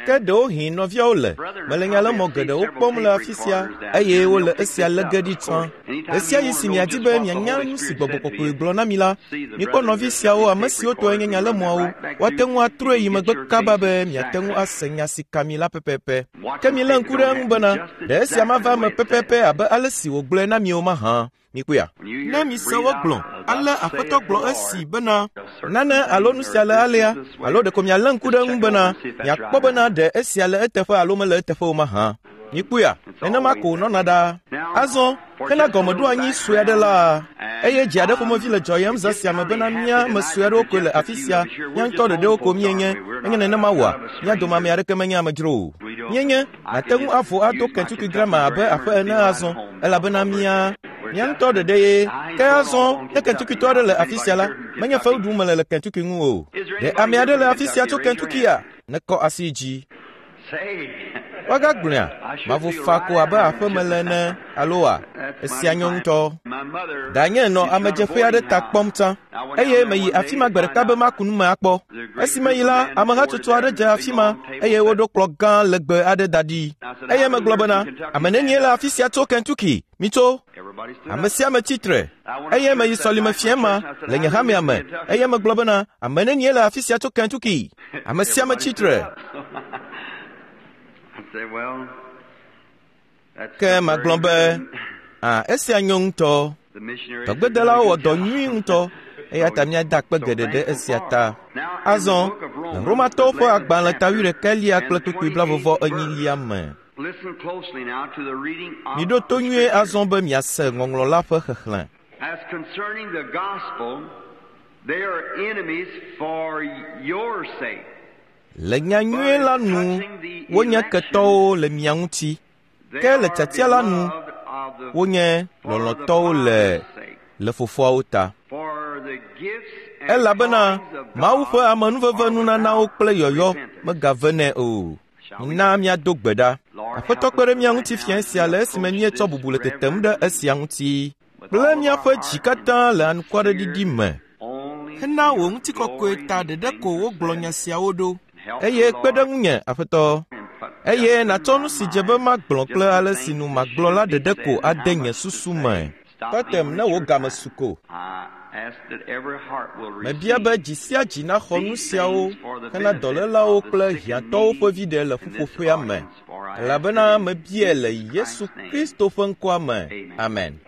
Ke ɖewohĩ nɔviawo le mele nyalemɔ geɖewo kpɔm le afi sia eye wole esia lé ge ɖi tsã. Ɣe sia ɣi si miadi be mianya nu si Gbɔgbɔ Kɔkɔe gblɔ na mi la, mikpɔ nɔvi siawo ame siwo tɔe nye nyalemɔawo, woate ŋu atrɔe yi megbe kaba be miate ŋu ase nya si ka mi la pɛpɛpɛ. Ke milé ŋku ɖe eŋu bena ɖe esia mava eme pɛpɛpɛ abe ale si wògblɔe na mi o mahã. Mikpɔea? Ne mise wogblɔ, ale Aƒetɔ gblɔ esi bena, nane alo nu sia le alea, alo ɖeko mialé ŋku ɖe eŋu bena miakpɔ bena ɖe esia le eteƒe alo mele eteƒe o mahã. Mikpɔea? Nenema ko wònɔna ɖaa. Azɔ, hena gɔmeɖoanyi sue aɖe la, eye dzi aɖe ƒomevi le dzɔyem zã sia me bena mía ame sue aɖewo koe le afi sia, mía ŋutɔ ɖeɖewo ko míenye. Menye nenema oa? Mía dome ame aɖeke menye amedzro o. Míenye Nàte ŋu avo ado Kentucky Grammar abe aƒe ene azɔ, elabena mía mía ŋutɔ ɖeɖe ye. Ke azɔ, ne Kentuckytɔ aɖe le afi sia la, menye fewu ɖum mele le Kentucky ŋu o. Ɖe ame aɖe le afi sia tso Kentuckya? Nekɔ asi dzi. Woagagblɔea? Mavo fa ko abe aƒe mele ene, aloa? Esia nyo ŋutɔ. Danye nɔ amedzeƒe aɖe ta kpɔm tsã, eye meyi afi ma gbe ɖeka be maku nu me akpɔ. Esi meyi la, amehatsotso aɖe dze afi ma eye woɖo kplɔ̃ gã legbe aɖe da ɖi. Eye megblɔ bena, Ame nenie le afi sia tso Kentucky? Mitso! Ame sia ame tsi tre. Eye meyi sɔlime fiẽ ma le nye hamea me eye megblɔ bena, Ame nenie le afi sia tso Kentucky? Ame sia ame tsi tre. Ke magblɔ be, a esia nyo ŋutɔ. Dɔgbedelawo wɔ dɔ nyui ŋutɔ eya ta míada akpe geɖe ɖe esia ta. Azɔ, le Romatɔwo ƒe agbalẽ ta wuiɖekɛlia kple kpukpui blaeve enyilia me. Miɖo to nyuie azɔ be miase ŋɔŋlɔ la ƒe xexlẽ. As concerning the gospel, they are enemies for your sake. Le nyanyui la nu wonye ketɔwo le mia ŋuti, ke le tiatia la nu wonye lɔlɔ̃tɔwo le le fofoawo ta. Elabena Mawu ƒe amenuveve nunanawo kple yɔyɔ megavenɛ o. Mina míado gbe ɖa. Aƒetɔ kpe ɖe mía ŋuti fiẽ sia le esime míetsɔ bubu le tetem ɖe esia ŋuti kple míaƒe dzi katã le anukwareɖiɖi me. Hena wò ŋutikɔkɔe ta ɖeɖe ko wogblɔ nya siawo ɖo. Eye kpe ɖe ŋunye, Aƒetɔ. Eye nàtsɔ nu si dze be magblɔ kple ale si nu magblɔ la ɖeɖe ko ade nye susu me. Tɔtem ne wò game su ko. Mebia be dzi sia dzi naxɔ nu siawo hena dɔlélawo kple hiãtɔwo ƒe viɖe le ƒuƒoƒea me, elabena mebiae le Yesu Kristo ƒe ŋkɔa me. Amen.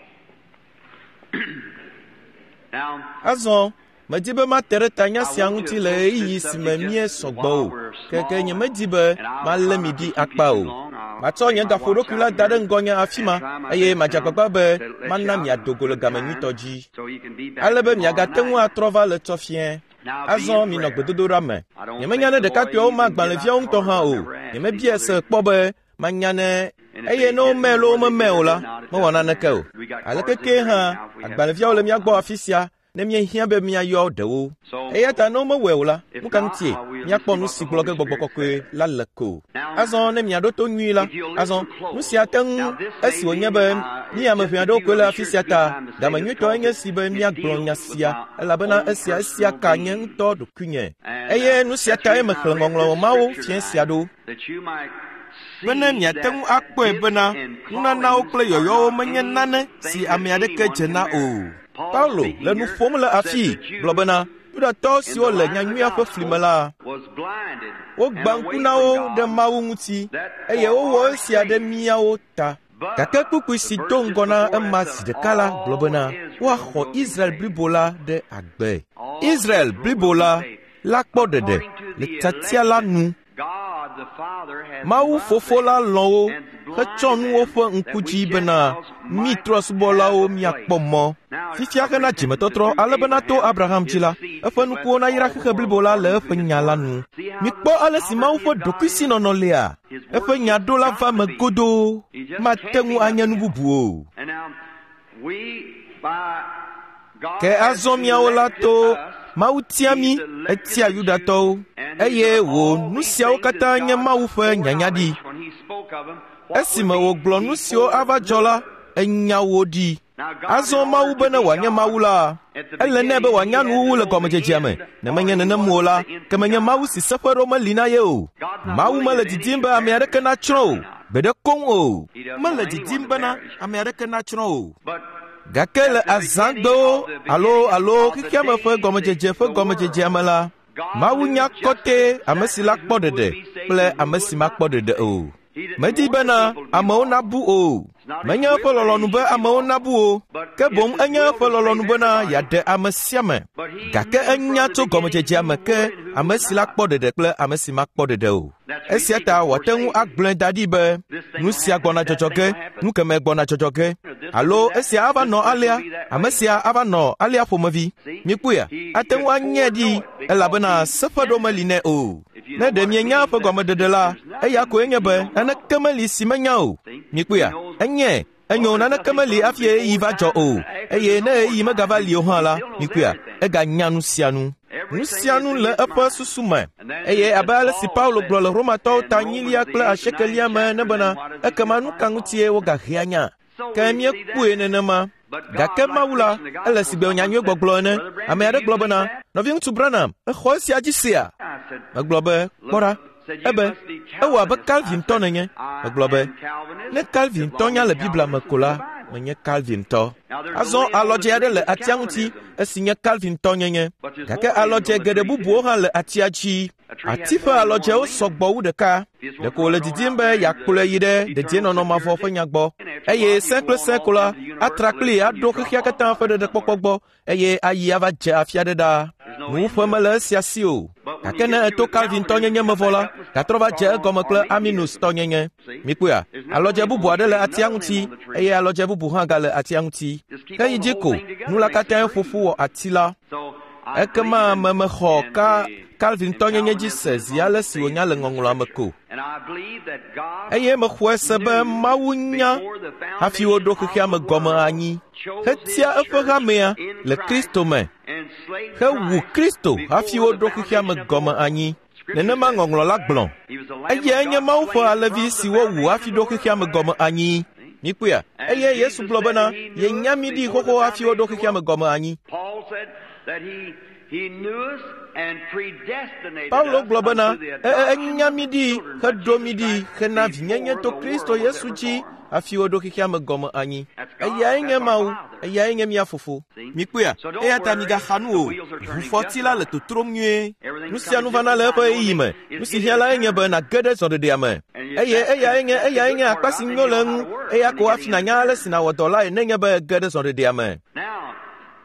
Azɔ, medi be mate ɖe tanya sia ŋuti le ɣeyiɣi si me míesɔ gbɔ o, keke nyemedi be malé mi ɖi akpa o. Matsɔ nye gaƒoɖokui la da ɖe ŋgɔnye afi ma eye madze agbagba be mana miado go le game nyuitɔ dzi, ale be miagate ŋu atrɔ va le tsɔ fiẽ. Azɔ minɔ gbedodoɖa me. Nyemenya ne ɖekakpuiawo ma agbalẽviawo ŋutɔ hã o. Nyemebiae se kpɔ be manya ne eye ne womee loo womemee o la, mewɔ naneke o. Aleke kee hã, agbalẽviawo le mía gbɔ afi sia ne míehiã be míayɔ ɖewo. Eya ta ne womewɔe o la, nu ka ŋutie míakpɔ nu si gblɔ ge Gbɔgbɔ Kɔkɔe la le ko? Azɔ ne miaɖo to nyuie la, azɔ nu sia te ŋu esi wònye be mí ame ʋɛ aɖewo koe le afi sia ta, game nyuitɔe nye esi be míagblɔ nya sia, elabena esia esia ka nye ŋutɔ ɖokuinye. Eye nu sia tae mexlẽ ŋɔŋlɔ mawo fiẽ sia ɖo. Bene miate ŋu akpɔe bena nunanawo kple yɔyɔwo menye nane si ame aɖeke dze na o. Paulo le nu ƒom le afii gblɔ bena Yudatɔ siwo le nyanyuia ƒe fli me la, wogbã ŋku na wo ɖe Mawu ŋuti eye wowɔ esia ɖe míawo ta. Gake kpukpui si do ŋgɔ na ema zi ɖeka la gblɔ bena woaxɔ Israel blibo la ɖe agbe. Israel blibo la la kpɔ ɖeɖe le tiatia la nu. Mawu Fofo la lɔ̃ wo hetsɔ nu woƒe ŋku dzi bena mí trɔ̃subɔlawo míakpɔ mɔ fifia hena dzimetɔtrɔ ale bena to Abraham dzi la, eƒe nukuwo nayra xexe blibo la le eƒe nya la nu. Mikpɔ ale si Mawu ƒe ɖokuisinɔnɔ lia. Eƒe nya ɖo la va me godoo. Mate ŋu anye nu bubu o. Ke azɔ miawo la to Mawu tia mí, etia Yudatɔwo, eye wò nu siawo katã nye Mawu ƒe nyanyaɖi. Esime wògblɔ nu siwo ava dzɔ la, enya wo ɖi. Azɔ Mawu bene wòanye Mawu la, ele nɛ be wòanya nuwuwu le gɔmedzedzea me. Ne menye nenem o la, ke menye Mawu si seƒe ɖo meli na ye o. Mawu mele didim be ame aɖeke natsrɔ̃ o, gbeɖe koŋ o. Mele didim bena ame aɖeke natsrɔ̃ o. Gake le azãgbewo alo xexeame ƒe gɔmedzedze ƒe gɔmedzedzea me la, Mawu nya kɔtɛ ame si la kpɔ ɖeɖe kple ame si makpɔ ɖeɖe o. Medi bena amewo nabu o. Menye eƒe lɔlɔ̃nu be amewo nabu o, ke boŋ enye eƒe lɔlɔ̃nu bena yeaɖe ame sia ame. Gake enya tso gɔmedzedzea me ke ame si la kpɔ ɖeɖe kple ame si makpɔ ɖeɖe o. Esia ta wòate ŋu agblɔe da ɖi be nu sia gbɔna dzɔdzɔ ge, nu kemɛ gbɔna dzɔdzɔ ge, alo esia ava nɔ alea, ame sia ava nɔ alea ƒomevi. Mikpɔea, ate ŋu anyae ɖi elabena seƒe ɖo meli nɛ o. Ne ɖe mienya eƒe gɔmeɖeɖe la, eya koe nye be naneke meli si menya o. Mikpɔea, enyae, enyo naneke meli hafi ɣeyiɣi va dzɔ o, eye ne ɣeyiɣi megava li o hã la, mikpɔea, eganya nu sia nu. Nu sia nu le eƒe susu me. Eye abe ale si Paulo gblɔ le Romatɔwo ta 8 kple 8 me ene bena, ekema nu ka ŋutie wogahea nya? Ke míekpɔe nenema. Gake Mawu la, ele sigbe nyanyui gbɔgblɔ ene. Ame aɖe gblɔ bena, nɔviŋutsu Branham, exɔ esia dzi sea? Megblɔ be, kpɔ ɖa. Ebe, ewɔ abe Calvintɔ nenye. Megblɔ be, ne Calvintɔ nya le Biblia me ko la, menye Calvintɔ. Azɔ alɔdze aɖe le atia ŋuti esi nye Calvintɔ nyenye. Gake alɔdze geɖe bubuwo hã le atia dzi. Ati ƒe alɔdzewo sɔgbɔ wu ɖeka. Ɖeko wòle didim be yeakplɔe yi ɖe dedienɔnɔ mavɔ ƒe nya gbɔ. Eye sẽ kple sẽ ko la, atra kplii aɖo xexea katã ƒe ɖeɖekpɔkpɔ gbɔ eye ayi ava dze afia ɖe ɖaa. Nuwuƒe mele esia si o. Gake ne eto Calvintɔ nyenye me vɔ la, gatrɔ va dze egɔme kple Arminiustɔ nyenye. Mikpɔea, alɔdze bubu aɖe le atia ŋuti eye alɔdze bubu hã gale atia ŋuti. Ke yi dzi ko, nu la katãe ƒo ƒu wɔ ati la. Ekema mexɔ Calvintɔ nyenye dzi se zi ale si wònya le ŋɔŋlɔa me ko. Eye mexɔe se be Mawu nya hafi woɖo xexea me gɔme anyi, hetia eƒe hamea le Kristo me, hewu Kristo hafi woɖo xexea me gɔme anyi. Nenema ŋɔŋlɔ la gblɔ. Eyae nye Mawu ƒe alẽvi si wowu hafi ɖo xexea me gɔme anyi. Mikpɔea, eye Yesu gblɔ bena yenya mí ɖi xoxo hafi woɖo xexea me gɔme anyi. Paulo gblɔ bena enya mí ɖi heɖo mí ɖi hena vinyenye to Kristo Yesu dzi hafi woɖo xexea me gɔme anyi. Eyae nye Mawu, eyae nye mía fofo. Mikpɔea, eya ta migaxa nu o. Ʋufɔti la le totrom nyuie. Nu sia nu vana le eƒe ɣeyiɣi me. Nu si hiã lae nye be nàge ɖe zɔɖeɖea me. Eye eyae nye akpa si nyo le eŋu. Eya ko hafi nànya ale si nàwɔ dɔ lae nenye be ège ɖe zɔɖeɖea me.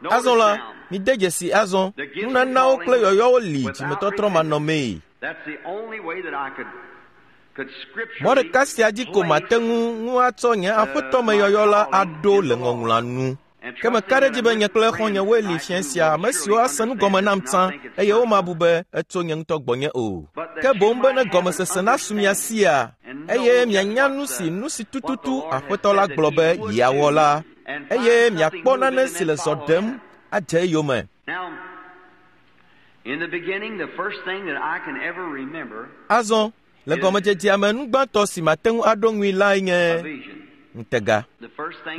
Azɔ la, mide dzesi azɔ, nunanawo kple yɔyɔwo li dzimetɔtrɔ manɔmee. Mɔ ɖeka sia dzi ko mate ŋu atsɔ nye aƒetɔ me yɔyɔ la aɖo le ŋɔŋlɔa nu. Ke meka ɖe edzi be nye kple xɔ̃nyewoe li fiẽ sia, ame siwo ase nu gɔme nam tsã eye womabu be etso nye ŋutɔ gbɔnye o. Ke boŋ be ne gɔmesese nasu mia sia, eye mianya nu si tututu Aƒetɔ la gblɔ be yeawɔ la, eye miakpɔ nane si le zɔ ɖem adze eyome. Azɔ, le gɔmedzedzea me nu gbãtɔ si mate ŋu aɖo ŋui lae nye ŋutega.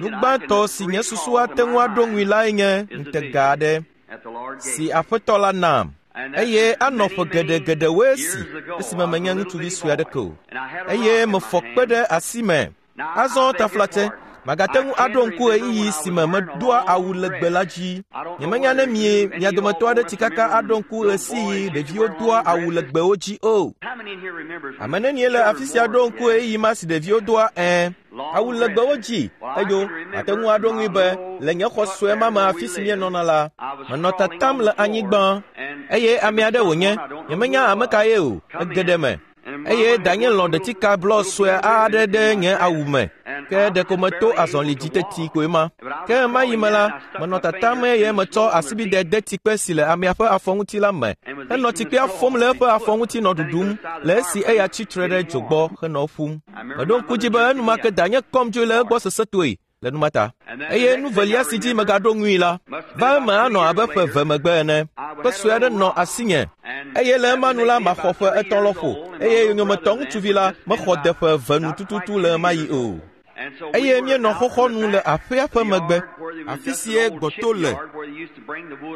Nu gbãtɔ si nye susu ate ŋu aɖo ŋui lae nye ŋutega aɖe si Aƒetɔ la nam. Eye anɔ ƒe geɖegeɖewoe si esime menye ŋutsuvi sue aɖeke o. Eye mefɔ kpe ɖe asi me. Azɔ taflatse, magate ŋu aɖo ŋku ɣeyiɣi si me medoa awu legbe la dzi. Nyemenya ne mia dometɔ aɖe tsi kaka aɖo ŋku ɣesiɣi ɖeviwo doa awu legbewo dzi o. Ame nenie le afi sia ɖo ŋku ɣeyiɣi ma si ɖeviwo doa awu legbewo dzi? Enyo, mate ŋu aɖo ŋui be le nye xɔ sue ma me afi si míenɔna la, menɔ tatam le anyigba eye ame aɖe wònye, nyemenya ame ka ye o, ege ɖe eme. Eye danye lɔ̃ ɖetika blɔ sue aɖe ɖe nye awu me, ke ɖeko meto azɔli dzi teti koe ma. Ke ma yi me la, menɔ tatam eye metsɔ asibide de tsikpe si le amea ƒe afɔ ŋuti la me, henɔ tsikpea fom le eƒe afɔ ŋuti nɔ ɖuɖum le esi eya tsitre ɖe dzo gbɔ henɔ ƒum. Meɖo ŋku dzi be enumake danye kɔm dzoe le egbɔ sesẽtoe le numa ta. Eye nu velia si dzi megaɖo ŋui la, va eme anɔ abe ƒe 2 megbe ene. Kpe sue aɖe nɔ asinye. Eye le ema nu la maxɔ ƒe 3 lɔƒo, eye yonyometɔ ŋutsuvi la mexɔ de ƒe 2 nu tututu le ɣemaɣi o. Eye míenɔ xɔxɔnu le aƒea ƒe megbe, afi sie gbɔto le,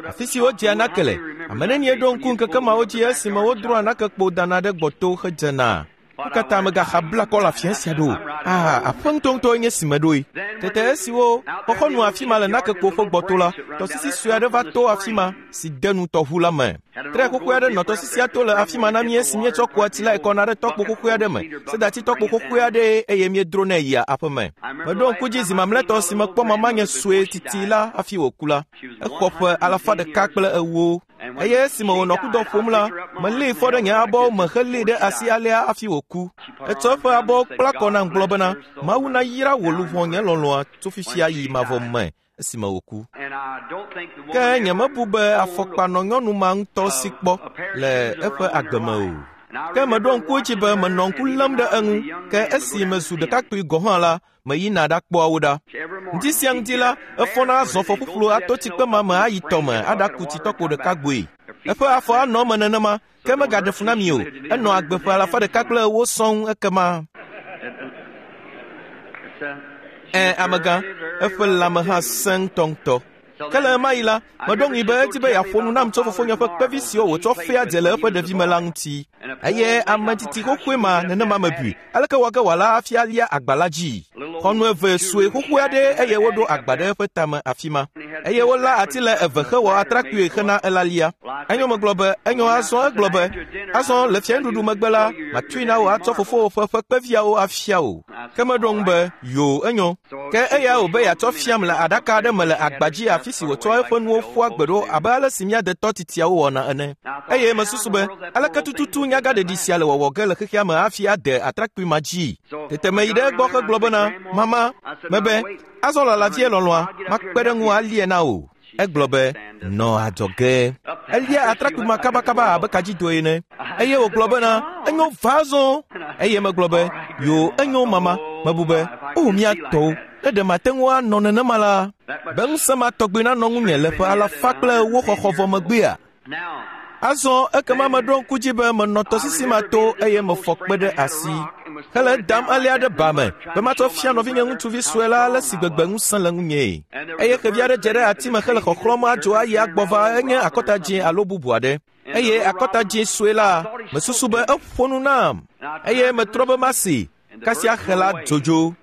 afi si wodzea nake le. Ame nenie ɖo ŋku ŋkeke mawo dzi esime wodroa nakekpo dana ɖe gbɔto hedzena? Nu ka ta megaxa bla kɔ le afia sia ɖo? Ah, aƒe ŋutɔŋutɔe nye si meɖoe. Tete esiwo xɔxɔnu afi ma le nakekpo ƒe gbɔto la, tɔsisi sue aɖe va to afi ma si de nu tɔʋu la me. Tre xoxoe aɖe nɔ tɔsisia to le afi ma na mí esi míetsɔ kua tsi lae kɔna ɖe tɔkpo xoxoe aɖe me, sedati tɔkpo xoxoe aɖee eye míedronɛ yia aƒe me. Meɖo ŋku dzi zi mamlɛtɔ si mekpɔ mamanye sue titi la hafi wòku la. Exɔ ƒe 140. Eye esime wònɔ kudɔ ƒom la, melée fɔ ɖe nye abɔwo me helée ɖe asi alea hafi wòku. Etsɔ eƒe abɔwo kpla kɔ nam gblɔ bena, Mawu nayra wò luʋɔ nye lɔlɔ̃a tso fifia yi mavɔ me esime wòku. Ke nyemebu be afɔkpa nɔ nyɔnu ma ŋutɔ si kpɔ le eƒe agbe me o. Ke meɖo ŋku edzi be menɔ ŋku lém ɖe eŋu, ke esi mezu ɖekakpui gɔ̃ hã la, meyina ɖakpɔa wo ɖa. Ŋdi sia ŋdi la, efɔna azɔ fɔ ƒuƒlu ato tsikpe ma me ayi tɔme aɖaku tsitɔkpo ɖeka gboe. Eƒe afɔ anɔ eme nenema, ke megaɖe fu na mi o. Enɔ agbe ƒe 140 sɔŋ ekema. Amegã, eƒe lãme hã sẽ ŋutɔŋutɔ. Ke le ɣemaɣi la, meɖo ŋui be edi be yeaƒo nu nam tso fofonye ƒe kpevi siwo wòtsɔ fea dze le eƒe ɖevime la ŋuti. Eye ame tsitsi xoxoe ma nenema mebui. Aleke wɔ ge wòala hafi alia agba la dzi? Xɔnu eve sue xoxoe aɖee eye woɖo agba ɖe eƒe tame afi ma. Eye wolã ati le eve hewɔ atrakpui hena elalia. Enyo megblɔ be, enyo azɔ egblɔ be, azɔ le fianuɖuɖu megbe la, matui na wò atsɔ fofowò ƒe kpeviawo afia wò. Ke meɖo ŋu be, yoo, enyo. Ke eya wò be yeatsɔ fiam le aɖaka aɖe me le agba dzi afi si wòtsɔ eƒe nuwo ƒua gbe ɖo abe ale si mía detɔ titiawo wɔna ene. Eye mesusu be, aleke tututu nyagaɖeɖi sia le wɔwɔ ge le xexea me hafi ade atrakpui ma dzi? Tete meyi ɖe egbɔ hegblɔ bena, mama, mebe, azɔ lala vie lɔlɔ̃a, makpe ɖe ŋu alie na wò. Egblɔ be, nɔ adzɔge. Elia atrakpui ma kabakaba abe kadzidoe ene. Eye wògblɔ bena, enyo va azɔ. Eye megblɔ be, yo, enyo mama. Mebu be, o mía tɔwo, ne ɖe mate ŋu anɔ nenema la, be ŋusẽ ma tɔgbi nanɔ ŋunye le ƒe 140 xɔxɔ vɔ megbea? Azɔ ekema meɖo ŋku dzi be menɔ tɔsisi ma to eye mefɔ kpe ɖe asi hele edam alea ɖe ba me be matsɔ fia nɔvinye ŋutsuvi sue la ale si gbegbe ŋusẽ le ŋunyee. Eye xevi aɖe dze ɖe ati me hele xɔxlɔ̃m adzo ayi agbɔ va enye akɔta dzĩ alo bubu aɖe. Eye akɔta dzĩ sue la, mesusu be eƒo nu nam eye metrɔ be masi kasia xe la dzodzo.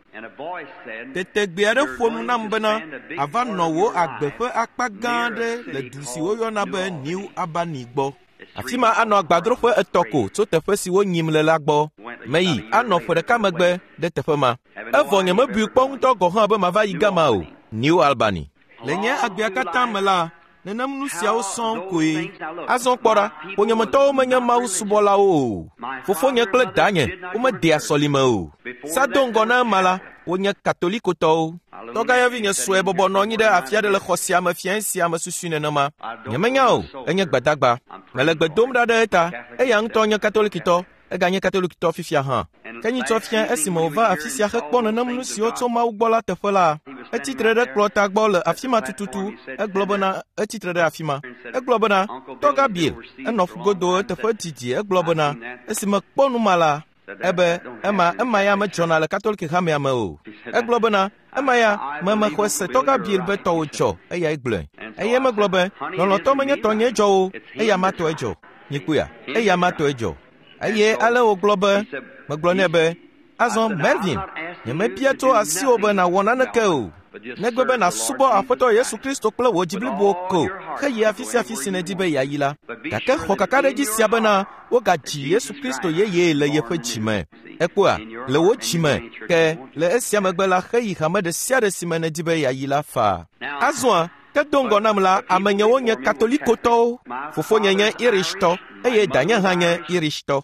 Tete gbe aɖe ƒo nu nam bena, ava nɔ wò agbe ƒe akpa gã aɖe le du si woyɔna be New Albany gbɔ. Afi ma anɔ agbadroƒe etɔ̃ ko tso teƒe si wonyim le la gbɔ. Meyi anɔ ƒe ɖeka megbe ɖe teƒe ma. Evɔ nyemebui kpɔ ŋutɔ gɔ̃ hã be mava yi gama o, New Albany. Le nye agbea katã me la, nenem nu siawo sɔŋ koe. Azɔ kpɔ ɖa, ƒonyemetɔwo menye Mawu subɔlawo o. Fofonye kple danye womedea sɔlime o. Sa do ŋgɔ na ema la, wonye Katolikotɔwo. Tɔgãyɔvinye sue bɔbɔ nɔ anyi ɖe afi aɖe le xɔ sia me fiẽ sia me susui nenema. Nyemenya o, enye gbadagba. Mele gbe dom ɖa ɖe eta. Eya ŋutɔ nye Katolikitɔ, eganye Katolikitɔ fifia hã. Ke nyitsɔ fia esime wòva afi sia hekpɔ nenem nu siwo tso Mawu gbɔ la teƒe la, etsi tre ɖe kplɔ̃ta gbɔ le afi ma tututu. Egblɔ bena, etsi tre ɖe afi ma. Egblɔ bena, Tɔgã Bill, enɔ ƒugodo eteƒe didi. Egblɔ bena, esime kpɔ nu ma la, ebe, ema ya medzɔna le Katoliki hamea me o. Egblɔ bena, ema ya mexɔe se Tɔgã Bill be tɔwò dzɔ, eyae gblɔe. Eye megblɔ be, lɔlɔ̃tɔ menye tɔnyee dzɔ o, eya ma tɔe dzɔ. Nyikpuia, eya ma tɔe dzɔ. Eye ale wògblɔ be, megblɔ nɛ be, azɔ Melvin, nyemebia tso asiwò be nàwɔ naneke o, negbe be nàsubɔ Aƒetɔ Yesu Kristo kple wò dzi blibo ko heyi afi sia afi si nèdi be yeayi la. Gake xɔ kakaɖedzi sia bena wogadzi Yesu Kristo yeye le yeƒe dzi me. Ekpɔa, le wò dzi me, ke le esia megbe la heyi hame ɖe sia ɖe si me nèdi be yeayi la faa. Azɔa, ke do ŋgɔ nam la, amenyewo nye Katolikotɔwo. Fofonye nye Irishtɔ, eye danye hã nye Irishtɔ.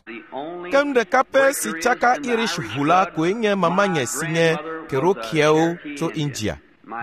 Ke nu ɖeka pɛ si tsaka Irish ʋu la koe nye mamanye si nye Kerokiawo tso India.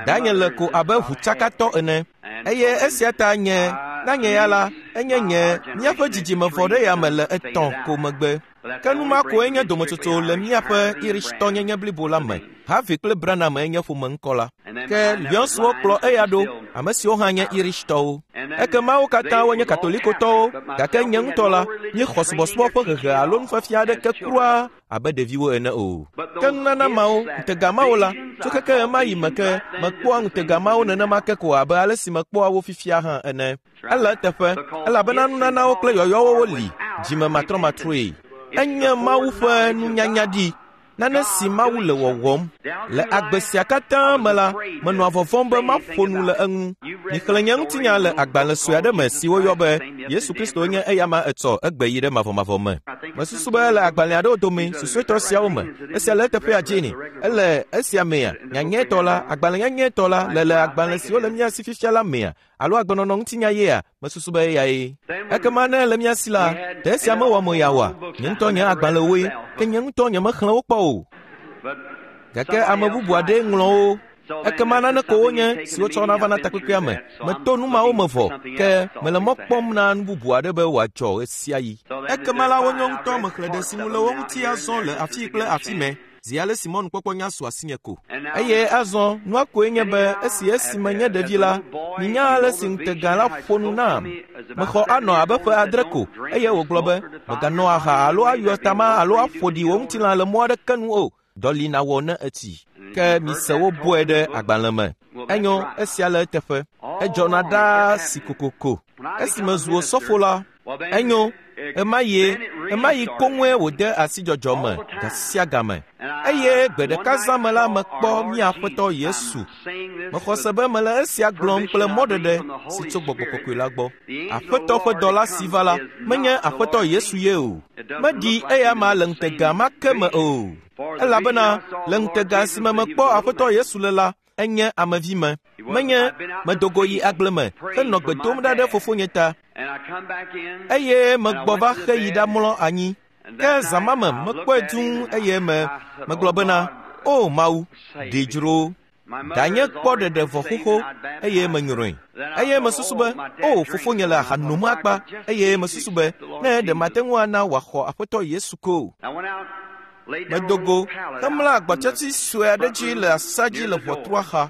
Danye le ko abe ʋutsakatɔ ene. Eye esia ta nye, na nye ya la, enye nye, míaƒe dzidzime vɔ ɖe ya me le etɔ̃ ko megbe. Ke nu ma koe nye dometsotso le míaƒe Irishtɔnyenye blibo la me. Harvey kple Branham enye ƒome ŋkɔ la. Ke Lyonswo kplɔ eya ɖo. ame siwo hã nye Irishtɔwo. Ekema wo katã wonye Katolikotɔwo, gake nye ŋutɔ la, míexɔ subɔsubɔ ƒe hehe alo nufiafia aɖeke kura abe ɖeviwo ene o. Ke nunana mawo, ŋutega mawo la, tso keke ɣemaɣi me ke mekpɔa ŋutega mawo nenema ke ko abe ale si mekpɔa wo fifia hã ene. Ele eteƒe, elabena nunanawo kple yɔyɔwo woli, dzime matrɔmatrɔe. Enye Mawu ƒe nunyanya ɖi, nane si Mawu le wɔwɔm. Le agbe sia katã me la, menɔa vɔvɔ̃m be maƒo nu le eŋu. Mixlẽ nye ŋutinya le agbalẽ sue aɖe me si woyɔ be Yesu Kristo nye eyama etsɔ egbe yi ɖe mavɔmavɔ me. Mesusu be le agbalẽ aɖewo dome, susuetɔ siawo me, esia le eteƒea Jenny, ele esia mea, nyanyɛtɔ la, agbalẽ nyanyɛtɔ la le le agbalẽ siwo le mía si fifia la mea, alo agbenɔnɔ ŋutinya yea, mesusu be eyae. Ekema ne ele mía si la, ɖe esia mewɔ mo ya oa? Nye ŋutɔ nye agbalẽwoe, ke nye ŋutɔ nyemexlẽ wo kpɔ o. Gake ame bubu aɖee ŋlɔ wo. Ekema nane ko wonye si wotsɔna vana takpekpea me. Meto nu mawo me vɔ, ke mele mɔ kpɔm na nu bubu aɖe be wòadzɔ ɣesiaɣi. Ekema la wonyo ŋutɔ mexlẽ ɖe si ŋu le wo ŋuti azɔ le afii kple afi mɛ, zi ale si mɔnukpɔkpɔ nya su asinye ko. Eye azɔ, nua koe nye be esi esime nye ɖevi la, minya ale si ŋutega la ƒo nu nam. Mexɔ anɔ abe ƒe 7 ko, eye wògblɔ be, mèganɔ aha alo ayɔ tama alo aƒo ɖi wò ŋutilã le mɔ aɖeke nu o. Dɔ li nawɔ ne etsi. Ke mise wobɔe ɖe agbalẽ me. Enyo, esia le eteƒe. Edzɔna ɖaa si kokoko. Esime zu osɔfo la, enyo, ɣemaɣi koŋue wòde asi dzɔdzɔ me ga sia game. Eye gbe ɖeka zã me la mekpɔ mía Aƒetɔ Yesu. Mexɔ se be mele esia gblɔm kple mɔɖeɖe si tso Gbɔgbɔ Kɔkɔe la gbɔ. Aƒetɔ ƒe dɔla si va la, menye Aƒetɔ Yesu ye o. Meɖi eyama le ŋutega ma ke me o. Elabena le ŋutega si me mekpɔ Aƒetɔ Yesu le la, enye amevi me. Menye medogo yi agble me henɔ gbe dom ɖa ɖe fofonye ta. Eye megbɔ va xe yi ɖamlɔ anyi. Ke zã ma me mekpɔe dũu eye me megblɔ bena, O Mawu, ɖi dzro. Danye kpɔ ɖeɖe vɔ xoxo eye menyrɔe. Eye mesusu be, O fofonye le aha nom akpa. Eye mesusu be, ne ɖe mate ŋu ana wòaxɔ Aƒetɔ Yesu ko. Medogo hemlɔ agbatsatsi sue aɖe dzi le asa dzi le ʋɔtrua xa.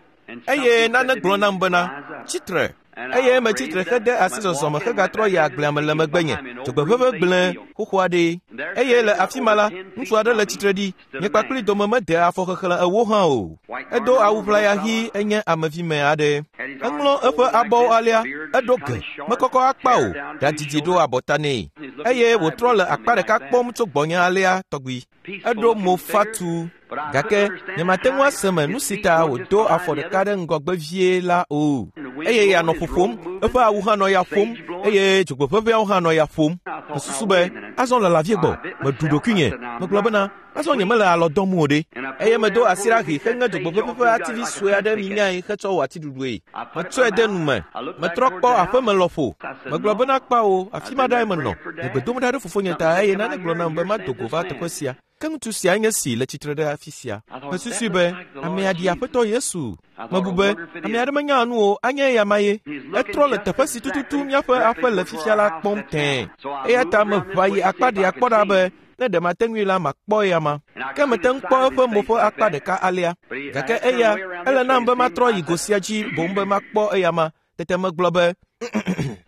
Eye nane gblɔ nam bena, tsitre. Eye metsitre hede asi zɔzɔme hegatrɔ yi agblea me le megbenye. Dzogbeʋeʋe gblẽ xoxo aɖee. Eye le afi ma la, ŋutsu aɖe le tsitre ɖi. Nye kpakpli dome mede afɔ xexlẽ 40 hã o. Edo awu ʋlaya ɣi enye amevime aɖe. Eŋlɔ eƒe abɔwo alea, eɖo ge, mekɔkɔ akpa o, ɖadidi ɖo abɔta nɛ. Eye wòtrɔ le akpa ɖeka kpɔm tso gbɔnye alea tɔgbi. Eɖo mo fatu, gake nyemate ŋu ase me nu si ta wòdo afɔ ɖeka ɖe ŋgɔgbe vie la o. Eye ya nɔ ƒoƒom, eƒe awu hã nɔ ya ƒom, eye dzogbeʋeʋeawo hã nɔ ya ƒom. Mesusu be, azɔ lala vie gbɔ, meɖu ɖokuinye. Megblɔ bena, azɔ nyemele alɔ dɔm o ɖe. Eye medo asi ɖa ʋi heŋe dzogbeʋeʋe ƒe ativi sue aɖe minyae hetsɔ wɔ atiɖuɖue. Metsɔe de nu me. Metrɔ kpɔ aƒeme lɔƒo. Megblɔ bena kpawo, afi ma ɖae menɔ. Le gbe dom ɖa ɖe fofonye ta eye nane gblɔ nam be mado go va teƒe sia. Ke ŋutsu sia nye si le tsitre ɖe afi sia. Mesusui be, amea ɖi Aƒetɔ Yesu. Mebu be, ame aɖe menya nu o, anye eya ma ye. Etrɔ le teƒe si tututu míaƒe aƒe le fifia la kpɔm tẽe. Eya ta meʋã yi akpa ɖea kpɔ ɖa be ne ɖe mate ŋui la makpɔ eya ma. Ke mete ŋu kpɔ eƒe mo ƒe akpa ɖeka alea. Gake eya, ele nam be matrɔ yi go sia dzi boŋ be makpɔ eya ma. Tete megblɔ be,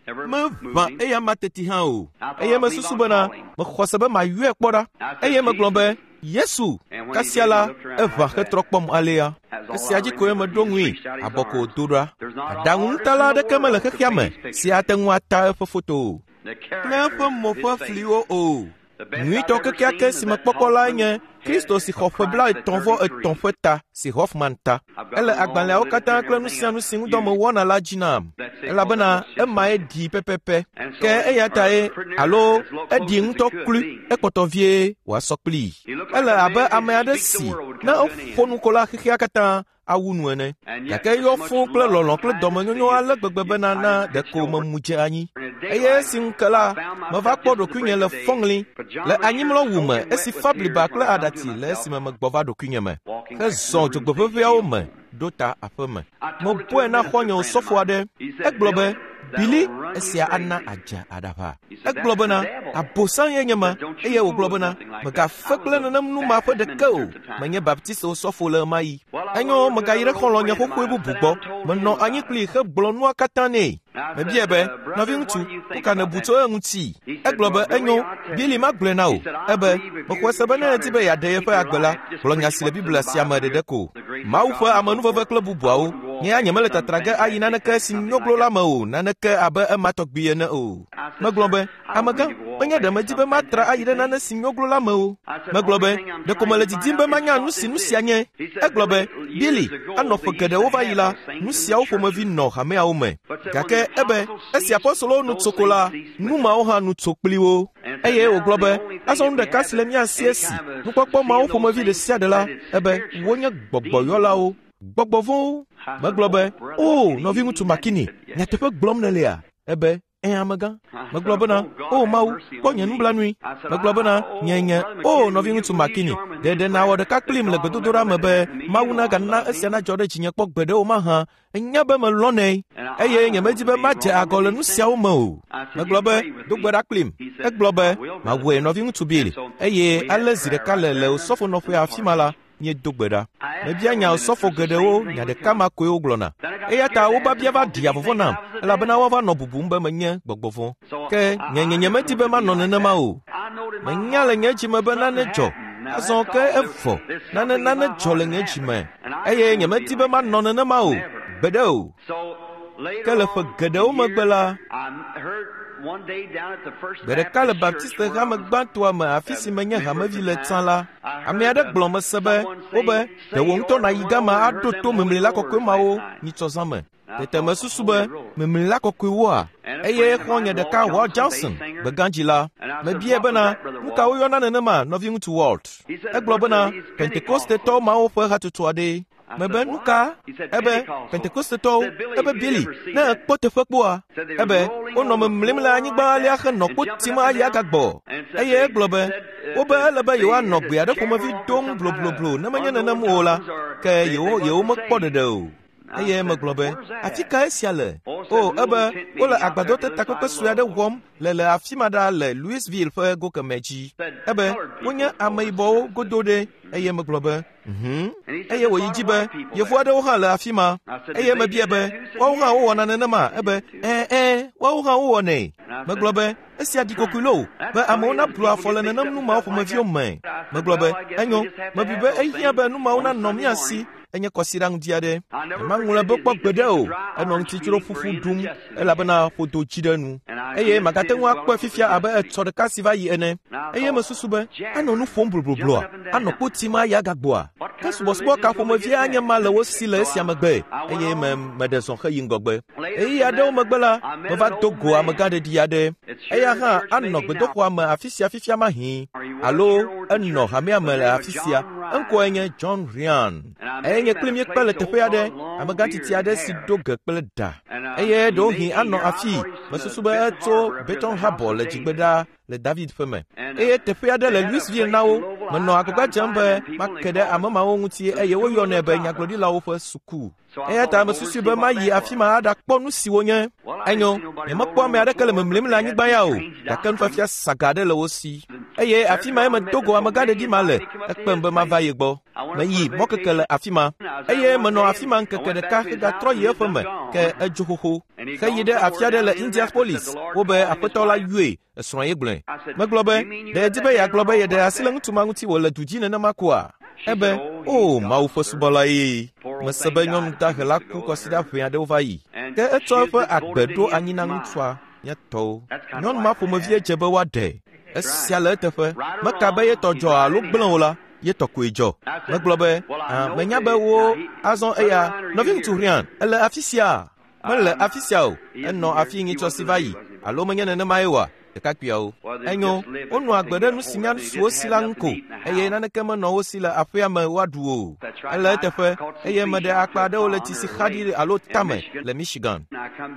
meʋã eya ma teti hã o. Eye mesusu bena, mexɔ se be mayɔe kpɔ ɖa. Eye megblɔ be, Yesu, kasia la, eʋã hetrɔ kpɔm alea. Esia dzi koe meɖo ŋui, abɔ ko wòdo ɖa. Aɖaŋunutala aɖeke mele xexea me si ate ŋu ata eƒe foto o. Kple eƒe mo ƒe fliwo o. Nyuitɔ kekeake si mekpɔkpɔ lae nye Kristo si xɔ ƒe 33 ƒe ta si Hoffman ta. Ele agbalẽawo katã kple nu sia nu si ŋudɔ mewɔna la dzi nam, elabena emae ɖi pɛpɛpɛ. Ke eya tae alo eɖi ŋutɔ klui, ekpɔtɔ vie wòasɔ kplii. Ele abe ame aɖe si ne eƒo nu ko la xexea katã awu nu ene. Gake eyɔ fũu kple lɔlɔ̃ kple dɔmenyonyo ale gbegbe bena na ɖeko memu dze anyi. Eye esi ŋu ke la, meva kpɔ ɖokuinye le fɔŋli le anyimlɔwu me esi fa bliba kple aɖatsi le esime megbɔ va ɖokuinye me hezɔ dzogbeʋeʋeawo me. ɖo ta aƒeme. Mebɔe na xɔ̃nye osɔfo aɖe. Egblɔ be, Bili, esia ana adze aɖaʋa. Egblɔ bena, Abosam ye nye ma, eye wògblɔ bena, Mègafe kple nenem nu ma ƒe ɖeke o. Menye Baptist osɔfo le ɣemaɣi. Enyo, megayi ɖe xɔlɔ̃nye xoxoe bubu gbɔ. Menɔ anyi kplii hegblɔ nua katã nɛ. Mebiae be, Nɔviŋutsu, nu ka nèbu tso eŋuti? Egblɔ be, Enyo, Bili magblɔe na wò. Ebe, Mexɔe se be ne èdi be yeaɖe yeƒe agbe la, gblɔ nya si le Biblia sia me ɖeɖe ko. Mawu ƒe amenuveve kple bubuawo. Nye ya nyemele tatra ge ayi naneke si nyoglo la me o, naneke abe ema tɔgbi ene o. Megblɔ be, Amegã, menye ɖe medi be matra ayi ɖe nane si nyoglo la me o. Megblɔ be, Ɖeko mele didim be manya nu si nu sia nye. Egblɔ be, Billy, anɔ ƒe geɖewo va yi la, nu siawo ƒomevi nɔ hameawo me. Gake ebe, esi apɔstolowo nu tso ko la, nu mawo hã nu tso kpli wo. Eye wògblɔ be, azɔ nu ɖeka si le mía si esi, nukpɔkpɔ mawo ƒomevi ɖe sia ɖe la, ebe wonye gbɔgbɔyɔlawo, gbɔgbɔ vɔ̃wo. Megblɔ be, O, nɔviŋutsu McKinney, nyateƒe gblɔm nèlea? Ebe, Ẽ, amegã. Megblɔ bena, O Mawu, kpɔ nye nublanui. Megblɔ bena, Nye nye, O nɔviŋutsu McKinney, ɖe ɖe nàwɔ ɖeka kplim le gbedodoɖa me be Mawu nagana esia nadzɔ ɖe dzinye kpɔ gbeɖe o mahã? Ènya be melɔ̃nɛ, eye nyemedi be madze agɔ le nu siawo me o. Megblɔ be, Do gbe ɖa kplim. Egblɔ be, Mawɔe, nɔviŋutsu Bill. Eye ale zi ɖeka le le osɔfonɔƒea afi ma la, míedo gbe ɖa. Mebia nya osɔfo geɖewo, nya ɖeka ma koe wogblɔna. Eya ta wo biabia va ɖia vɔvɔ̃ nam, elabena woava nɔ bubum be menye gbɔgbɔ vɔ̃. Ke nye nye nyemedi be manɔ nenema o. Menya le nye dzi me be nane dzɔ. Azɔ ke evɔ. Nane nane dzɔ le nye dzi me. Eye nyemedi be manɔ nenema o. Gbeɖe o. Ke le ƒe geɖewo megbe la, gbe ɖeka le Baptiste hame gbãtɔa me afi si menye hamevi le tsã la, ame aɖe gblɔ mese be, wobe, ɖe wò ŋutɔ nàyi gama aɖo to memlila kɔkɔe mawo nyitsɔ zã me. Tete mesusu be, memlila kɔkɔewoa? Eye xɔ̃nye ɖeka Walt Johnson, gbegãdzi la, mebiae bena, nu ka woyɔna nenema, nɔviŋutsu Walt? Egblɔ bena, Pentekostetɔ mawo ƒe hatsotso aɖee. Mebe, nu ka? Ebe, Pentekostetɔwo, ebe Billy, ne èkpɔ teƒe kpɔa? Ebe, wonɔ memlim le anyigba alea henɔ kpo tim ayi agagbɔ. Eye egblɔ be, wobe ele be yewoanɔ gbe aɖe ƒomevi dom blobloblo ne menye nenem o la, ke yewo yewo mekpɔ ɖeɖe o. Eye megblɔ be, afi ka esia le? O, ebe wole agbadɔ te takpekpe sue aɖe wɔm le le afi ma ɖa le Louisville ƒe go kemɛ dzi. Ebe, wonye ameyibɔwo godo ɖe. Eye megblɔ be, Eye wòyi dzi be, yevu aɖewo hã le afi ma. Eye mebia be, woawo hã wowɔna nenema? Ebe, ɛ̃, ɛ̃, woawo hã wowɔnɛ. Megblɔ be, esia ɖi kokoe loo, be amewo nablu afɔ le nenem nu mawo ƒomeviwo me. Megblɔ be, enyo, mebui be ehiã be nu mawo nanɔ mía si. Enye kɔsiɖa ŋdi aɖe. Nyemaŋlɔe be kpɔ gbeɖe o. Enɔ ŋutitsro ƒuƒu ɖum elabena ƒodo dzi ɖe enu. Eye magate ŋu akpɔe fifia abe etsɔ ɖeka si va yi ene. Eye mesusu be, anɔ nu ƒom bloblobloa? Anɔ kpo tim ayi agagbɔa? Ke subɔsubɔ ka ƒomevie anye ma le wo si le esia megbe? Eye me, meɖe zɔ heyi ŋgɔgbe. Ɣeyiɣi aɖewo megbe la, meva do go amegãɖeɖi aɖe. Eya hã anɔ gbedoxɔa me afi sia fifia mahĩ, alo enɔ hamea me le afi sia. Eŋkɔe nye John Ryan. Eye nye kpli míekpe le teƒe aɖe, amegãtsitsi aɖe si ɖo ge kple ɖa. Eye ɖewohĩ anɔ afii, mesusu be etso Beton Habor le dzigbe ɖaa le David ƒe me. Eye teƒe aɖe le Louisville na wo. Menɔ agbagba dzem be make ɖe ame mawo ŋuti eye woyɔnɛ be nyagblɔɖilawo ƒe suku. Eya ta mesusui be mayi afi ma aɖakpɔ nu si wonye. Enyo, nyemekpɔ ame aɖeke le memlim le anyigba ya o, gake nufiafia saga aɖe le wo si. Eye afi mae medo go amegãɖeɖi ma le, ekpem be mava ye gbɔ. Meyi mɔkeke le afi ma, eye menɔ afi ma ŋkeke ɖeka hegatrɔ yi eƒe me, ke edzo xoxo. Heyi ɖe afi aɖe le Indianapolis, wobe aƒetɔ la yɔe, esrɔ̃ ye gblɔe. Megblɔ be, ɖe yedi be yeagblɔ be yeɖe asi le ŋutsu ma ŋuti wòle du dzi nenema koa? Ebe, O, Mawu ƒe subɔla ye. Mese be nyɔnu dahe la ku kɔsiɖa ʋɛ aɖewo va yi. Ke etsɔ eƒe agbe ɖo anyi na ŋutsua, nye tɔwo. Nyɔnu ma ƒomevie dze be woaɖe. Esia le eteƒe. Meka be ye tɔ dzɔ alo gblẽ o la, ye tɔ koe dzɔ. Megblɔ be, ah, menya be wo azɔ eya, nɔviŋutsu Ryan, ele afi sia? Mele afi sia o. Enɔ afi nyitsɔ si va yi, alo menye nenemae oa? Ɖekakpuiawo. Enyo, wonɔ agbe ɖe nu si nya su wo si la ŋu ko, eye naneke menɔ wo si le aƒea me woaɖu o. Ele eteƒe, eye meɖe akpa aɖewo le tsi si xa ɖi alo tame le Michigan.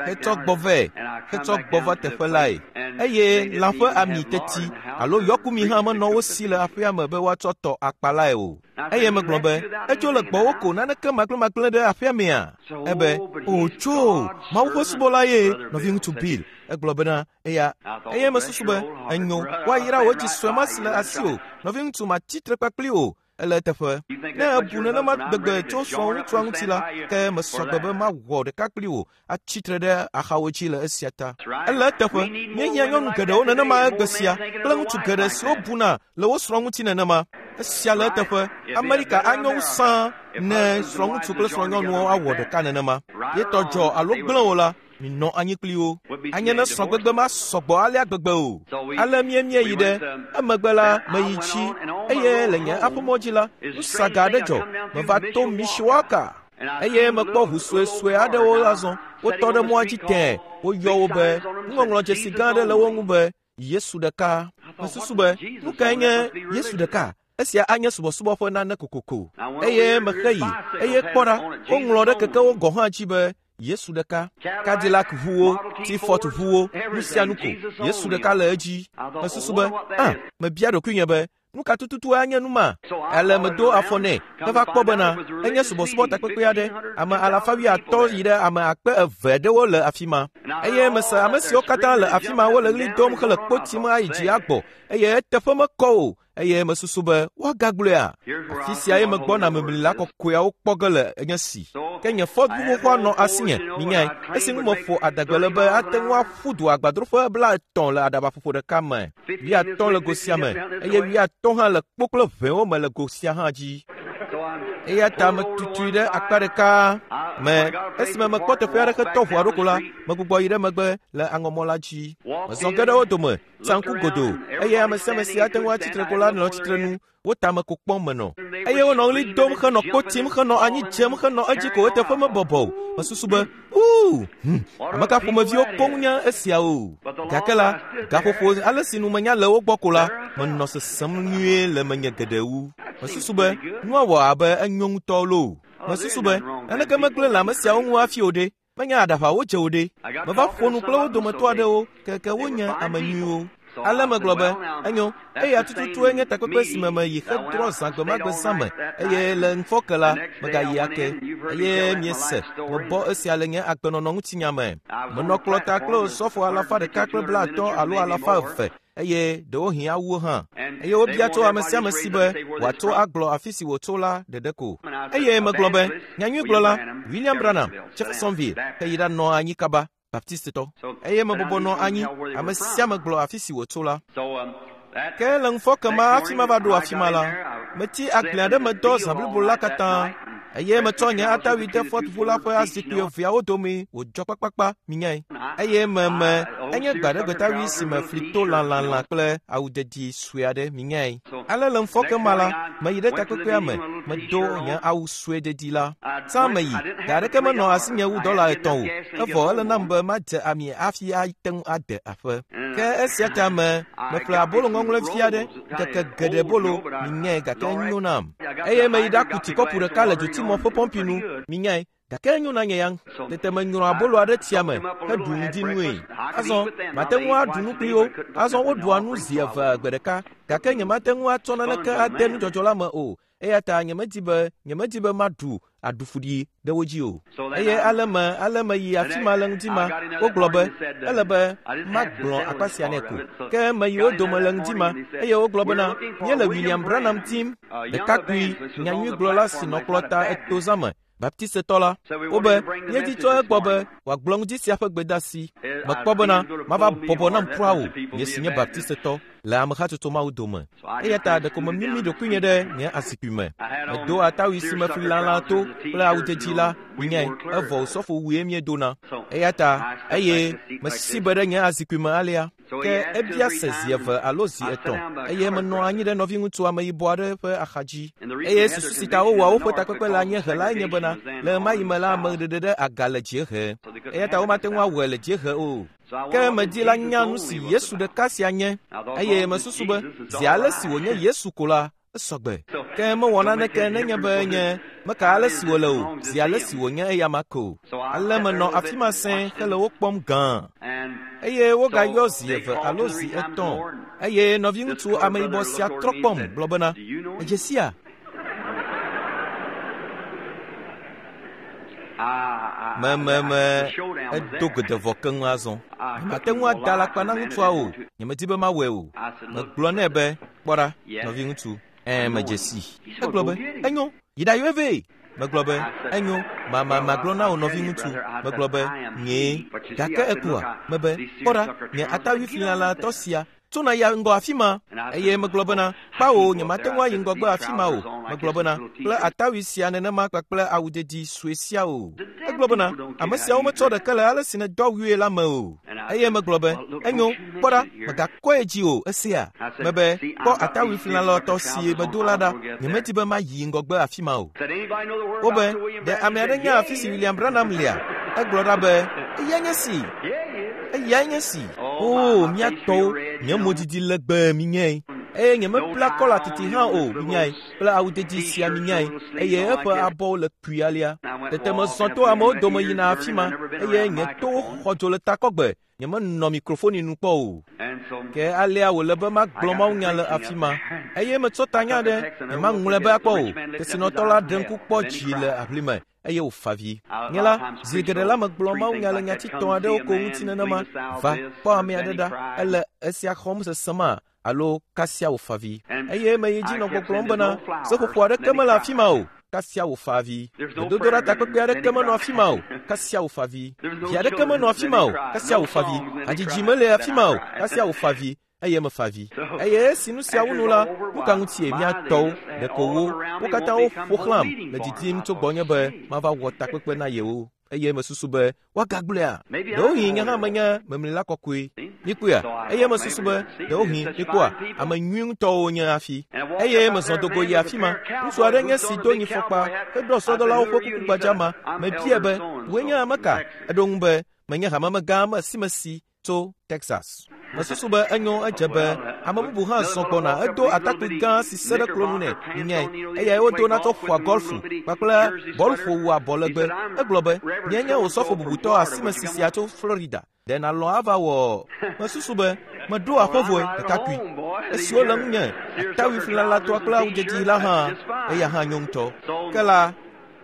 Hetsɔ gbɔ vɛ, hetsɔ gbɔ va teƒe lae. Eye lã ƒe ami teti, alo yɔkumi hã menɔ wo si le aƒea me be woatsɔ tɔ akpalae o. Eye megblɔ be, etso le gbɔwò ko naneke magblẽmagblẽ ɖe aƒea mea? Ebe, o tso, Mawu ƒe subɔla ye, nɔviŋutsu Bill. Egblɔ bena, eya. Eye mesusu be, enyo, woayra wò dzi sue ma si le asiwò, nɔviŋutsu matsi tre kpakpli o. Ele eteƒe. Ne ebu nenema gbegbe tso srɔ̃ŋutsua ŋuti la, ke mesɔgbe be mawɔ ɖeka kpli wò atsi tre ɖe axawo dzi le esia ta. Ele eteƒe. Míehiã nyɔnu geɖewo nenema egbe sia kple ŋutsu geɖe siwo buna le wo srɔ̃ ŋuti nenema. Esia le eteƒe. Amerika anyo wu sãa ne srɔ̃ŋutsu kple srɔ̃nyɔnuwo awɔ ɖeka nenema. Ye tɔ dzɔ alo gblẽ o la, minɔ anyi kpli wo. Anye ne srɔ̃gbegbe ma sɔgbɔ alea gbegbe o. Ale míemie yi ɖe. Emegbe la, meyi tsi, eye le nye aƒemɔ dzi la, nusaga aɖe dzɔ. Meva to Mishawaka. Eye mekpɔ ʋu suesue aɖewo azɔ. Wotɔ ɖe mɔa dzi tẽe. Woyɔ wo be nuŋɔŋlɔdzesi gã aɖe le wo ŋu be Yesu ɖeka. Mesusu be, nu kae nye Yesu ɖeka? Esia anye subɔsubɔ ƒe nane kokoko. Eye mexe yi, eye kpɔ ɖa, woŋlɔ ɖe kekewo gɔ̃ hã dzi be Yesu ɖeka. Cadillac ʋuwo, T-Ford ʋuwo, nu sia nu ko. Yesu ɖeka le edzi. Mesusu be, ah, mebia ɖokuinye be, nu ka tututu anye nu ma? Ale medo afɔ nɛ heva kpɔ bena enye subɔsubɔ takpekpe aɖe. Ame alafa wuiatɔ̃ yi ɖe ame akpe eve aɖewo le afi ma. Eye mese ame siwo katã le afi ma wole ɣli dom hele kpo tim ayi dzi agbɔ eye eteƒe mekɔ o. Eye mesusu be woagagblɔea? Afi sia ye megbɔna memlila kɔkɔeawo kpɔ ge le enye si. Ke nye Ford ʋu xoxoa nɔ asinye, minyae, esi ŋu meƒo adegbe le be ate ŋu aƒu du agbadroƒe 50 le aɖabaƒoƒo ɖeka me, 50 le go sia me, eye 50 hã le kpo kple ʋewo me le go sia hã dzi. Eya ta metutui ɖe akpa ɖeka me. Esime mekpɔ teƒe aɖe hetɔ ʋua ɖo ko la, megbugbɔ yi ɖe megbe le aŋɔmɔ la dzi. Mezɔ ge ɖe wo dome, tsa ŋku godoo, eye ame sia ame si ate ŋu atsi tre ko la nɔ tsitre nu. Wo tame ko kpɔm menɔ. Eye wonɔ ɣli dom henɔ kpo tim henɔ anyi dzem henɔ edzi ko eteƒe mebɔbɔ o. Mesusu be, uu, ame ka ƒomeviwo koŋ nye esiawo? Gake la, gaƒoƒo ale si nu menya le wo gbɔ ko la, menɔ sesem nyuie le menye geɖe wu. Mesusu be, nua wɔ abe enyo ŋutɔ loo. Mesusu be, naneke megblẽ le ame siawo ŋu hafi o ɖe. Menye aɖaʋa wodze o ɖe. Meva ƒo nu kple wo dometɔ aɖewo, keke wonye ame nyuiwo. Ale megblɔ be, enyo, eya tututue nye takpekpe si me meyi hedrɔ̃ zã gbe ma gbe zã me, eye le ŋufɔke la, megayi ake. Eye miese, mebɔ esia le nye agbenɔnɔ ŋutinya me. Menɔ kplɔta kple osɔfo 150 alo 200, eye ɖewohĩ awuwo hã. Eye wobia tso ame sia ame si be wòatso agblɔ afi si wòtso la ɖeɖe ko. Eye megblɔ be, nyanyuigblɔla William Branham, Jeffersonville, heyi ɖanɔ anyi kaba, Baptistetɔ. Eye mebɔbɔ nɔ anyi, ame sia ame gblɔ afi si wòtso la. Ke le ŋufɔke ma hafi mava ɖo afi ma la, metsi agble aɖe me dɔ zã blibo la katã, eye metsɔ nye atawui de Ford ʋu la ƒe azikpui eveawo dome wòdzɔ kpakpakpa, minyae. Eye meme enye gbaɖegbetawui si me fli to lãlãlã kple awu didi sue aɖe, minyae. Ale le ŋufɔke ma la, meyi ɖe takpekpea me, medo nye awu sue didi la. Tsã meyi, ga aɖeke menɔ asinye wu $3 o, evɔ ele nam be madze ami hafi ate ŋu ade aƒe. Ke esia ta me, meƒle abolo ŋɔŋlɔevi aɖe, ŋkeke geɖe bolo, minyae, gake enyo nam. Eye meyi ɖaku tsi kɔpu ɖeka le dzotimɔ ƒe pɔmpi nu, minyae, gake enyo na nye ya. Tete menyrɔ abolo aɖe tsia me heɖu ŋdi nue. Azɔ, mate ŋu aɖu nu kpli wo. Azɔ woɖua nu zi eve gbe ɖeka, gake nyemate ŋu atsɔ naneke ade nudzɔdzɔ la me o. Eya ta nyemedi be nyemedi be maɖu aɖufuɖi ɖe wo dzi o. Eye ale me ale meyi afi ma le ŋdi ma, wogblɔ be, ele be magblɔ akpa sia nɛ ko. Ke meyi wo dome le ŋdi ma, eye wogblɔ bena, míele William Branham tim, ɖekakpui nyanyuigblɔla si nɔ kplɔta eto zã me, Baptistetɔ la. Wobe, míedi tso egbɔ be wòagblɔ ŋdi sia ƒe gbedeasi. Mekpɔ bena mava bɔbɔ nam kura o, nye si nye Baptistetɔ, le amehatsotso mawo dome. Eya ta ɖeko memimi ɖokuinye ɖe nye azikpui me. Medo atawui si me fli lalã to kple awu dzedzi la, minyae, evɔ osɔfo wue míedona. Eya ta, eye mesi be ɖe nye azikpui me alea. Ke ebia se zi eve alo zi etɔ̃, eye menɔ anyi ɖe nɔviŋutsu ameyibɔ aɖe ƒe axadzi. Eye susu si ta wowɔa woƒe takpekpe le anyiehe lae nye bena, le ɣemaɣi me la, ame ɖeɖe ɖe aga le dziehe. Eya ta womate ŋu awɔe le dziehe o. Ke medi la nya nu si Yesu ɖeka sia nye, eye mesusu be zi ale si wònye Yesu ko la, esɔgbe. Ke mewɔ naneke nenye be nye Meka ale si wòle o, zi ale si wònye eyama ko. Ale menɔ afi ma sẽe hele wo kpɔm gãa. Eye wogayɔ zi eve alo zi etɔ̃. Eye nɔviŋutsu ameyibɔ sia trɔ kpɔm gblɔ bena, “Èdze sia?” Mememe edo godevɔ keŋ azɔ. Nyemate ŋu ada alakpa na ŋutsua o. Nyemedi be mawɔe o. Megblɔ nɛ be, “Kpɔ ɖa, nɔviŋutsu, ɛ̃ medze sii.” Egblɔ be, “Enyo, yi ɖayɔe vɛ.” Megblɔ be, “Enyo, ma magblɔ na wò nɔviŋutsu.” Megblɔ be, “Nyee.” Gake ekpɔa? Mebe, “Kpɔ ɖa, nye atawuiflilalatɔ sia tso na ya ŋgɔ afi ma.” Eye megblɔ bena, “Kpawo, nyemate ŋu ayi ŋgɔgbe afi ma o.” Megblɔ bena, “Kple atawui sia nenema kpakple awudedi sue sia o.” Egblɔ bena, “Ame siawo metsɔ ɖeke le ale si nèdo awui la me o.” Eye megblɔ be, “Enyo, kpɔ ɖa, mègakɔe dzi o, esea?” Mebe, “Kpɔ atawui flilalɔtɔ si medo la ɖa. Nyemedi be mayi ŋgɔgbe afi ma o.” Wobe, “Ɖe ame aɖe nya afi si William Branham lea?” Egblɔ ɖa be, “Eyae nye si. Eyae nye si. Oo, mía tɔwo, nye modidi legbee minyae. Eye nyemebla kɔla titi hã o, minyae, kple awudedi sia minyae, eye eƒe abɔwo le kpui alea. Tete mezɔ to amewo dome yina afi ma, eye nye towo xɔ dzo le takɔgbe. Nyemenɔ mikrofoni nu kpɔ o. Ke alea wòle be magblɔ mawunya le afi ma. Eye metsɔ tanya ɖe, nyemaŋlɔe be akpɔ o. Kesinɔtɔ la ɖe ŋku kpɔ dzi le aʋlime eye wòfa avi. Nye la, zi geɖe la megblɔ mawunya le nyati tɔ̃ aɖewo ko ŋuti nenema. Va, kpɔ ame aɖe ɖa, ele esia xɔm sesẽma alo kasia wòfa avi. Eye meyi dzi nɔ gbɔgblɔm bena, seƒoƒo aɖeke mele afi ma o. Kasia wòfa avi. Gbedodoɖa takpekpe aɖeke menɔ afi ma o. Kasia wòfa avi. Vi aɖeke menɔ afi ma o. Kasia wòfa avi. Hadzidzi mele afi ma o. Kasia wòfa avi. Eye mefa avi. Eye esi nu siawo nu la, nu ka ŋutie mía tɔwo, ɖeko wo, wo katã woƒo xlãm le didim tso gbɔnye be mava wɔ takpekpe na yewo. Eye mesusu be woagagblɔea? Ɖewohĩ nye hã menye memlila kɔkɔe. Mikpɔea? Eye mesusu be ɖewohĩ mikpɔa ame nyui ŋutɔwo wonye hafi. Eye mezɔ do go yi afi ma. Ŋutsu aɖe nye si do nyifɔkpa heɖɔ sɔdɔlawo ƒe kuku gbadza ma. Mebiae be, “Wòe nye ame ka?” Eɖo ŋu be, “Menye hamemegã amesimesi tso Texas.” Mesusu be enyo edze be ame bubu hã zɔ gbɔna edo atakpui gã si se ɖe klonu nɛ, minyae, eyae wodona tsɔ ƒoa gɔlfu kpakple bɔluƒowu abɔ legbe. Egblɔ be, “Nyee nye osɔfo bubutɔ asimesi sia tso Florida. Ɖe nàlɔ̃ ava wɔ?” Mesusu be, “Meɖo aƒe vɔe, ɖekakpui. Esiwo le ŋunye, atawui flilalatɔa kple awudzedzi la hã, eya hã nyo ŋutɔ. Ke la,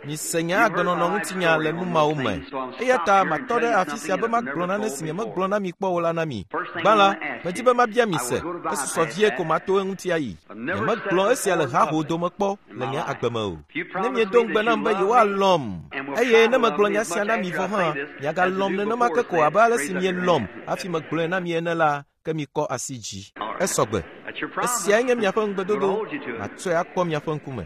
mise nye agbenɔnɔ ŋutinya le nu mawo me. Eya ta matɔ ɖe afi sia be magblɔ nane si nyemegblɔ na mi kpɔ o la na mi. Gbã la, medi be mabia mi se, esusɔ vie ko mato eŋuti ayi. Nyemegblɔ esia le haho dome kpɔ le nye agbe me o. Ne miedo ŋugbe nam be yewoalɔ̃m, eye ne megblɔ nya sia na mi vɔ hã, miagalɔ̃m nenema ke ko abe ale si mielɔ̃m hafi megblɔe na mi ene la, ke mikɔ asi dzi. Esɔgbe. Esiae nye miaƒe ŋugbedodo. Matsɔe akpɔ miaƒe ŋkume.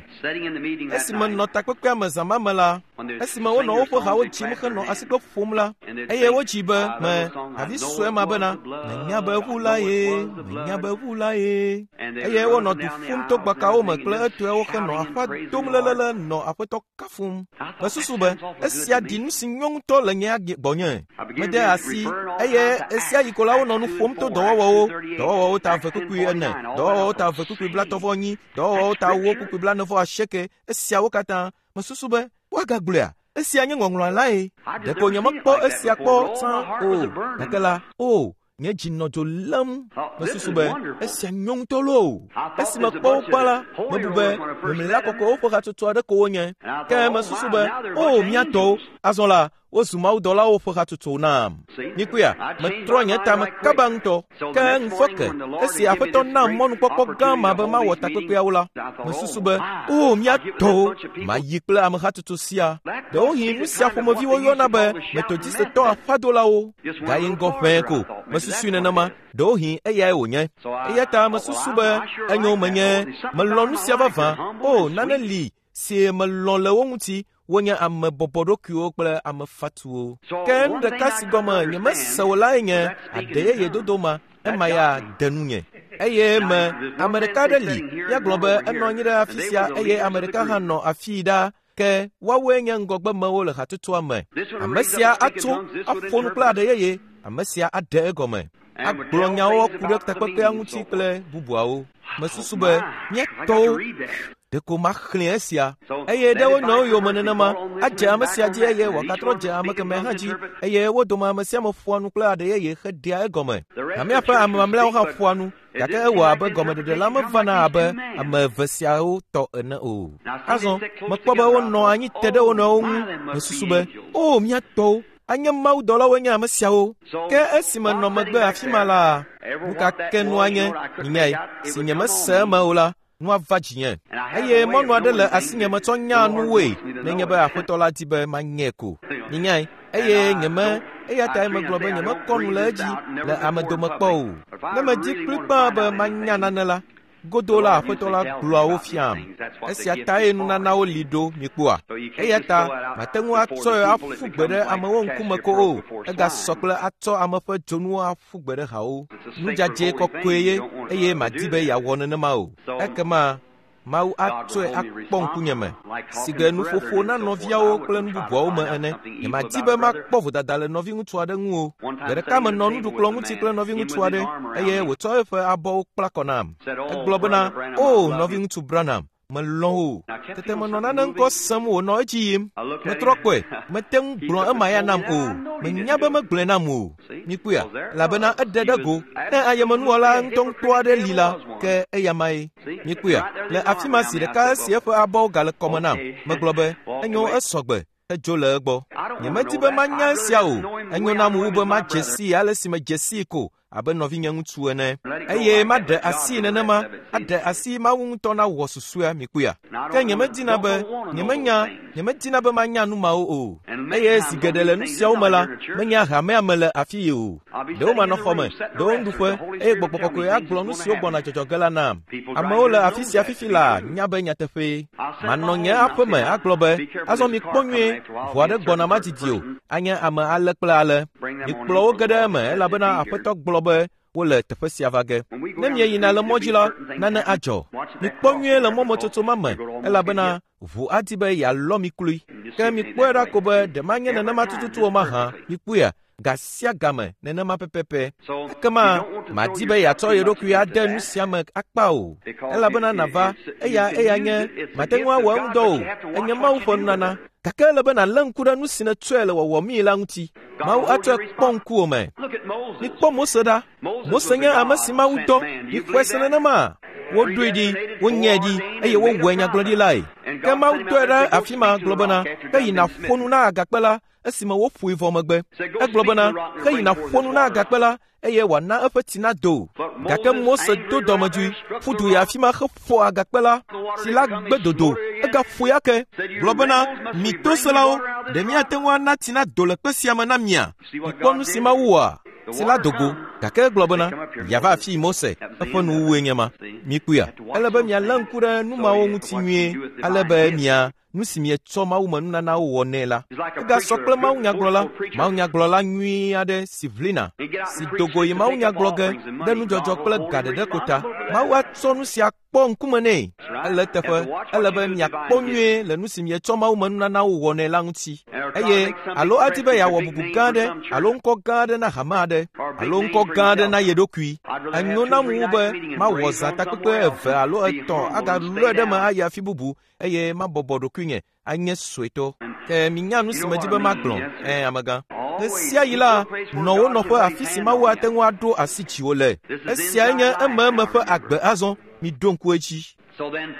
Esi menɔ takpekpea me zã ma me la, esime wonɔ woƒe hawo dzim henɔ asikpe ƒom la, eye wodzi be me havi sue ma bena, menya be ʋu la ye, menya be ʋu la ye. Eye wonɔ du ƒum to gbakawo me kple etɔewo henɔ aƒa dom lelele nɔ Aƒetɔ kafum. Mesusu be esia ɖi nu si nyo ŋutɔ le nye gbɔnye. Mede asi eye esia yi ko la wonɔ nu ƒom to dɔwɔwɔwo, dɔwɔwɔwo ta eve kpukpui ene, dɔwɔwɔwo ta eve kpukpui blaetɔ̃ vɔ enyi, dɔwɔwɔwo ta ewo kpukpui blaene vɔ asieke, esiawo katã. Mesusu be woagagblɔea? Esia nye ŋɔŋlɔa lae. Ɖeko nyemekpɔ esia kpɔ tsã o. Gake la, o, nye dzi nɔ dzo lém. Mesusu be esia nyo ŋutɔ loo. Esi mekpɔ wo gbã la, mebu be memlila kɔkɔewo ƒe hatsotso aɖe ko wonye. Ke mesusu be, o, mía tɔwo, azɔ la, wozu mawudɔlawo ƒe hatsotso nam. Mikpɔea, metrɔ nye tame kaba ŋutɔ. Ke ŋufɔke, esi Aƒetɔ nam mɔnukpɔkpɔ gã ma be mawɔ takpekpeawo la, mesusu be, o, mía tɔwo, mayi kple ame hatsotso sia. Ɖewohĩ nu sia ƒomevi woyɔna be Metodistetɔ aƒadolawo. Gayi ŋgɔ ʋɛe ko, mesusui nenema. Ɖewohĩ eyae wònye. Eya ta mesusu be enyo menye melɔ̃ nu sia vavã. O, nane li si melɔ̃ le wo ŋuti. Wonye ame bɔbɔɖokuiwo kple ame fatuwo. Ke nu ɖeka si gɔme nyemese o lae nye aɖe yeye dodo ma. Ema ya de nunye. Eye me ame ɖeka aɖe li, míagblɔ be enɔ anyi ɖe afi sia eye ame ɖeka hã nɔ afii ɖaa. Ke woawoe nye ŋgɔgbemewo le hatsotsoa me. Ame sia atso aƒo nu kple aɖe yeye, ame sia aɖe egɔme, agblɔ nyawo ku ɖe takpekpea ŋuti kple bubuawo. Mesusu be mía tɔwo. Ɖeko maxlẽ esia. Eye ɖe wo nɔewo yome nenema, adze ame sia dzi eye wòagatrɔ dze ame kemɛ hã dzi, eye wo dome ame sia ame ƒoa nu kple aɖe yeye heɖea egɔme. Hamea ƒe ame mamlɛawo hã ƒoa nu, gake ewɔ abe gɔmeɖeɖe la mevana abe ame eve siawo tɔ ene o. Azɔ, mekpɔ be wonɔ anyi te ɖe wo nɔewo ŋu, mesusu be, O, mía tɔwo, anye mawudɔlawoe nye ame siawo. Ke esi menɔ megbe afi ma la, nu ka ke nua nye, minyae, si nyemese eme o la, nua va dzinye. Eye mɔnu aɖe le asinye metsɔ nyaa nuwoe nenye be Aƒetɔ la di be manyɛ ko. Minyae, eye nyeme, eya tae megblɔ be nyemekɔ nu le edzi le ame dome kpɔ o. Ne medi kplikpaa be manya nane la, godoo la Aƒetɔ la gblɔa wo fiam. Esia tae nunanawo li ɖo, mikpɔa? Eya ta mate ŋu atsɔe aƒu gbe ɖe amewo ŋkume ko o, egasɔ kple atsɔ ame ƒe dzonuwo aƒu gbe ɖe hawo. Nu dzadzɛ kɔkɔe ye, eye madi be yeawɔ nenema o. Ekema Mawu atsɔe akpɔ ŋkunye me, sigbe nuƒoƒo na nɔviawo kple nu bubuawo me ene. Nyemadi be makpɔ vodada le nɔviŋutsu aɖe ŋu o. Gbe ɖeka menɔ nuɖukplɔ̃ ŋuti kple nɔviŋutsu aɖe, eye wòtsɔ eƒe abɔwo kpla kɔ nam. Egblɔ bena, O, nɔviŋutsu Branham, melɔ̃ wò. Tete menɔ nane ŋkɔ sem wònɔ edzi yim. Metrɔ kpɔe, mete ŋu gblɔ ema ya nam o. Menya be megblɔe nam o. Mikpɔea? Elabena eɖe ɖe go. Ne ayemenuwɔla ŋutɔŋutɔ aɖe li la, ke eyamae. Mikpɔea? Le afi ma zi ɖeka esi eƒe abɔwo gale kɔme nam, megblɔ be, Enyo, esɔ gbe. Edzo le egbɔ. Nyemedi be manya esia o. Enyo nam wu be madze sii ale si medze sii ko abe nɔvinye ŋutsu ene. Eye maɖe asii nenema, aɖe asi Mawu ŋutɔ nawɔ susɔea, mikpɔea? Ke nyemedina be, nyemenya, nyemedina be manya nu mawo o. Eye zi geɖe le nu siawo me la, menya hamea me le afii o. Ɖewo manɔ xɔ me, ɖewo nuɖuƒe, eye Gbɔgbɔ Kɔkɔe agblɔ nu siwo gbɔna dzɔdzɔ ge la nam. Amewo le afi sia fifi laa nya be nyateƒee. Manɔ nye aƒe me agblɔ be, Azɔ mikpɔ nyuie, ʋu aɖe gbɔna madidi o, anye ame ale kple ale. Mikplɔ wo ge ɖe eme elabena Aƒetɔ gblɔ be wole teƒe sia va ge. Ne mieyina le mɔ dzi la, nane adzɔ. Mikpɔ nyuie le mɔmetsotso ma me elabena ʋu adi be yealɔ mi kloe. Ke mikpɔe ɖa ko be ɖe manye nenema tututu o mahã. Mikpɔea? Ga sia game nenema pɛpɛpɛ. Ekema madi be yeatsɔ ye ɖokui ade nu sia me akpa o, elabena nàva, eya eya nye, mate ŋu awɔ eŋudɔ o, enye Mawu ƒe nunana. Gake ele be nàlé ŋku ɖe nu si nètsɔe le wɔwɔmii la ŋuti. Mawu atsɔe kpɔ ŋkuwò me. Mikpɔ Mose ɖa. Mose nye ame si Mawu dɔ. Mixɔe se nenema? Woɖoe ɖi, wonyãe ɖi, eye wowɔe nyagblɔɖilae. Ke Mawu dɔe ɖe afi ma gblɔ bena, Heyi nàƒo nu na agakpe la, esime woƒoe vɔ megbe. Egblɔ bena, Heyi nàƒo nu na agakpe la, eye wòana eƒe tsi nado. Gake Mose do dɔmedzoe, ƒu du yi afi ma heƒo agakpe la, tsi la gbe dodo, egaƒoe ake, gblɔ bena, Mi toselawo, ɖe míate ŋu ana tsi nado le kpe sia me na mia? Mikpɔ nu si Mawu wɔa? Tsi la do go, gake egblɔ bena, Yeava afii Mose, eƒe nuwuwue nye ma. Mikpɔea? Ele be mialé ŋku ɖe nu mawo ŋuti nyuie, ale be mia nu si mietsɔ mawumenunanawo wɔ nɛ la. Egasɔ kple mawunyagblɔla, mawunyagblɔla nyui aɖe si ʋlina, si do go yi mawunyagblɔ ge ɖe nudzɔdzɔ kple ga ɖeɖe ko ta. Mawu atsɔ nu sia kpɔ ŋkume nɛ. Ele eteƒe, ele be miakpɔ nyuie le nu si mietsɔ mawumenunanawo wɔ nɛ la ŋuti. Eye alo adi be yeawɔ bubu gã aɖe alo ŋkɔ gã aɖe na hame aɖe alo ŋkɔ gã aɖe na ye ɖokui. Enyo nam wu be mawɔ zã takpekpe eve alo etɔ̃ agalɔe ɖe eme ayi afi bubu eye mabɔbɔ ɖokuinye anye suetɔ. Ke minya nu si medi be magblɔ, ẽ, amegã. Ɣe sia ɣi la, nɔ wo nɔƒe afi si Mawu ate ŋu aɖo asi dziwò le. Esiae nye ememe ƒe agbe azɔ, miɖo ŋku edzi.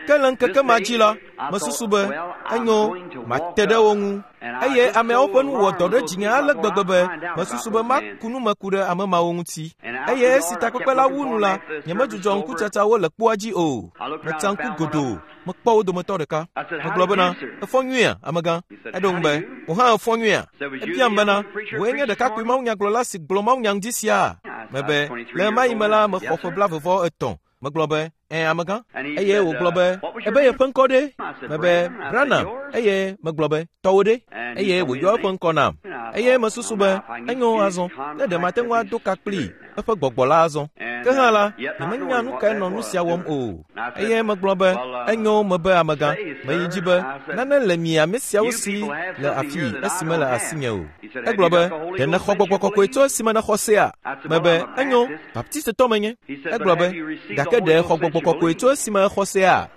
Ke le ŋkeke ma dzi la, mesusu be, enyo, mate ɖe wo ŋu. Eye ameawo ƒe nu wɔ dɔ ɖe dzinye ale gbegbe be mesusu be maku nu me ku ɖe ame mawo ŋuti. Eye esi takpekpe la wu nu la, nyemedzudzɔ ŋkutsatsawo le kpoa dzi o. Metsa ŋku godoo. Mekpɔ wo dometɔ ɖeka. Megblɔ bena, Èfɔ nyuiea, amegã? Eɖo ŋu be, Wò hã èfɔ nyuiea? Ebiam bena, Wòe nye ɖekakpui mawunyagblɔla si gblɔ mawunya ŋdi sia? Mebe, Le ɣemaɣi me la, mexɔ ƒe blaeve-vɔ-etɔ̃. Megblɔ be, Ẽ, amegã. Eye wògblɔ be, Ebe yeƒe ŋkɔ ɖe? Mebe, Branham. Eye megblɔ be, Tɔwò ɖe? Eye wòyɔ eƒe ŋkɔ nam. Eye mesusu be, Enyo azɔ, ne ɖe mate ŋu ado ka kplii, eƒe gbɔgbɔ la azɔ. Ke hã la, nyemenya nu kae nɔ nu sia wɔm o. Eye megblɔ be, Enyo, mebe amegã, meyi dzi be, nane le mi ame siawo si le afii esi mele asinye o. Egblɔ be, Ɖe nèxɔ gbɔgbɔ kɔkɔe tso esime nèxɔ sea? Mebe, Enyo, Baptistetɔ menye. Egblɔ be, Gake ɖe èxɔ gbɔgbɔ kɔkɔe tso esime èxɔ sea?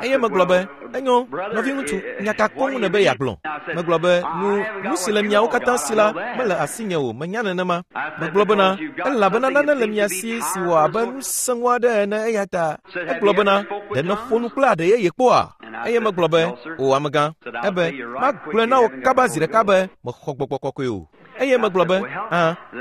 Eye megblɔ be, enyo, nɔviŋutsu, nya ka koŋ nèbe yeagblɔ? Megblɔ be, nu si le miawo katã si la mele asinye o, menya nenema. Megblɔ bena, elabena nane le mia si si wɔ abe nu sẽŋu aɖe ene eya ta. Egblɔ bena, ɖe nèƒo nu kple aɖe yeye kpɔa? Eye megblɔ be, o amegã, ebe, magblɔe na wò kaba zi ɖeka be mexɔ gbɔgbɔ kɔkɔe o. Eye megblɔ be,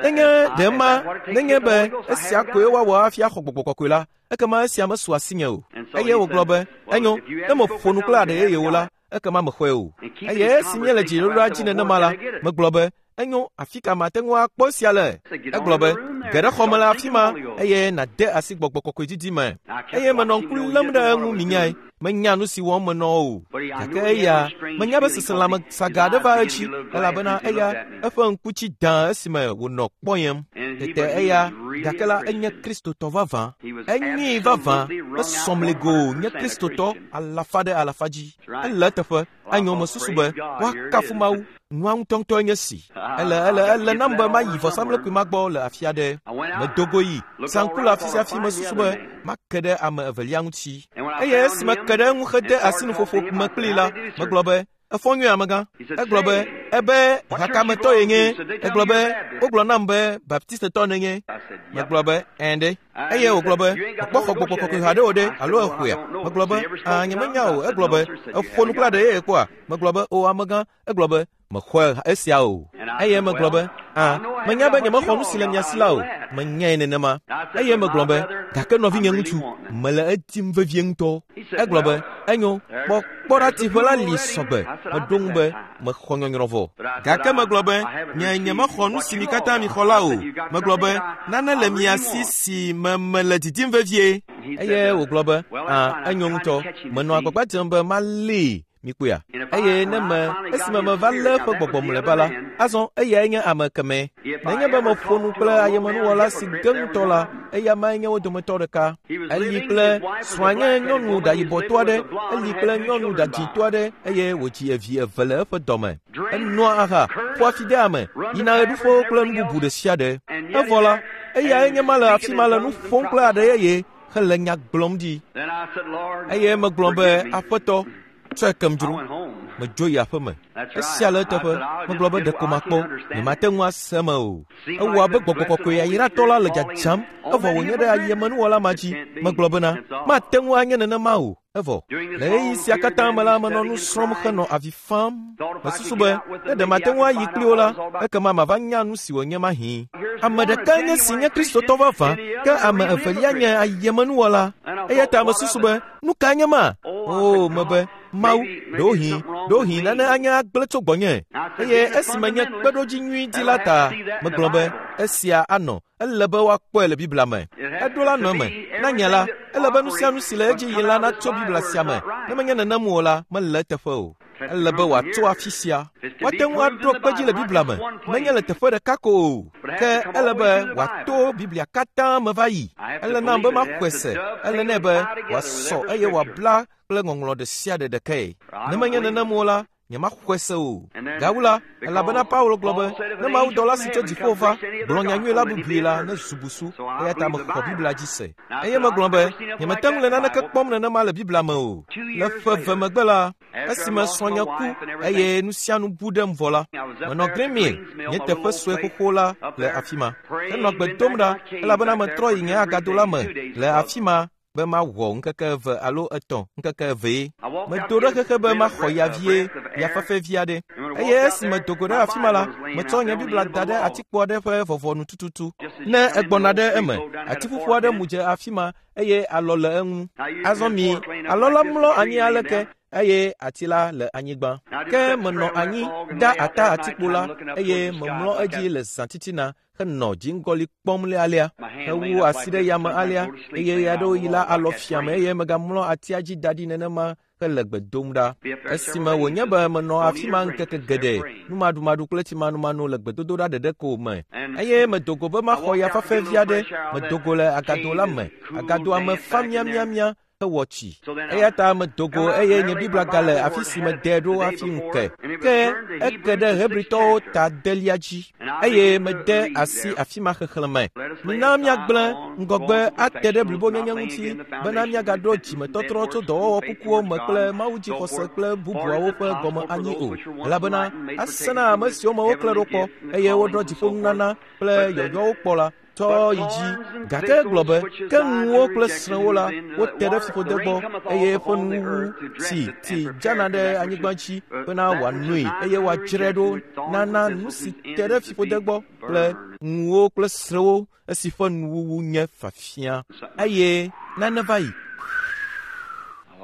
nenye ɖe ma, nenye be esia koe woawɔ hafi axɔ gbɔgbɔ kɔkɔe la, ekema esia mesu asinye o. Eye wògblɔ be, enyo, ne meƒo nu kple aɖe yeyewo la, ekema mexɔe o. Eye esi míele dziɖoɖoa dzi nenema la, megblɔ be, enyo, afi ka mate ŋu akpɔ esia le? Egblɔ be, ge ɖe xɔme le afi ma eye nàde asi gbɔgbɔ kɔkɔe didi me. Eye menɔ ŋku lém ɖe eŋu minyae. Menya nu si wɔm menɔ o. Gake eya, menya be seselãme saga aɖe va edzi, elabena eya, eƒe ŋku tsi dã esime wònɔ kpɔyem. Tete eya, gake la, enye Kristotɔ vavã. Enyee vavã, esɔmligo nye Kristotɔ alafa ɖe alafa dzi. Ele eteƒe, enyo mesusu be woakafu Mawu. Nua ŋutɔŋutɔe nye si. Ele nam be mayi vɔsamlekpui ma gbɔ le afi aɖe. Medo go yi saŋku le afi sia afi mesusu be make ɖe ame evelia ŋuti. Eye esi meke ɖe eŋu hede asi nuƒoƒo me kplii la, megblɔ be, efɔ nyuie amegã. Egblɔ be, ebe hakametɔ ye nye. Egblɔ be, wogblɔ nam be baptistetɔ nenye. Megblɔ be, ɛ̃ ɖe. Eye wògblɔ be, mekpɔ xɔ gbɔgbɔ kɔkɔe haɖe o ɖe, alo exɔea? Megblɔ be, nyemenya o. Egblɔ be, eƒo nu kple aɖe yeye kpɔa? Megblɔ be, o amegã. Egblɔ be, mexɔe esia o. Eye megblɔ be, menya be nyemexɔ nu si le mia si la o. Menyae nenema. Eye megblɔ be, gake nɔvinye ŋutsu, mele edim vevie ŋutɔ. Egblɔ be, enyo, kpɔ ɖa tsiƒe la li sɔgbe. Meɖo ŋu be, mexɔ nyɔnyrɔ vɔ. Gake megblɔ be, nyemexɔ nu si mi katã mixɔ la o. Megblɔ be, nane le mia si si me mele didim vevie. Eye wògblɔ be, enyo ŋutɔ. Menɔ agbagba dzem be malée. Mikpɔea? Eye ne me, esime meva lé eƒe gbɔgbɔ mlɔeba la, azɔ eyae nye ame kemɛ. Nenye be meƒo nu kple ayemenuwɔla si ge ŋutɔ la, eya mae nye wo dometɔ ɖeka. Eli kple srɔ̃a nye nyɔnu ɖayibɔtɔ aɖe, eli kple nyɔnu ɖadzĩtɔ aɖe eye wòdzi evi eve le eƒe dɔme. Enoa aha, ƒoa fi de ame, yina ɣeɖuƒewo kple nu bubu ɖe sia ɖe. Evɔ la, eyae nye ma le afi ma le nu ƒom kple aɖe yeye hele nya gblɔm ɖi. Eye megblɔ be, Aƒetɔ, tsɔe kem dzro. Medzo yi aƒeme. Esia le eteƒe. Megblɔ be ɖeko makpɔ. Nyemate ŋu ase eme o. Ewɔ abe gbɔgbɔ kɔkɔe yayratɔ la le dzadzam, evɔ wònye ɖe ayemenuwɔla ma dzi. Megblɔ bena, mate ŋu anye nenema o. Evɔ, le ɣeyiɣi sia katã me la, menɔ nu srɔ̃m henɔ avi fam. Mesusu be, ne ɖe mate ŋu ayi kpli wo la, ekema mava nya nu si wònye mahĩ. Ame ɖekae nye si nye Kristotɔ vavã, ke ame evelia nye ayemenuwɔla. Eya ta mesusu be, nu kae nye ma? Oo, mebe, Mawu, ɖewohĩ nane anye agblẽ tso gbɔnye. Eye esi menye kpeɖodzi nyui di la ta, megblɔ be, esia anɔ. Ele be woakpɔe le Biblia me. Eɖo la nɔ eme. Na nye la, ele be nu sia nu si le edzi yim la natso Biblia sia me. Ne menye nenem o la, mele eteƒe o. Ele be wòatso afi sia. Woate ŋu aɖo kpe dzi le Biblia me, menye le teƒe ɖeka ko o, ke ele be wòato Biblia katã me va yi. Ele nam be maxɔe se. Ele nɛ be wòasɔ eye wòabla kple ŋɔŋlɔ ɖe sia ɖe ɖekae. Ne menye nenem o la, nyemaxɔe se o. Gawu la, elabena Paulo gblɔ be, ne mawudɔla si tso dziƒo va, gblɔ nyanyui la bubui la, ne zu busu, eya ta mexɔ Biblia dzi se. Eye megblɔ be, nyemete ŋu le naneke kpɔm nenema le Biblia me o. Le ƒe eve megbe la, esime srɔ̃nye ku eye nu sia nu bu ɖem vɔ la, menɔ Green Mill, nye teƒe sue xoxo la le afi ma. Henɔ gbe dom ɖa, elabena metrɔ yi nye agado la me le afi ma be mawɔ ŋkeke eve alo etɔ̃, ŋkeke evee. Medo ɖe xexe be maxɔ ya vie, ya fefe vi aɖe. Eye esi medo go ɖe afi ma la, metsɔ nye Biblia da ɖe atikpo aɖe ƒe vɔvɔnu tututu. Ne egbɔna ɖe eme, atiƒuƒu aɖe mu dze afi ma eye alɔ le eŋu. Azɔ mi, alɔ la mlɔ anyi aleke eye ati la le anyigba. Ke menɔ anyi, da ata atikpo la eye memlɔ edzi le zã titina henɔ dziŋgɔli kpɔm alea, hewu asi ɖe yame alea, eye ɣeaɖewoɣi la alɔ fiame eye megamlɔ atia dzi da ɖi nenema hele gbe dom ɖa. Esime wònye be menɔ afi ma ŋkeke geɖe, numaɖumaɖu kple tsimanumanu le gbedodoɖa ɖeɖe ko me. Eye medo go be maxɔ ya fafɛ vi aɖe, medo go le agado la me. Agadoa me fa miamiamia. hewɔ tsi. Eya ta medo go eye nye Biblia gale afi si mede ɖo hafi ŋu ke. Ke eke ɖe Hebritɔwo ta adelia dzi eye mede asi afi ma xexlẽme. Mina míagblẽ ŋgɔgbe ate ɖe blibonyenye ŋuti bena míagaɖo dzimetɔtrɔ tso dɔwɔwɔ kukuwo me kple mawudzixɔse kple bubuawo ƒe gɔme anyi o, elabena asẽ na ame siwo me woklẽ ɖo kpɔ eye woɖɔ dziƒonunana kple yɔyɔwo kpɔ la tsɔ yi dzi. Gake egblɔ be, ke ŋuwo kple srẽwo la, wote ɖe fiƒode gbɔ eye eƒe nuwuwu tsi tsi dzana ɖe anyigba dzi bena wòanoe eye wòadzrae ɖo nana nu si te ɖe fiƒode gbɔ kple ŋuwo kple srẽwo esi ƒe nuwuwu nye fafia. Eye nane va yi.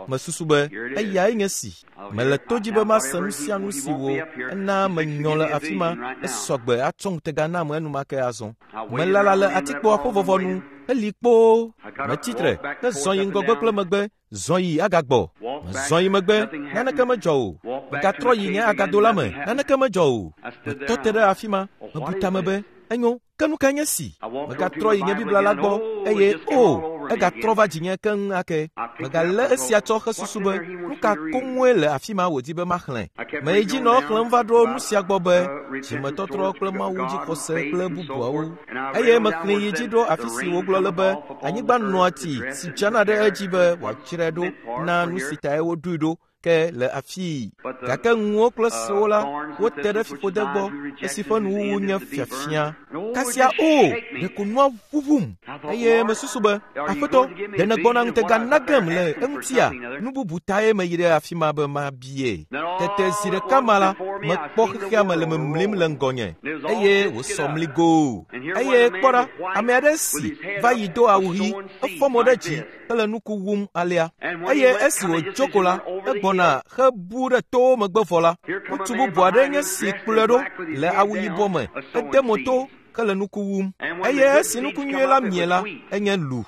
Mesusu be eyae nye si. Mele to dzi be mase nu sia nu si wò ena menyɔ le afi ma esɔ gbe atsɔ ŋutega nam enumake azɔ. Melala le atikpoa ƒe vɔvɔnu heli kpoo. Metsi tre hezɔ yi ŋgɔgbe kple megbe, zɔ yi agagbɔ. Mezɔ yi megbe, naneke medzɔ o. Megatrɔ yi nye agado la me, naneke medzɔ o. Metɔ te ɖe afi ma, mebu tame be, enyo, ke nu kae nye si? Megatrɔ yi nye Biblia la gbɔ eye o, egatrɔ va dzinye keŋ ake. Megalé esia tsɔ hesusu be, nu ka koŋue le afi ma wòdi be maxlẽ? Meyi dzi nɔ exlẽm va ɖo nu sia gbɔ be, dzimetɔtrɔ kple mawudzixɔse kple bubuawo. Eye mexlẽe yi dzi ɖo afi si wògblɔ le be, anyigba nɔa tsi si dzana ɖe edzi be wòadzrae ɖo na nu si tae woɖoe ɖo ke le afii. Gake ŋuwo kple sewo la, wote ɖe fiƒode gbɔ esi ƒe nuwuwu nye fiafia. Kasia o, ɖeko nua ʋuʋum eye mesusu be, Aƒetɔ, ɖe nègbɔna ŋutega na gem le eŋutia? Nu bubu tae meyi ɖe afi ma be mabie. Tete zi ɖeka ma la, mekpɔ xexea me le memlim le ŋgɔnye eye wòsɔ mligoo. Eye kpɔ ɖa, ame aɖe si va yi do awu ɣi, efɔ mo ɖe dzi hele nuku wum alea. Eye esi wòdzo ko la, egbɔna hebu ɖe towo megbe vɔ la, ŋutsu bubu aɖe nye si kplɔe ɖo le awu yibɔ me, ede mo to hele nuku wum. Eye esi nuku nyui la mie la, enye lu.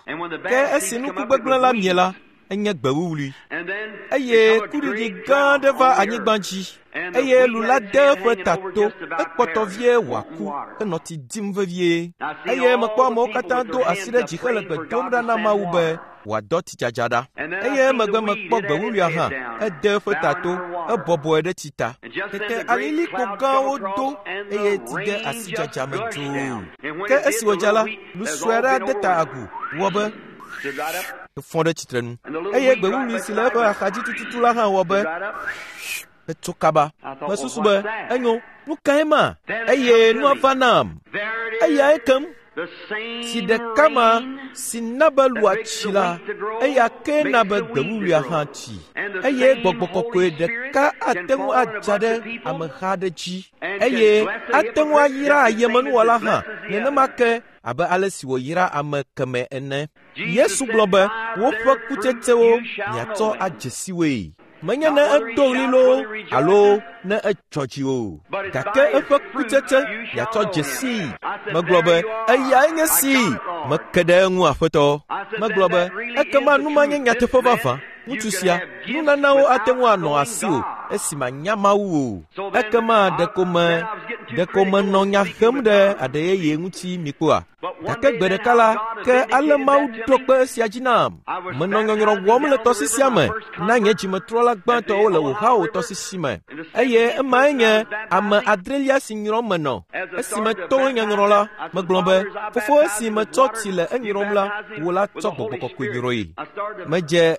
Ke esi nuku gbegblẽ la mie la, enye gbe wuwlui. Eye kuɖiɖi gã aɖe va anyigba dzi eye lu la de eƒe ta to, ekpɔtɔ vie wòaku henɔ tsi dim vevie. Eye mekpɔ amewo katã do asi ɖe dzi hele gbe dom ɖa na Mawu be wòadɔ tsidzadza ɖa. Eye emegbe mekpɔ gbe wuwluia hã, ede eƒe ta to, ebɔbɔe ɖe tsi ta. Tete alilikpo gãwo do eye tsi de asi dzadza me dzoo. Ke esi wòdza la, lu sue aɖe ade ta agu, wɔ be efɔ ɖe tsitrenu. Eye gbe wuwlui si le eƒe axadzi tututu la hã wɔ be etso kaba. Mesusu be, enyo, nu kae ma? Eye nua va nam. Eyae kem. Tsi ɖeka ma si na be lua tsi la, eya kee na be gbe wuwluia hã tsi. Eye gbɔgbɔ kɔkɔe ɖeka ate ŋu adza ɖe ameha aɖe dzi eye ate ŋu ayra ayemenuwɔla hã nenema ke abe ale si wòyra ame kemɛ ene. Yesu gblɔ be, woƒe kutsetsewo miatsɔ adze si woe. Menye ne edo ɣli loo alo ne edzɔ dzi o, gake eƒe kutsetse miatsɔ dze sii. Megblɔ be, eyae nye si. Meke ɖe eŋu aƒetɔ. Megblɔ be, ekema nu ma nye nyateƒe vavã. Ŋutsu sia, nunanawo ate ŋu anɔ asiwò esi mànya Mawu o. Ekema ɖeko menɔ nya hem ɖe aɖe yeye ŋuti mi kpɔa? Gake gbe ɖeka la, ke ale Mawu ɖo kpe esia dzi nam. Menɔ nyɔnyrɔ wɔm le tɔsisia me na nye dzimetrɔla gbãtɔwo le Ohio tɔsisi me. Eye emae nye ame adrelia si nyrɔm menɔ. Esi meto nyɔnyrɔ la, megblɔ be, fofo esi metsɔ tsi le enyrɔm la, wò la tsɔ gbɔgbɔ kɔkɔe nyrɔe. Medze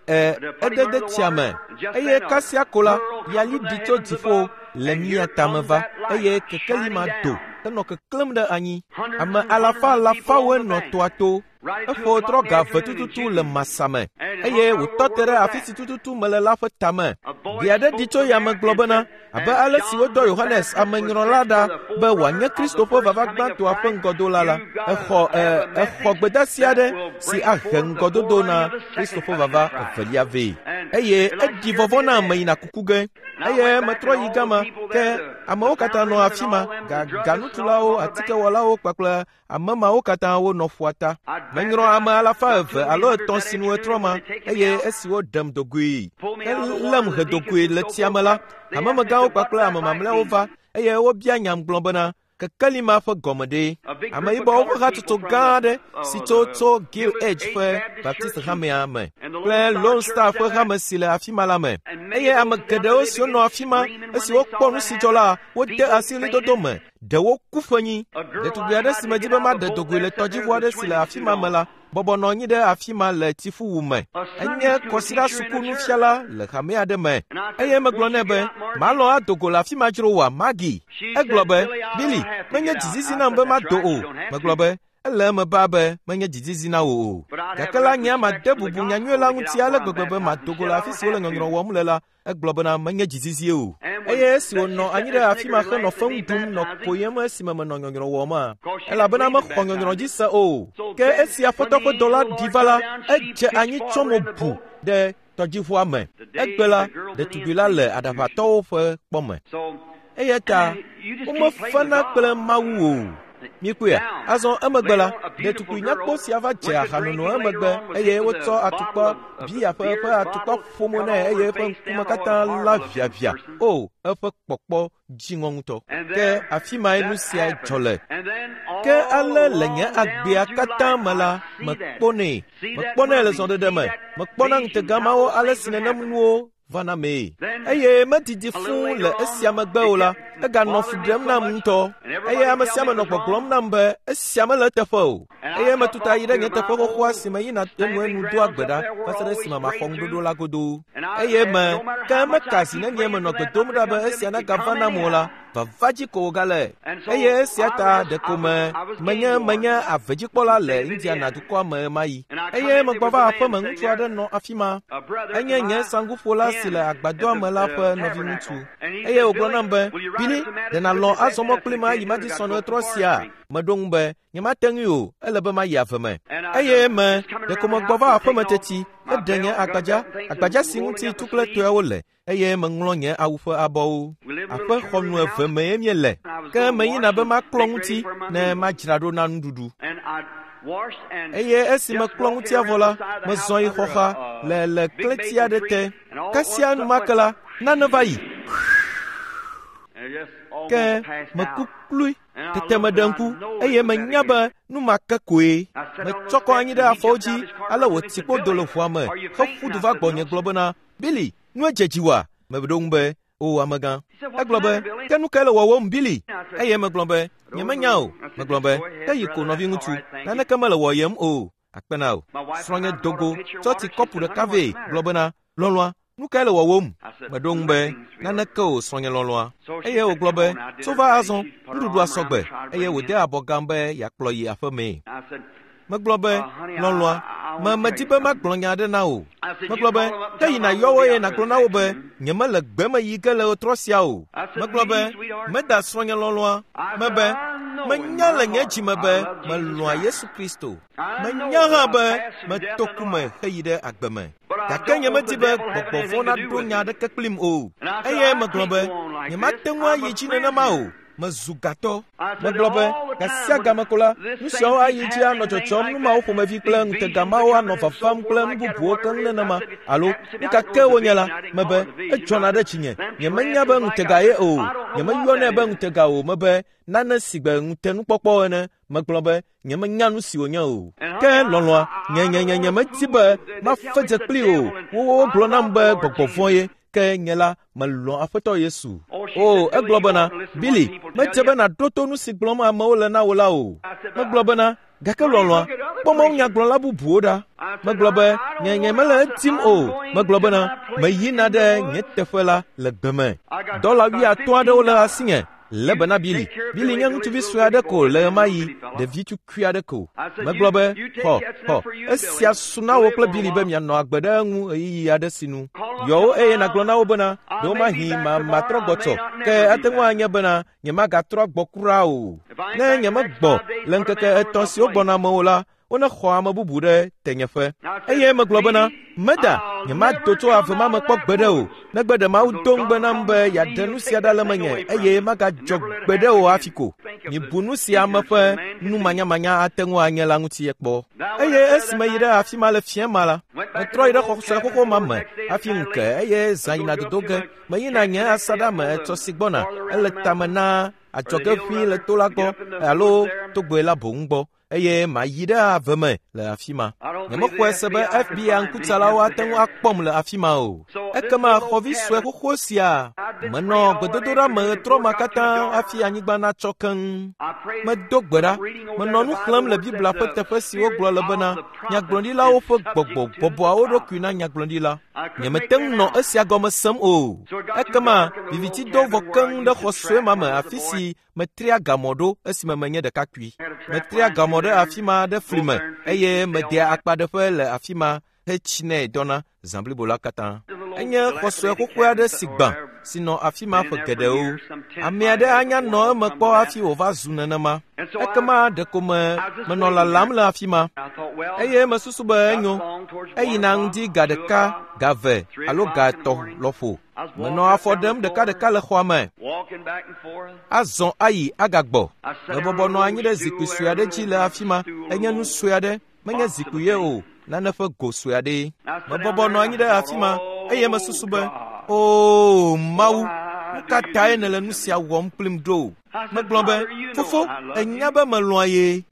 edede tsia me eye kasia ko la, yali ɖi tso dziƒo le mía tame va eye kekeli ma do henɔ keklẽm ɖe anyi. Ame alafa alafawoe nɔ toa to. Eƒo trɔ ga eve tututu le masa me eye wòtɔ te ɖe afi si tututu mele la ƒe tame. Gbe aɖe ɖi tso yame gblɔ bena, abe ale si wodɔ Yohanes amenyrɔla ɖa be wòanye Kristo ƒe vava gbãtɔa ƒe ŋgɔdola la, exɔ gbedeasi aɖe si ahe ŋgɔdodo na Kristo ƒe vava evelia vɛ. Eye eɖi vɔvɔ̃ na ame yina kuku ge. Eye metrɔ yi gama, ke amewo katã nɔ afi ma, gaganutulawo, atikewɔlawo kpakple ame mawo katã wonɔ ƒua ta. Menyrɔ ame alafa eve alo etɔ̃ sinu etrɔ ma, eye esi woɖem dogoe helém hedogoe le tsia me la, hamemegãwo kpakple ame mamlɛawo va eye wobia nyam gblɔ bena, Kekeli ma ƒe gɔme ɖe. Ameyibɔwo ƒe hatsotso gã aɖe si tso tso Gil Edge ƒe Baptist hamea me kple Lone Star ƒe hame si le afi ma la me. Eye ame geɖewo siwo nɔ afi ma esi wokpɔ nu si dzɔ la, wode asi ɣlidodo me. Ɖewo ku ƒenyi. Ɖetugbi aɖe si medi be maɖe dogoe le tɔdziʋu aɖe si le afi ma me la, bɔbɔ nɔ anyi ɖe afi ma le tsiƒuwu me. Enye kɔsiɖa sukunufiala le hame aɖe me. Eye megblɔ nɛ be, malɔ̃ ado go le afi ma dzro oa, Maggie? Egblɔ be, Billy, menye dzizizi nam be mado o. Megblɔ be, ele eme baa be menye dzizizi na wò o. Gake la nye made bubu nyanyui la ŋuti ale gbegbe be mado go le afi si wole nyɔnyrɔ wɔm le la, egblɔ bena menye dzizizie o. Eye esi wònɔ anyi ɖe afi ma henɔ feŋu ɖum nɔ koyem esime menɔ nyɔnyrɔ wɔma, elabena mexɔ nyɔnyrɔ dzi se o. Ke esi Aƒetɔ ƒe dɔla ɖi va la, edze anyi tsɔ mo bu ɖe tɔdziʋua me. Egbe la, ɖetugbi la le aɖaʋatɔwo ƒe kpɔme. Eya ta womefena kple Mawu o. Mikpɔea? Azɔ emegbe la, ɖetugbui nyakpɔ sia va dze ahanono emegbe eye wotsɔ atukpa bia ƒe eƒe atukpa ƒomo nɛ eye eƒe ŋkume katã la ʋiaʋia. O, eƒe kpɔkpɔ dziŋɔ ŋutɔ. Ke afi mae nu sia dzɔ le. Ke ale le nye agbea katã me la, mekpɔnɛ. Mekpɔnɛ le zɔɖeɖe me. Mekpɔna ŋutega mawo ale si nenem nuwo vana mee. Eye medidi fũu le esia megbe o la, eganɔ fu ɖem nam ŋutɔ. Eye ame sia ame nɔ gbɔgblɔm nam be esia mele eteƒe o. Eye metuta yi ɖe nye teƒe xoxoa si me yina enuenu doa gbe ɖa va se ɖe esime maxɔ ŋuɖoɖo la godoo. Eye me ke meka zi nenye menɔ gbe dom ɖa be esia nagava nam o la, vava dzi ko wògale. Eye esia ta ɖeko me menye menye avedzikpɔla le Indiana dukɔa me ɣemaɣi. Eye megbɔ va aƒeme ŋutsu aɖe nɔ afi ma. Enye nye saŋguƒola si le agbadɔa me la ƒe nɔviŋutsu. Eye wògblɔ nam be, Billy, ɖe nàlɔ̃ azɔ mɔ kplim ayi Madison ɣetrɔ sia? Meɖo ŋu be, nyemate ŋui o, ele be mayi ave me. Eye me ɖeko megbɔ va aƒeme teti, eɖe nye agbadza, agbadza si ŋuti tu kple toeawo le, eye meŋlɔ nye awu ƒe abɔwo. Aƒe xɔnu eve mee míele. Ke meyina be maklɔ ŋuti ne madzra ɖo na nuɖuɖu. Eye esi meklɔ ŋutia vɔ la, mezɔ yi xɔxa le le klẽti aɖe te. Kasia enumake la, nane va yi. Ke meku klui. Tete meɖe ŋku eye menya be nu ma ke koe. Metsɔ kɔ anyi ɖe afɔwo dzi ale wòti kpo do le ʋua me heƒu du va gbɔnye gblɔ bena, Billy, nue dze dziwòa? Meɖo ŋu be, O amegã. Egblɔ be, ke nu kae le wɔwɔm, Billy? Eye megblɔ be, nyemenya o. Megblɔ be, ke yi ko nɔviŋutsu, naneke mele wɔyem o. Akpe na wò. Srɔ̃nye do go, tsɔ tsi kɔpu ɖeka vɛ, gblɔ bena, lɔlɔ̃a, nu kae le wɔwɔm? Meɖo ŋu be, naneke o, srɔ̃nye lɔlɔ̃a. Eye wògblɔ be, tso va azɔ, nuɖuɖua sɔgbe. Eye wòde abɔ gam be yeakplɔ yi aƒemee. Megblɔ be, lɔlɔ̃a, me medi be magblɔ nya aɖe na wò. Megblɔ be, ke yi nàyɔ wo eye nàgblɔ na wo be, nyemele gbe me yi ge le ɣetrɔ sia o. Megblɔ be, meda srɔ̃nye lɔlɔ̃a. Mebe, menya le nye dzi me be melɔ̃a Yesu Kristo. Menya hã be meto ku me heyi ɖe agbe me. Gake nyemedi be gbɔgbɔ vɔ̃ naɖo nya aɖeke kplim o. Eye megblɔ be, nyemate ŋu ayi dzi nenema o. Mezu gatɔ. Megblɔ be, gasia game ko la, nu siawo ayi dzi anɔ dzɔdzɔm, nu mawo ƒomevi kple ŋutega mawo anɔ vavam kple nu bubuwo keŋ nenema, alo nu ka ke wonye la, mebe, edzɔna ɖe dzinye. Nyemenya be ŋutega ye o. Nyemeyɔnɛ be ŋutega o, mebe, nane si gbe ŋutenukpɔkpɔ ene. Megblɔ be, nyemenya nu si wònye o. Ke lɔlɔ̃a, nye nye nye nyemedi be mafe dze kpli o. Wowo gblɔ nam be gbɔgbɔ vɔ̃ ye, ke nye la, melɔ̃ Aƒetɔ Yesu. O, egblɔ bena, Billy, medze be nàɖo to nu si gblɔm amewo le na wò la o. Megblɔ bena, gake lɔlɔ̃a, kpɔ mawunyagblɔla bubuwo ɖa. Megblɔ be, nye nye mele edim o. Megblɔ bena, meyina ɖe nye teƒe la le gbe me. Dɔla wuiatɔ̃ aɖewo le asinye. Lé be na Billy. Billy nye ŋutsuvi sue aɖe ko le ɣemaɣi, ɖevi tukui aɖe ko. Megblɔ be, xɔ, xɔ, esia su na wò kple Billy be mianɔ agbe ɖe eŋu ɣeyiɣi aɖe sinu. Yɔ wo eye nàgblɔ na wo bena, ɖewomahi ma matrɔ gbɔ tsɔ, ke ate ŋu anye bena nyemagatrɔ gbɔ kura o. Ne nyemegbɔ le ŋkeke etɔ̃ siwo gbɔna me o la, wonexɔ ame bubu ɖe tenyeƒe. Eye megblɔ bena, meda, nyemado tso ave ma me kpɔ gbeɖe o, negbe ɖe Mawu do ŋugbe nam be yeaɖe nu sia ɖa le menye eye magadzɔ gbeɖe o hafi ko. Mibu nu si ame ƒe numanyamanya ate ŋu anye la ŋuti kpɔ. Eye esi meyi ɖe afi ma le fiẽ ma la, metrɔ yi ɖe xɔ sue xoxo ma me hafi ŋu ke eye zã yina dodo ge. Meyina nye asaɖa me etsɔ si gbɔna, ele tame na adzɔge ʋĩi le to la gbɔ alo togbɛ la boŋ gbɔ eye mayi ɖe ave me le afi ma. Nyemexɔe se be FBI ŋkutsalawo ate ŋu akpɔm le afi ma o. Ekema xɔvi sue xoxo sia menɔ gbedodoɖa me ɣetrɔ ma katã hafi anyigba natsɔ keŋ. Medo gbe ɖa, menɔ nu xlẽm le Biblia ƒe teƒe si wogblɔ le bena nyagblɔɖilawo ƒe gbɔgbɔ bɔbɔa wo ɖokui na nyagblɔɖila. Nyemete ŋu nɔ esia gɔme sem o. Ekema viviti do vɔ keŋ ɖe xɔ sue ma me afi si metria gamɔ ɖo esime menye ɖekakpui. Metria gamɔ ɖe afi ma ɖe fli me eye medea akpaɖeƒe le afi ma hetsinɛ dɔna zã blibo la katã. Enye xɔ sue xoxoe aɖe si gbã si nɔ afi ma ƒe geɖewo. Ame aɖe anya nɔ eme kpɔ hafi wòva zu nenema. Ekema ɖeko me menɔ lalam le afi ma eye mesusu be enyo. Eyina ŋdi ga ɖeka, ga eve alo ga etɔ̃ lɔƒo. Menɔ afɔ ɖem ɖekaɖeka le xɔa me. Azɔ ayi agagbɔ. Mebɔbɔ nɔ anyi ɖe zikpui sue aɖe dzi le afi ma. Enye nu sue aɖe, menye zikpui ye o, nane ƒe go sue aɖee. Mebɔbɔ nɔ anyi ɖe afi ma eye mesusu be, Oo Mawu, nu ka tae nèle nu sia wɔm kplim ɖo? Megblɔ be, Fofo, ènya be melɔ̃a ye.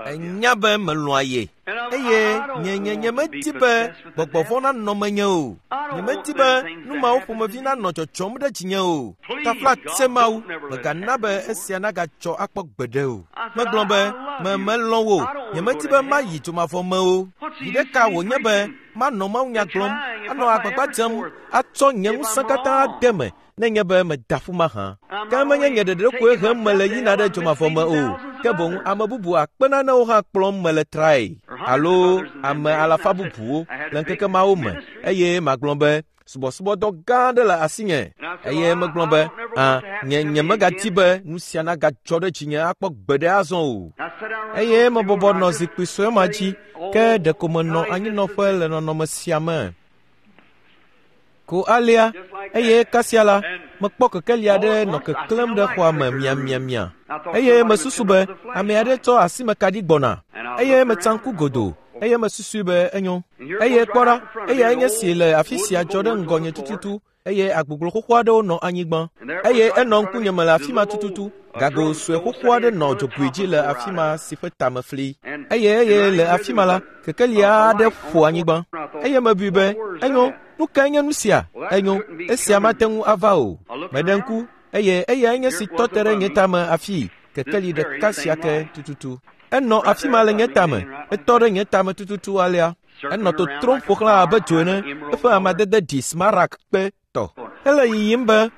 Ènya be melɔ̃a ye. Eye nye nye nyemedi be gbɔgbɔ vɔ̃ nanɔ menye o. Nyemedi be nu mawo ƒomevi nanɔ dzɔdzɔm ɖe dzinye o. Taflatse Mawu, mègana be esia nagadzɔ akpɔ gbeɖe o. Megblɔ be, me melɔ̃ wò. Nyemedi be mayi dzomavɔ me o. Viɖe ka wònye be manɔ mawunya gblɔm, anɔ agbagba dzem atsɔ nye ŋusẽ katã ade eme nenye be meda ƒu mahã? Ke menye nye ɖeɖe koe hem mele yina ɖe dzomavɔ me o, ke boŋ ame bubu akpe nanewo hã kplɔm mele trae, alo ame alafa bubuwo le ŋkeke mawo me, eye magblɔ be, Subɔsubɔdɔ gã aɖe le asinye. Eye megblɔ be, Ã, nye nyemegadi be nu sia nagadzɔ ɖe dzinye akpɔ gbeɖe azɔ o. Eye mebɔbɔ nɔ zikpui sue ma dzi, ke ɖeko menɔ anyinɔƒe le nɔnɔme sia me. Ko alea, eye kasia la, mekpɔ kekeli aɖe nɔ keklẽm ɖe xɔa me miamiamia. Eye mesusu be ame aɖe tsɔ asimekaɖi gbɔna. Eye metsa ŋku godoo, eye mesusui be enyo. Eye kpɔ ɖa, eyae nye si le afi sia dzɔ ɖe ŋgɔnye tututu, eye agboglo xoxo aɖewo nɔ anyigba. Eye enɔ ŋkunye me le afi ma tututu. Gago sue xoxo aɖe nɔ dzogoe dzi le afi ma si ƒe tame fli. Eye eye le afi ma la, kekeli aɖe ƒo anyigba. Eye mebui be, enyo, nu kae nye nu sia? Enyo, esia mate ŋu ava o. Meɖe ŋku, eye eyae nye si tɔ te ɖe nye tame afii, kekeli ɖeka sia ke tututu. Enɔ afi ma le nye tame, etɔ ɖe nye tame tututu alea. Enɔ totrom ƒo xlã abe dzo ene, eƒe amadede ɖi smaragd kpe tɔ. Ele yiyim be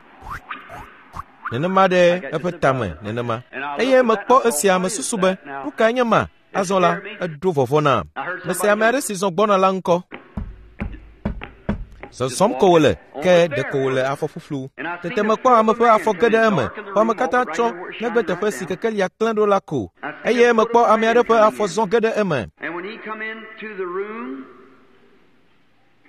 nenema ɖe eƒe tame nenema. Eye mekpɔ esia mesusu be, nu kae nye ma? Azɔ la, eɖo vɔvɔ̃ nam. Mese ame aɖe si zɔ gbɔna la ŋkɔ. Zɔzɔm ko wòle, ke ɖeko wòle afɔ ƒuƒlu. Tete mekpɔ ame ƒe afɔ ge ɖe eme. Xɔame katã tsɔ, negbe teƒe si kekelia klẽ ɖo la ko. Eye mekpɔ ame aɖe ƒe afɔ zɔ ge ɖe eme.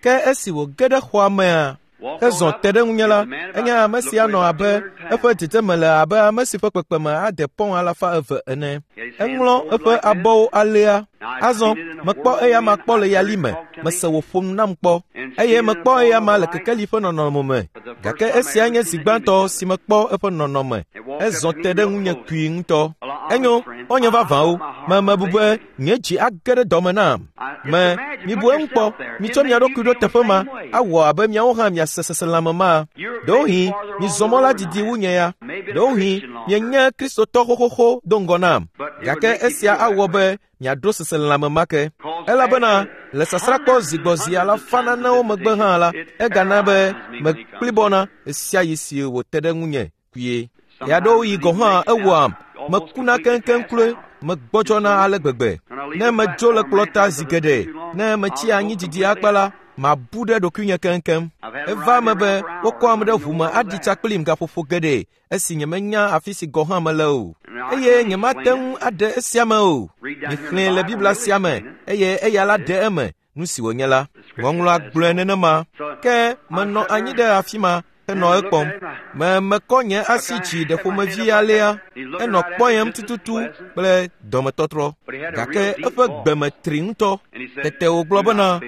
Ke esi wòge ɖe xɔa mea, hezɔ te ɖe ŋunye la, enye ame si anɔ abe eƒe dzedzeme le abe ame si ƒe kpekpeme ade pɔŋ 200 ene. Eŋlɔ eƒe abɔwo alea. Azɔ mekpɔ eyama kpɔ le yali me, mese wòƒo nu nam kpɔ, eye mekpɔ eyama le kekeli ƒe nɔnɔme me. Gake esia nye zi gbãtɔ si mekpɔ eƒe nɔnɔme. Ezɔ te ɖe ŋunye kpui ŋutɔ. Enyo, xɔ̃nye vavãwo, me mebu be nye dzi age ɖe dɔme nam. Me, mibu eŋu kpɔ, mitsɔ mia ɖokui ɖo teƒe ma, awɔ abe miawo hã miase seselãme ma. Ɖewohĩ, mizɔ mɔ la didi wu nye ya. Ɖewohĩ, mienye Kristotɔ xoxoxo do ŋgɔ nam. Gake esia awɔ be miaɖo seselãme ma ke. Elabena le sasrãkpɔ zi gbɔ zi alafa nanewo megbe hã la, egana be mekplibɔna ɣesiaɣi si wòte ɖe ŋunye kpuie. Ɣeaɖewoɣi gɔ̃ hã ewɔam mekuna keŋkeŋ kloe, megbɔdzɔna ale gbegbe. Ne medzo le kplɔta zi geɖe, ne metsi anyi didi akpa la, mabu ɖe ɖokuinye keŋkeŋ. Eva eme be wokɔam ɖe ʋu me aɖi tsa kplim gaƒoƒo geɖe esi nyemenya afi si gɔ̃ hã mele o. Eye nyemate ŋu aɖe esia me o. Mixlẽe le Biblia sia me, eye eya la ɖe eme nu si wònye la. Ŋɔŋlɔa gblɔe nenema. Ke menɔ anyi ɖe afi ma henɔ ekpɔm. Me mekɔ nye asi dzi ɖe ƒomevi alea. Enɔ kpɔyem tututu kple dɔmetɔtrɔ. Gake eƒe gbe me tri ŋutɔ. Tete wògblɔ bena,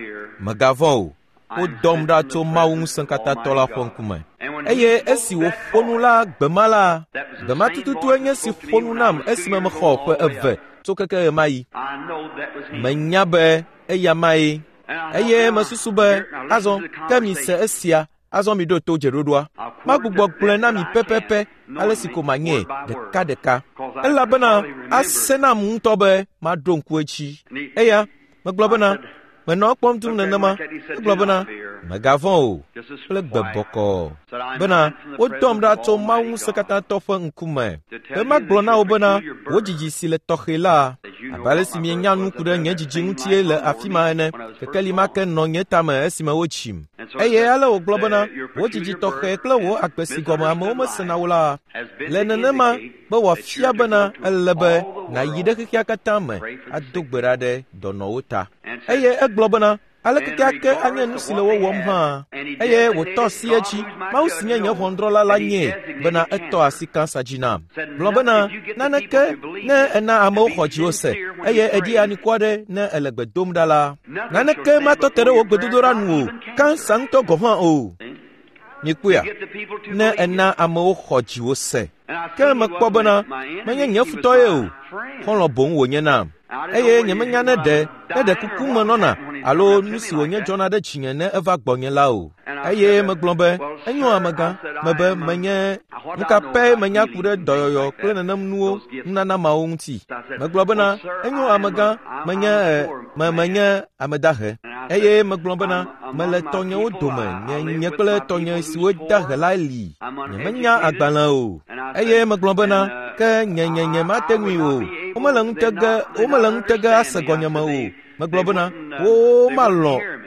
Mègavɔ̃ o. Wodɔm ɖa tso Mawu Ŋusẽkatãtɔ la ƒe ŋkume. Eye esi wòƒo nu la gbe ma la, gbe ma tututue nye si ƒo nu nam esime mexɔ ƒe 2 tso keke ɣemaɣi. Menya be eya mae. Eye mesusu be, azɔ, ke mise esia, azɔ miɖo to dzeɖoɖoa. Magbugbɔ gblɔe na mi pɛpɛpɛ ale si ko manye ɖekaɖeka. Elabena ase nam ŋutɔ be maɖo ŋku edzi. Eya, megblɔ bena, menɔ ekpɔm dum nenema. Egblɔ bena, mègavɔ̃ o, kple gbe bɔkɔɔ. Bena, wodɔm ɖa tso Mawu Ŋusẽkatãtɔ ƒe ŋkume. Be magblɔ na wò bena, wò dzidzi si le tɔxɛ la, abe ale si mienya nu ku ɖe nye dzidzi ŋutie le afi ma ene, kekeli ma ke nɔ nye tame esime wotsim. Eye ale wògblɔ bena, wò dzidzi tɔxɛ kple wò agbe si gɔme amewo mesena o la, le nenema be wòafia bena ele be nàyi ɖe xexea katã me ado gbe ɖa ɖe dɔnɔwo ta. Eye egblɔ bena, aleke keake anye nu si le wo wɔm hã. Eye wòtɔ asi edzi, Mawu si nye nye ʋɔnudrɔ̃la la nyee bena etɔ asi kansa dzi nam. Gblɔ bena, naneke ne ena amewo xɔ dziwò se, eye èɖi anikua ɖe ne èle gbe dom ɖa la, naneke matɔ te ɖe wò gbedodoɖa nu o, kansa ŋutɔ gɔ̃ hã o. Mikpɔea, ne ena amewo xɔ dziwò se. Ke mekpɔ bena, menye nye futɔ ye o, xɔlɔ̃ boŋ wònye nam. Eye nyemenya ne ɖe kuku me nɔna alo nu si wònye dzɔna ɖe dzinye ne eva gbɔnye la o. Eye megblɔ be, enyo amegã, mebe menye nu ka pɛ menya ku ɖe dɔyɔyɔ kple nenem nuwo nunana mawo ŋuti. Megblɔ bena, enyo amegã, menye menye ame dahe. Eye megblɔ bena, mele tɔnyewo dome, nye kple tɔnye siwo dahe la li. Nyemenya agbalẽ o. Eye megblɔ bena, ke nye mate ŋui o. Womele ŋutege ase gɔnyeme o. Megblɔ bena,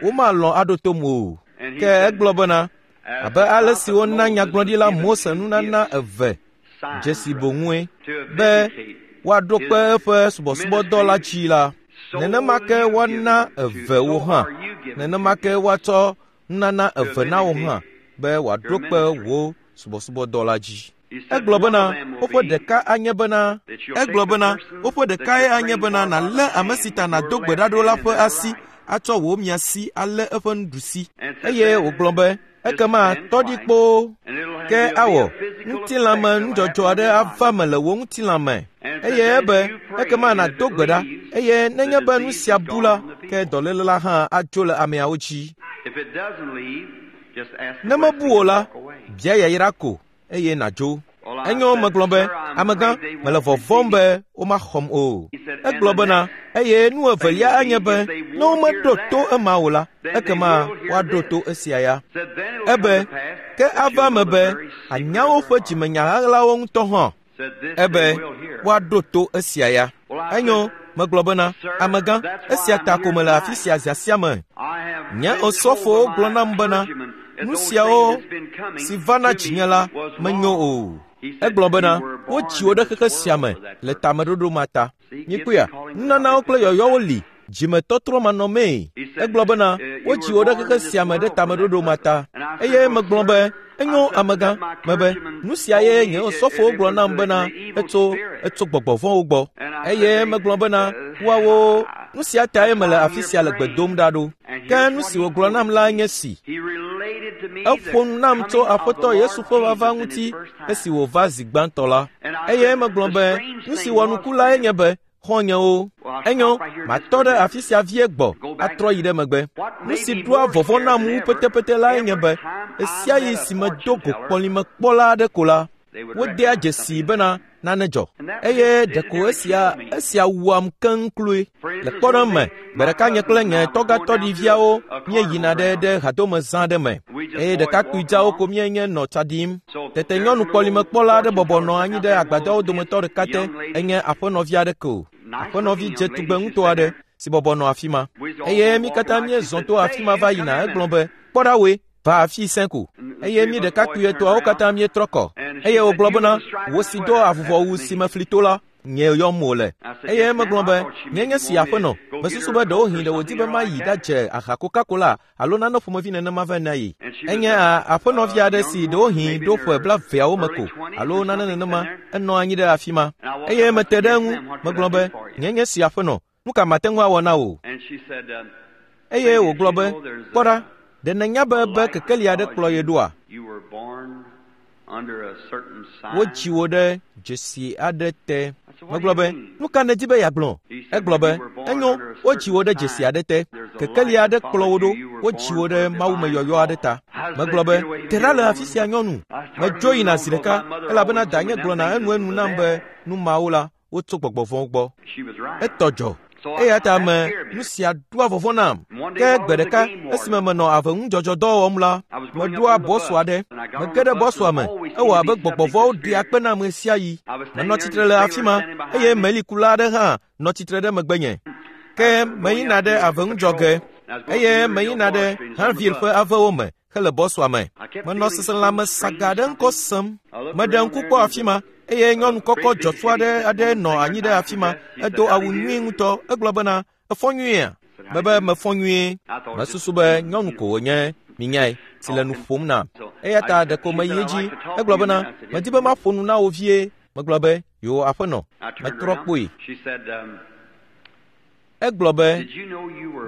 womalɔ̃ aɖo tom o. Ke egblɔ bena, abe ale si wona nyagblɔɖila Mose nunana 2 dzesi boŋue be woaɖo kpe eƒe subɔsubɔdɔ la dzi la, nenema ke woana 2 wo hã. Nenema ke woatsɔ nunana 2 na wo hã be wòaɖo kpe wò subɔsubɔdɔ la dzi. Egblɔ bena, woƒe ɖeka anye bena, egblɔ bena, woƒe ɖekae anye bena nàlé ame si ta nàdo gbe ɖa ɖo la ƒe asi atsɔ wò miasi alé eƒe nuɖusi. Eye wògblɔ be, ekema tɔ ɖi kpoo, ke awɔ ŋutilãme nudzɔdzɔ aɖe ava me le wò ŋutilãme. Eye ebe, ekema nàdo gbe ɖa, eye nenye be nu sia bu la, ke dɔléle la hã adzo le ameawo dzi. Ne mebu o la, bia yayra ko, eye nàdzo. Enyo megblɔ be, amegã, mele vɔvɔ̃m be womaxɔm o. Egblɔ bena, eye nu evelia anye be, ne womeɖo to ema o la, ekema woaɖo to esia ya. Ebe, ke ava me be, anya woƒe dzimenya ɣaɣlawo ŋutɔ hã. Ebe, woaɖo to esia ya. Enyo, megblɔ bena, amegã, esia ta ko mele afi sia zã sia me. Nye osɔfowo gblɔ nam bena, nu siawo si va na dzinye la menyo o. Egblɔ bena, wotsi wo ɖe xexe sia me le tameɖoɖo ma ta. Mikpɔea, nunanawo kple yɔyɔwo li, dzimetɔtrɔ manɔmee. Egblɔ bena, wotsi wo ɖe xexe sia me ɖe tameɖoɖo ma ta. Eye megblɔ be, enyo amegã, mebe, nu sia ye nye osɔfowo gblɔ nam bena, etso gbɔgbɔ vɔ̃wo gbɔ. Eye megblɔ bena, woawo, nu sia tae mele afi sia le gbe dom ɖa ɖo. Ke nu si wògblɔ nam la nye si. Eƒo nu nam tso Aƒetɔ Yesu ƒe vava ŋuti esi wòva zi gbãtɔ la. Eye megblɔ be, nu si wɔ nuku lae nye be, xɔ̃nyewo, enyo, matɔ ɖe afi sia vie gbɔ atrɔ yi ɖe megbe. Nu si ɖoa vɔvɔ̃ nam wu petepete lae nye be, ɣesiaɣi si medo go kpɔlimekpɔla aɖe ko la, wodea dzesii bena nane dzɔ. Eye ɖeko esia wuam keŋ kloe. Le kpɔɖeŋu me, gbe ɖeka nye kple nye tɔgatɔɖiviawo míeyina ɖe hadome zã ɖe me. Eye ɖekakpuidzawo ko míenye nɔ tsa ɖim. Tete nyɔnu kpɔlimekpɔla aɖe bɔbɔ nɔ anyi ɖe agbadɔwo dometɔ ɖeka te. Enye aƒenɔvi aɖe ko. Aƒenɔvi dze tugbe ŋutɔ aɖe si bɔbɔ nɔ afi ma. Eye mí katã míezɔ to afi ma va yina. Egblɔ be, kpɔ ɖa woe, va afi sẽ ko. Eye mí ɖekakpui etɔ̃awo katã míetrɔ kɔ. Eye wògblɔ bena, wò si do avuvɔwu si mefli to la, nye yɔm wòle. Eye megblɔ be, nye nye si aƒenɔ, mesusu be ɖewohĩ ɖe wòdi be mayi ɖadze aha Coca-Cola alo nane ƒomevi nenema vɛ na ye. Enye aƒenɔvi aɖe si ɖewohĩ ɖo ƒe 20 me ko alo nane nenema, enɔ anyi ɖe afi ma. Eye mete ɖe eŋu, megblɔ be, nye nye si aƒenɔ, nu ka mate ŋu awɔ na wò? Eye wògblɔ be, kpɔ ɖa, ɖe nènya be kekeli aɖe kplɔ ye ɖoa? Wodzi wò ɖe dzesi aɖe te. Megblɔ be, nu ka nèdi be yeagblɔ? Egblɔ be, enyo, wodzi wò ɖe dzesi aɖe te. Kekeli aɖe kplɔ wò ɖo, wodzi wò ɖe mawumeyɔyɔ aɖe ta. Megblɔ be, te ɖa le afi sia nyɔnu. Medzo yina zi ɖeka, elabena danye gblɔna enuenu nam be nu mawo la, wotso gbɔgbɔ vɔ̃wo gbɔ. Etɔ dzɔ. Eya ta me nu sia ɖoa vɔvɔ̃ nam. Ke gbe ɖeka esime menɔ aveŋudzɔdzɔdɔ wɔm la, meɖoa bɔsu aɖe. Mege ɖe bɔsua me. Ewɔ abe gbɔgbɔ vɔ̃wo ɖea kpe nam ɣesiaɣi. Menɔ tsitre le afi ma eye melikula aɖe hã nɔ tsitre ɖe megbenye. Ke meyina ɖe aveŋudzɔge eye meyina ɖe Hanville ƒe avewo me hele bɔsua me. Menɔ seselãme saga ɖe ŋkɔ sem. Meɖe ŋku kpɔ afi ma eye nyɔnu kɔkɔ dzɔtsu aɖe aɖe nɔ anyi ɖe afi ma. Edo awu nyui ŋutɔ. Egblɔ bena, efɔ nyuiea? Mebe mefɔ nyuie. Mesusu be nyɔnu ko wònye, minyae, si le nu ƒom nam. Eya ta ɖeko meyi edzi. Egblɔ bena, medi be maƒo nu na wò vie. Megblɔ be, yo aƒenɔ. Metrɔ kpoe. Egblɔ be,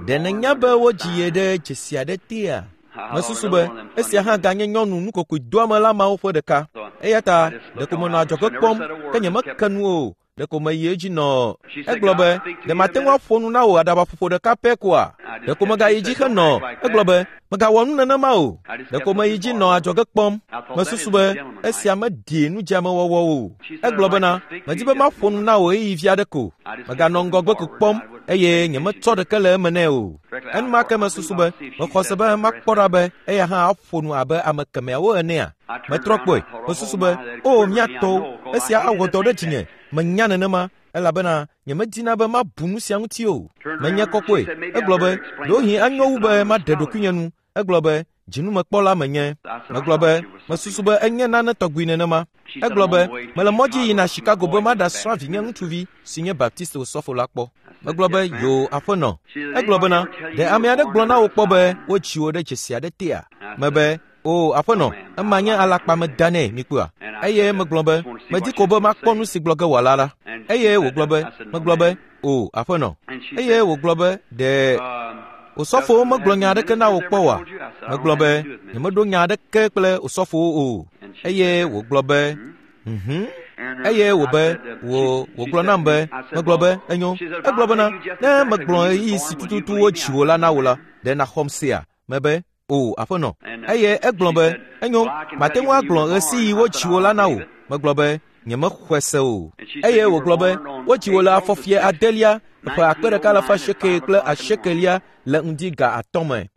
ɖe nènya be wodzi ye ɖe dzesi aɖe tea? Mesusu be esia hã ganye nyɔnu nukokoedoamela mawo ƒe ɖeka. Eya ta ɖeko menɔ adzɔge kpɔm, ke nyemeke nu o. Ɖeko meyi edzi nɔ. Egblɔ be, ɖe mate ŋu aƒo nu na wò aɖabaƒoƒo ɖeka pɛ koa? Ɖeko megayi dzi henɔ. Egblɔ be, megawɔ nu nenema o. Ɖeko meyi dzi nɔ adzɔge kpɔm. Mesusu be esia meɖi nudzeamewɔwɔ o. Egblɔ bena, medi be maƒo nu na wò ɣeyiɣi vi aɖe ko. Meganɔ ŋgɔgbe ko kpɔm eye nyemetsɔ ɖeke le eme nɛ o. Enumake mesusu be mexɔ se be makpɔ ɖa be eya hã aƒo nu abe ame kemɛawo enea. Metrɔ kpɔe. Mesusu be, o mía tɔwo, esia awɔ dɔ ɖe dzinye. Menya nenema elabena nyemedina be mabu nu sia ŋuti o. Menye kɔkɔe. Egblɔ be, ɖewohĩ anyo wu be maɖe ɖokuinye nu. Egblɔ be, dzinumekpɔla menye. Megblɔ be, mesusu be enye nane tɔgbi nenema. Egblɔ be, mele mɔ dzi yina Chicago be maɖasrã vinye ŋutsuvi si nye Baptist osɔfo la kpɔ. Megblɔ be, yo aƒenɔ. Egblɔ bena, ɖe ame aɖe gblɔ na wò kpɔ be wodzi wò ɖe dzesi aɖe tea? Mebe, o aƒenɔ, ema nye alakpame da nɛ, mikpɔa? Eye megblɔ be, medi ko be makpɔ nu si gblɔ ge wòala la. Eye wògblɔ be, megblɔ be, o aƒenɔ. Eye wògblɔ be, ɖe osɔfowo megblɔ nya aɖeke na wò kpɔ oa? Megblɔ be, nyemeɖo nya aɖeke kple osɔfowo o. Eye wògblɔ be, Eye wòbe, wò, wògblɔ nam be, megblɔ be, enyo. Egblɔ bena, ne megblɔ ɣeyiɣi si tututu wodzi wò la na wò la, ɖe nàxɔm sea? Mebe, o aƒenɔ. Eye egblɔ be, enyo, mate ŋu agblɔ ɣesiɣi wodzi wò la na wò. Megblɔ be, nyemexɔe se o. Eye wògblɔ be, wodzi wò le afɔfie adelia, ƒe 1880 le ŋdi ga 5 me.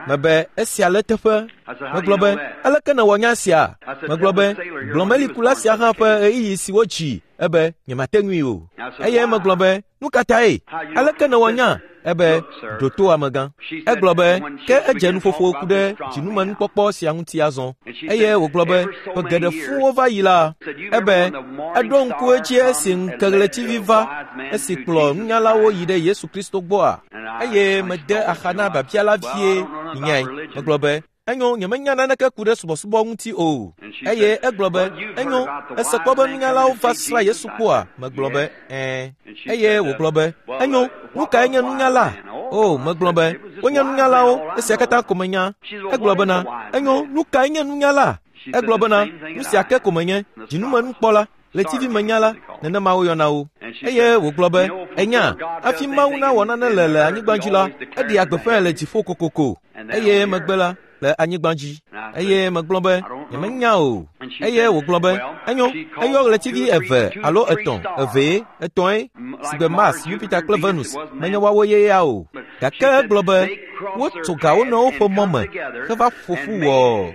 Mebe, esia le teƒe. Megblɔ be, aleke nèwɔ nya sia? Megblɔ be, gblɔ melikula sia hã ƒe ɣeyiɣi si wodzi. Ebe, nyemate ŋui o. Eye megblɔ be, nu ka tae? Aleke nèwɔ nya? Ebe, ɖo to amegã. Egblɔ be, ke edze nuƒoƒo ku ɖe dzinumenukpɔkpɔ sia ŋuti azɔ. Eye wògblɔ be, ƒe geɖe fũ wova yi la, ebe, eɖo ŋku edzi esi ŋkeɣletivi va, esi kplɔ nunyalawo yi ɖe Yesu Kristo gbɔa? Eye mede axa na biabia la vie, minyae. Megblɔ be, enyo, nyemenya naneke ku ɖe subɔsubɔ ŋuti o. Eye egblɔ be, enyo, ese kpɔ be nunyalawo va srã Yesu kpɔa? Megblɔ be, ɛ̃. Eye wògblɔ be, enyo, nu kae nye nunyala? O, megblɔ be, wonye nunyalawo, esia katã ko menya. Egblɔ bena, enyo, nu kae nye nunyala? Egblɔ bena, nu sia ke ko menye, dzinumenukpɔla, ɣletivimenyala, nenema woyɔna wo. Eye wògblɔ be, enya, hafi Mawu nawɔ nane le anyigba dzi la, eɖea gbeƒãe le dziƒo kokoko. Eye megbe la, le anyigba dzi. Eye megblɔ be, nyemenya o. Eye wògblɔ be, enyo, eyɔ ɣletivi 2 alo 3, 2, 3, sigbe Mars, Jupiter kple Venus, menye woawo ye ya o. Gake egblɔ be, wotso ga wo nɔewo ƒe mɔ me heva ƒo ƒu wɔ.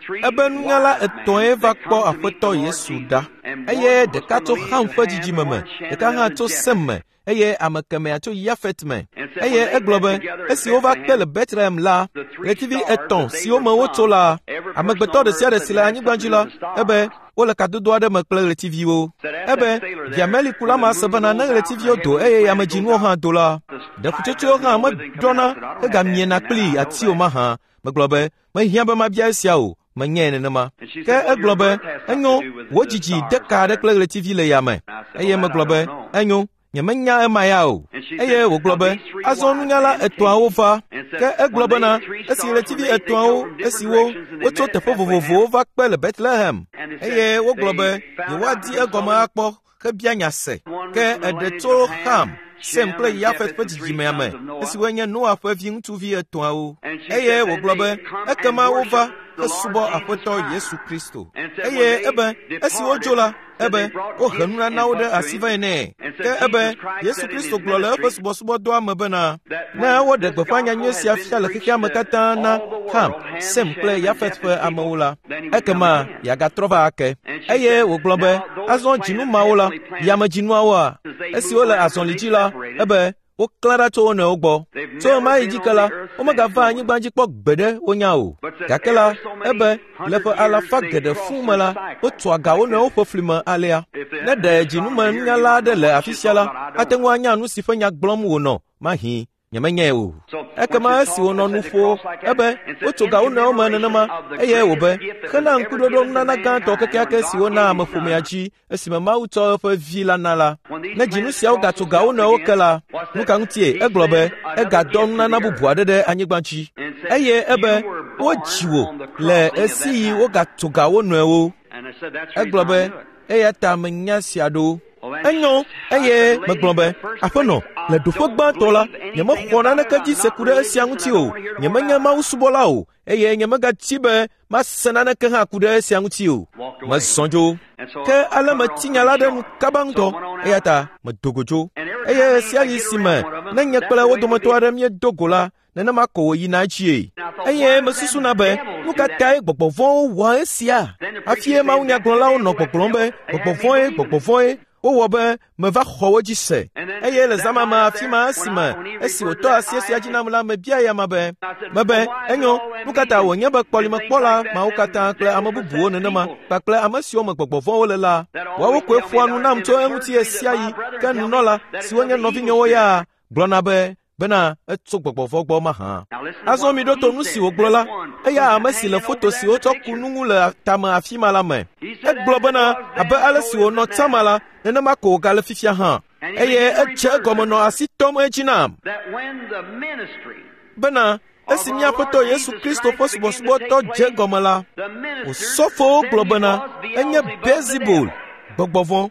Ebe nunyala 3 va kpɔ Aƒetɔ Yesu ɖa. Eye ɖeka tso Ham ƒe dzidzime me, ɖeka hã tso Sem me, eye ame kemɛa tso Yafet me. Eye egblɔ be, esi wova kpe le Bethlehem la, ɣletivi 3 siwo me wotso la, amegbetɔ ɖe sia ɖe si le anyigba dzi la, ebe wole kadodo aɖe me kple ɣletiviwo. Ebe via melikula ma se bena ne ɣletiviwo do eye yamedzinuwo hã do la, ɖe ƒutsotsoewo hã meɖɔna hegamiena kpli ati o mahã. Megblɔ be, mehiã be mabia esia o, menyae nenema. Ke egblɔ be, enyo, wò dzidzi de ka aɖe kple ɣletivi le yame. Eye megblɔ be, enyo, Nyemenya ema ya o. Eye wògblɔ be, Azɔ nunyala etɔ̃awo va. Ke egblɔ bena, esi ɣletivi etɔ̃awo, esiwo wotso teƒe vovovowo va kpe le Betlehem, eye wogblɔ be yewoadi egɔme akpɔ hebia nya se. Ke eɖe tso Ham, Sem kple Yafet ƒe dzidzimea me, esiwoe nye Noa ƒe viŋutsuvi etɔ̃awo. Eye wògblɔ be, ekema wova hesubɔ Aƒetɔ Yesu Kristo. Eye ebe, esi wodzo la, ebe wohe nunanawo ɖe asi va nɛ. Ke ebe Yesu Kristo gblɔ le eƒe subɔsubɔdɔa me bena, ne woɖe gbeƒã nyanyui sia fia le xexea me katã na Ham, Sem kple Yafet ƒe amewo la, ekema yeagatrɔ va ake. Eye wògblɔ be, azɔ dzinu mawo la, yamedzinuawoa, esiwo le azɔli dzi la, ebe woklã ɖa tso wo nɔewo gbɔ. Tso ɣemaɣi dzi ke la, womegava anyigba dzi kpɔ gbeɖe wonya o. Gake la, ebe le ƒe alafa geɖe fũu me la, wotua ga wo nɔewo ƒe fli me alea. Ne ɖe dzinumenunyala aɖe le afi sia la, ate ŋu anya nu si ƒe nya gblɔm wònɔ mahĩ. Nyemenyae o. Ekema esi wònɔ nu ƒo ebe wotso ga wo nɔewo me nenema, eye wòbe hena ŋkuɖoɖo nunana gãtɔ kekeake si wona ameƒomea dzi esime Mawu tsɔ eƒe vi la na la. Ne dzinu siawo gatso ga wo nɔewo ke la, nu ka ŋutie? Egblɔ be egadɔ nunana bubu aɖe ɖe anyigba dzi. Eye ebe wodzi wò le ɣesiɣi wogatso ga wo nɔewo. Egblɔ be eya ta menya sia ɖo. Enyo, eye megblɔ be, Aƒenɔ, le ɖoƒe gbãtɔ la, nyemexɔ naneke dzi se ku ɖe esia ŋuti o. Nyemenye Mawu subɔla o, eye nyemegadi be mase naneke hã ku ɖe esia ŋuti o. Mezɔ dzo. Ke ale metsi nya la ɖe nu kaba ŋutɔ, eya ta medo go dzo. Eye ɣesiaɣi si me ne nye kple wo dometɔ aɖe míedo go la, nenema ko wòyina edzie. Eye mesusuna be, nu ka tae gbɔgbɔ vɔ̃wo wɔa esia? Hafie mawunyagblɔlawo nɔ gbɔgblɔm be gbɔgbɔ vɔ̃e, gbɔgbɔ vɔ̃e, wowɔ be meva xɔ wo dzi se. Eye le zã ma me afi ma esime esi wòtɔ asi esia dzi nam la, mebia eya ma be, mebe, enyo, nu ka ta wònye be kpɔlimekpɔla mawo katã kple ame bubuwo nenema kpakple ame siwo me gbɔgbɔ vɔ̃wo le la, woawo koe ƒoa nu nam tso eŋuti ɣesiaɣi, ke nunɔla, siwo nye nɔvinyewo ya, gblɔna be bena etso gbɔgbɔ vɔ̃ gbɔ mahã. Azɔ miɖo to nu si wògblɔ la, eya ame si le foto si wotsɔ ku nu ŋu le tame afi ma la me. Egblɔ bena abe ale si wònɔ tsã ma la, nenema ko wògale fifia hã. Eye edze egɔme nɔ asi tɔm edzi nam bena esi mía Aƒetɔ Yesu Kristo ƒe subɔsubɔdɔ dze egɔme la, osɔfowo gblɔ bena enye Beelzebul, gbɔgbɔ vɔ̃.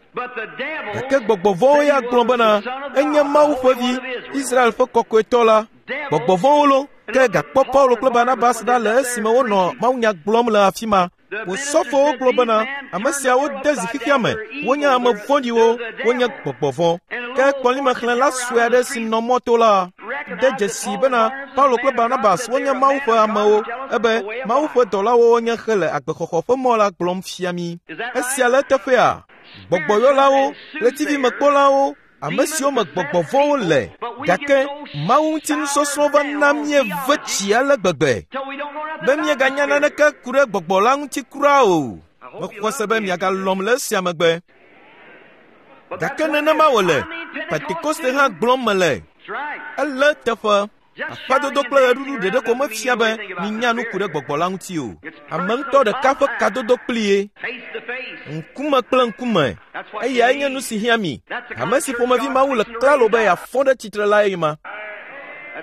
Gake gbɔgbɔ vɔ̃wo ya gblɔ bena enye Mawu ƒe vi, Israel ƒe kɔkɔetɔ la. Gbɔgbɔ vɔ̃wo lo, ke gakpɔ Paulo kple Barnabas ɖa le esime wonɔ mawunya gblɔm le afi ma. Osɔfowo gblɔ bena ame siawo de zi xexea me, wonye ame vɔ̃ɖiwo, wonye gbɔgbɔ vɔ̃. Ke kpɔlimexlẽla sue aɖe si nɔ mɔto la de dzesii bena Paulo kple Barnabas wonye Mawu ƒe amewo, ebe Mawu ƒe dɔlawo wonye hele agbexɔxɔ ƒe mɔ la gblɔm fia mí. Esia le eteƒea? Gbɔgbɔyɔlawo, ɣletivimekpɔlawo, ame siwo me gbɔgbɔ vɔ̃wo le, gake Mawu ŋuti nusɔsrɔ̃ va na míeve tsi ale gbegbe be míeganya naneke ku ɖe gbɔgbɔ la ŋuti kura o. Mexɔ se be miagalɔ̃m le esia megbe. Gake nenema wòle. Pentekoste hã gblɔm mele. Ele eteƒe. Aƒadodo kple ɣeɖuɖu ɖeɖe ko mefia be minya nu ku ɖe gbɔgbɔ la ŋuti o. Ame ŋutɔ ɖeka ƒe kadodo kpli ye, ŋkume kple ŋkume, eyae nye nu si hiã mi. Ame si ƒomevi Mawu le klalo be yeafɔ ɖe tsitre lae ma.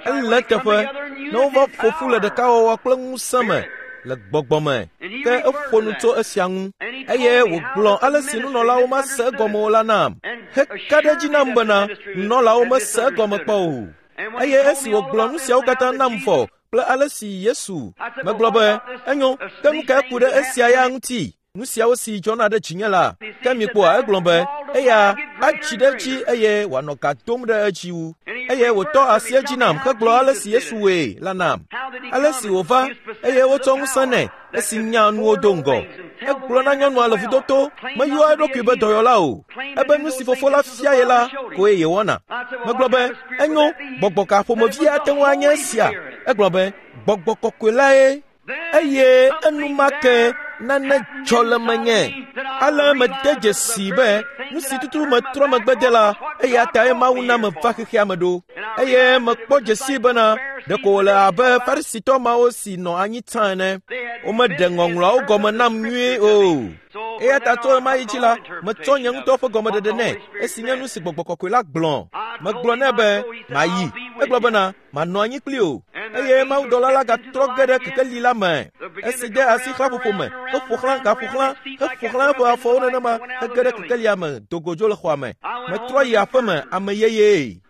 Ele eteƒe ne wova ƒo ƒu le ɖekawɔwɔ kple ŋusẽ me le gbɔgbɔ me. Ke eƒo nu tso esia ŋu eye wògblɔ ale si nunɔlawo mase egɔme o la nam heka ɖe edzi nam bena nunɔlawo mese egɔme kpɔ o. Eye esi wògblɔ nu siawo katã nam vɔ kple ale si Yesu megblɔ be, enyo, ke nu kae ku ɖe esia ya ŋuti? Nu siawo si dzɔna ɖe dzinye la, ke mikpɔa, egblɔ be, eya atsi ɖe edzi eye wòanɔ ga dom ɖe edzi wu. Eye wòtɔ asi edzi nam hegblɔ ale si Yesu wɔe la nam. Ale si wòva eye wotsɔ ŋusẽ nɛ esi nya nuwo do ŋgɔ. Egblɔ na nyɔnua le vudoto, meyɔa eɖokui be dɔyɔla o. Ebe nu si fofo la fia ye la koe yewɔna. Megblɔ be, enyo, gbɔgbɔ ka ƒomevi ate ŋu anye esia? Egblɔ be, gbɔgbɔ kɔkɔe lae. Eye enumake nane dzɔ le menye. Ale mede dzesii be nu si tutu metrɔ megbe de la, eya tae Mawu na meva xexea me ɖo. Eye mekpɔ dzesii bena ɖeko wòle abe Farisitɔ mawo si nɔ anyi tsã ene. Womeɖe ŋɔŋlɔawo gɔme nam nyuie o. Eya ta tso ɣemaɣi dzi la, metsɔ nye ŋutɔ ƒe gɔmeɖeɖe nɛ, esi nye nu si Gbɔgbɔ Kɔkɔe la gblɔ. Megblɔ nɛ be, mayi. Egblɔ bena, manɔ anyi kpli o. Eye mawudɔla la gatrɔ ge ɖe kekeli la me. Esi de asi xlãƒoƒo me, heƒo xlã, gaƒo xlã, heƒo xlã eƒe afɔwo nenema hege ɖe kekelia me, do go dzo le xɔa me. Metrɔ yi aƒe me, ame yeyee.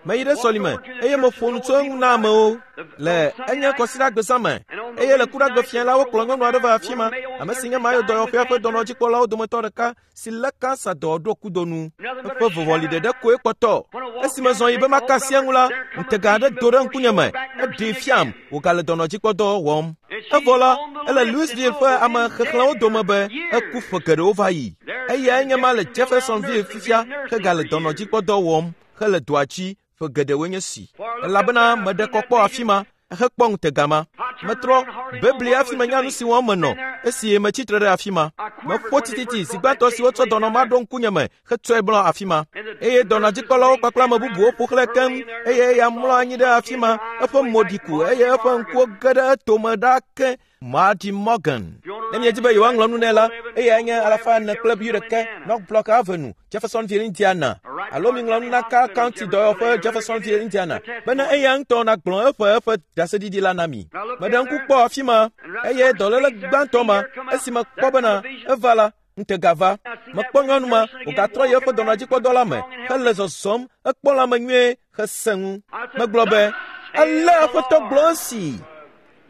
Meyi ɖe sɔlime eye meƒo nu tso eŋu na amewo le enye kɔsiɖagbe zã me eye le kuɖagbe fia la wokplɔ nyɔnu aɖe va afi ma, ame si nye Mayo dɔyɔƒea ƒe dɔnɔdzikpɔlawo dometɔ ɖeka si lé kansa dɔ ɖo kudo nu. Eƒe vɔvɔli ɖeɖe koe kpɔtɔ. Esi mezɔ yi be maka asi eŋu la, ŋutega aɖe do ɖe ŋkunye me. Eɖee fiam wògale dɔnɔdzikpɔdɔ wɔm. Evɔ la, ele Louisville ƒe ame xexlẽwo dome be eku ƒe geɖewo va yi. Eyae nye ma le Jeffersonville fifia hegale dɔnɔdzikpɔdɔ wɔm hele dɔa dzi ƒe geɖewoe nye si. Elabena meɖe kɔ kpɔ afi ma hekpɔ ŋutega ma. Metrɔ bebli hafi menya nu si wɔm menɔ esi metsi tre ɖe afi ma. Meƒo tititi zi gbãtɔ si wotsɔ dɔnɔ ma ɖo ŋkunye me hetsɔe mlɔ afi ma. Eye dɔnɔdzikpɔlawo kpakple ame bubuwo ƒo xlãe keŋ eye eya mlɔ anyi ɖe afi ma, eƒe mo ɖi ku eye eƒe ŋkuwo ge ɖe etome ɖaa ke. Marty Morgan. Ne miedi be yewoaŋlɔ nu nɛ la, eyae nye 401 North Block Avenue, Jeffersonville, Indiana. Alo miŋlɔ nu na Carl County dɔyɔƒe, Jeffersonville, Indiana, bene eya ŋutɔ nagblɔ eƒe eƒe ɖaseɖiɖi la na mi. Meɖe ŋku kpɔ afi ma, eye dɔléle gbãtɔ ma, esi mekpɔ bena eva la, ŋutega va. Mekpɔ nyɔnu ma wògatrɔ yi eƒe dɔnɔdzikpɔdɔ la me hele zɔzɔm, ekpɔ lãme nyuie hesẽ ŋu. Megblɔ be, ale Aƒetɔ gblɔ esi.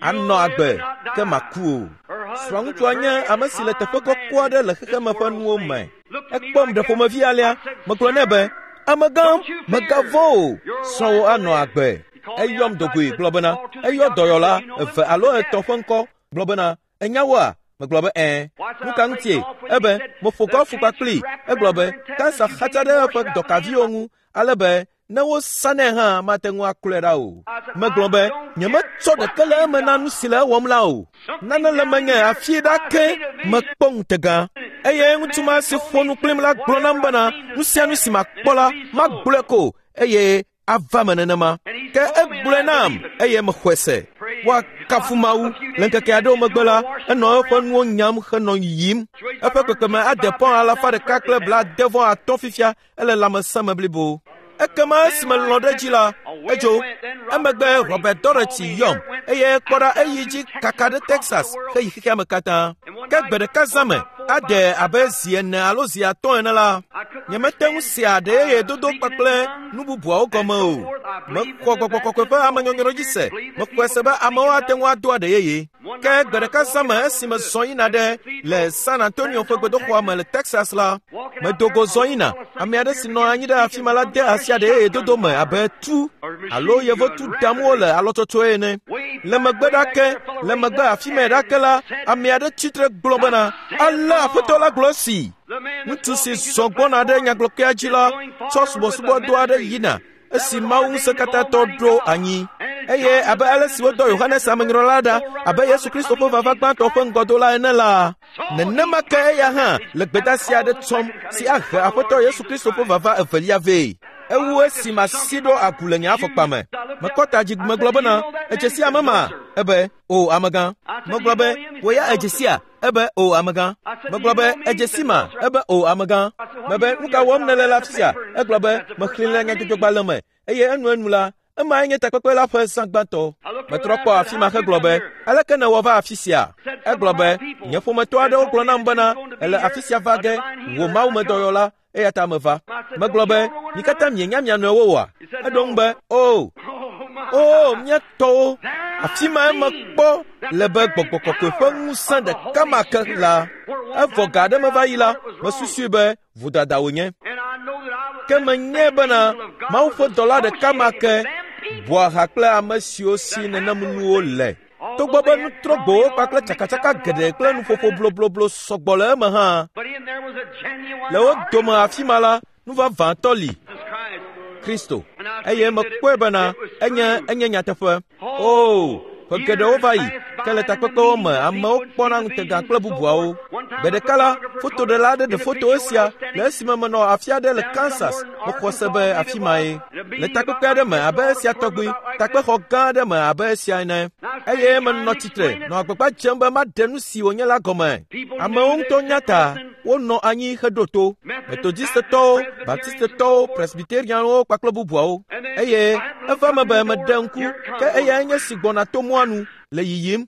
Anɔ agbe, ke maku o. Srɔ̃ŋutsua nye ame si le teƒe kɔkɔ aɖe le xexeme ƒe nuwo me. Ekpɔm ɖe ƒomevi alea. Megblɔ nɛ be, amegã, mègavɔ̃ o, srɔ̃wò anɔ agbe. Eyɔm do goe gblɔ bena, eyɔ dɔyɔla eve alo etɔ̃ ƒe ŋkɔ gblɔ bena, enya woa? Megblɔ be, ɛ̃. Nu ka ŋutie? Ebe, meƒo gɔlfu kpakplii. Egblɔ be, kansa xatsa ɖe eƒe dɔkaviwo ŋu ale be ne wosanɛ hã mate ŋu aklɔe ɖa o. Megblɔ be, nyemetsɔ ɖeke le eme na nu si le ewɔm la o. Nane le menye afi ɖa ke mekpɔ ŋutega. Eye ŋutsu ma si ƒo nu kplim la gblɔ nam bena, nu sia nu si makpɔ la, magblɔe ko eye ava me nenema. Ke egblɔe nam eye mexɔe se. Woakafu Mawu. Le ŋkeke aɖewo megbe la, enɔ eƒe nuwo nyam henɔ yiyim. Eƒe kpekpeme ade pɔn 185 fifia ele lãmesẽ me blibo. Ekema esime lɔ̃ ɖe edzi la, edzo. Emegbe Robert Doherty yɔm eye kpɔ ɖa eyi dzi kaka ɖe Texas heyi xexea me katã. Ke gbe ɖeka zã me, ade abe zi 4 alo zi 5 ene la, nyemete ŋu sea aɖe yeye dodo kpakple nu bubuawo gɔme o. Mexɔ Gbɔgbɔ Kɔkɔe ƒe amenyɔnyrɔ dzi se. Mexɔe se be amewo ate ŋu ado aɖe yeye. Ke gbe ɖeka zã me esime zɔ yina ɖe le San Antonio ƒe gbedoxɔa me le Texas la, medo go zɔ yina. Ame aɖe si nɔ anyi ɖe afi ma la de asi aɖe yeye dodo me abe tu alo yevotu dam wole alɔtsɔtsɔe ene. Le megbe ɖa ke, le megbe afi ma ɖa ke la, ame aɖe tsitre gblɔ bena, ale Aƒetɔ la gblɔ esi. Ŋutsu si zɔ gbɔna ɖe nyagblɔkea dzi la tsɔ subɔsubɔdɔ aɖe yina esi Mawu ŋusẽkatãtɔ ɖo anyi. Eye abe ale si wodɔ Yohanes Amenyrɔla ɖa abe Yesu Kristo ƒe vava gbãtɔ ƒe ŋgɔdola ene la, nenema ke eya hã le gbedeasi aɖe tsɔm si ahe Aƒetɔ Yesu Kristo ƒe vava evelia vɛ. Ewu esi masi ɖo agu le nye afɔkpa me. Mekɔ ta dzi megblɔ bena, edze si ame ma? Ebe, o amegã. Megblɔ be, wò ya edze sia? Ebe, o amegã. Megblɔ be, edze si ma? Ebe, o amegã. Mebe, nu ka wɔm nèle le afi sia? Egblɔ be, mexlẽe le nyadzɔdzɔgbalẽ me eye enuenu la, emae nye takpekpe la ƒe zã gbãtɔ. Metrɔ kpɔ afi ma hegblɔ be, aleke nèwɔ va afi sia? Egblɔ be, nye ƒometɔ aɖewo gblɔ nam bena, èle afi sia va ge, wò mawumedɔyɔla, eya ta meva. Megblɔ be, mi katã mienya mia nɔewo oa? Eɖo ŋu be, o, o, mía tɔwo, afi mae mekpɔ le be Gbɔgbɔ Kɔkɔe ƒe ŋusẽ ɖeka ma ke la. Evɔ ga aɖe meva yi la, mesusui be vodada wònye. Ke menyae bena Mawu ƒe dɔla ɖeka ma ke bɔa ha kple ame siwo si nenem nuwo le. Togbɔ be nutrɔgbowo kpakple tsakatsaka geɖe kple nuƒoƒo blobloblo sɔgbɔ le eme hã, le wo dome afi ma la, nu vavãtɔ li, Kristo. Eye mekpɔe bena enye enye nyateƒe. O, ƒe geɖewo va yi. Ke le takpekpewo me, amewo kpɔna ŋutega kple bubuawo. Gbe ɖeka la, fotoɖela aɖe ɖe foto esia le esime menɔ afi aɖe le Kansas. Mexɔ se be afi mae. Le takpekpe aɖe me abe esia tɔgbi, takpexɔ gã aɖe me abe esia ene. Eye menɔ tsitre nɔ agbagba dzem be maɖe nu si wònye la gɔme. Amewo ŋutɔ nya ta wonɔ anyi heɖo to. Metodistetɔwo, Baptistetɔwo, Presbyterianwo kpakple bubuawo. Eye eva eme be meɖe ŋku ke eyae nye si gbɔna to mɔa nu le yiyim.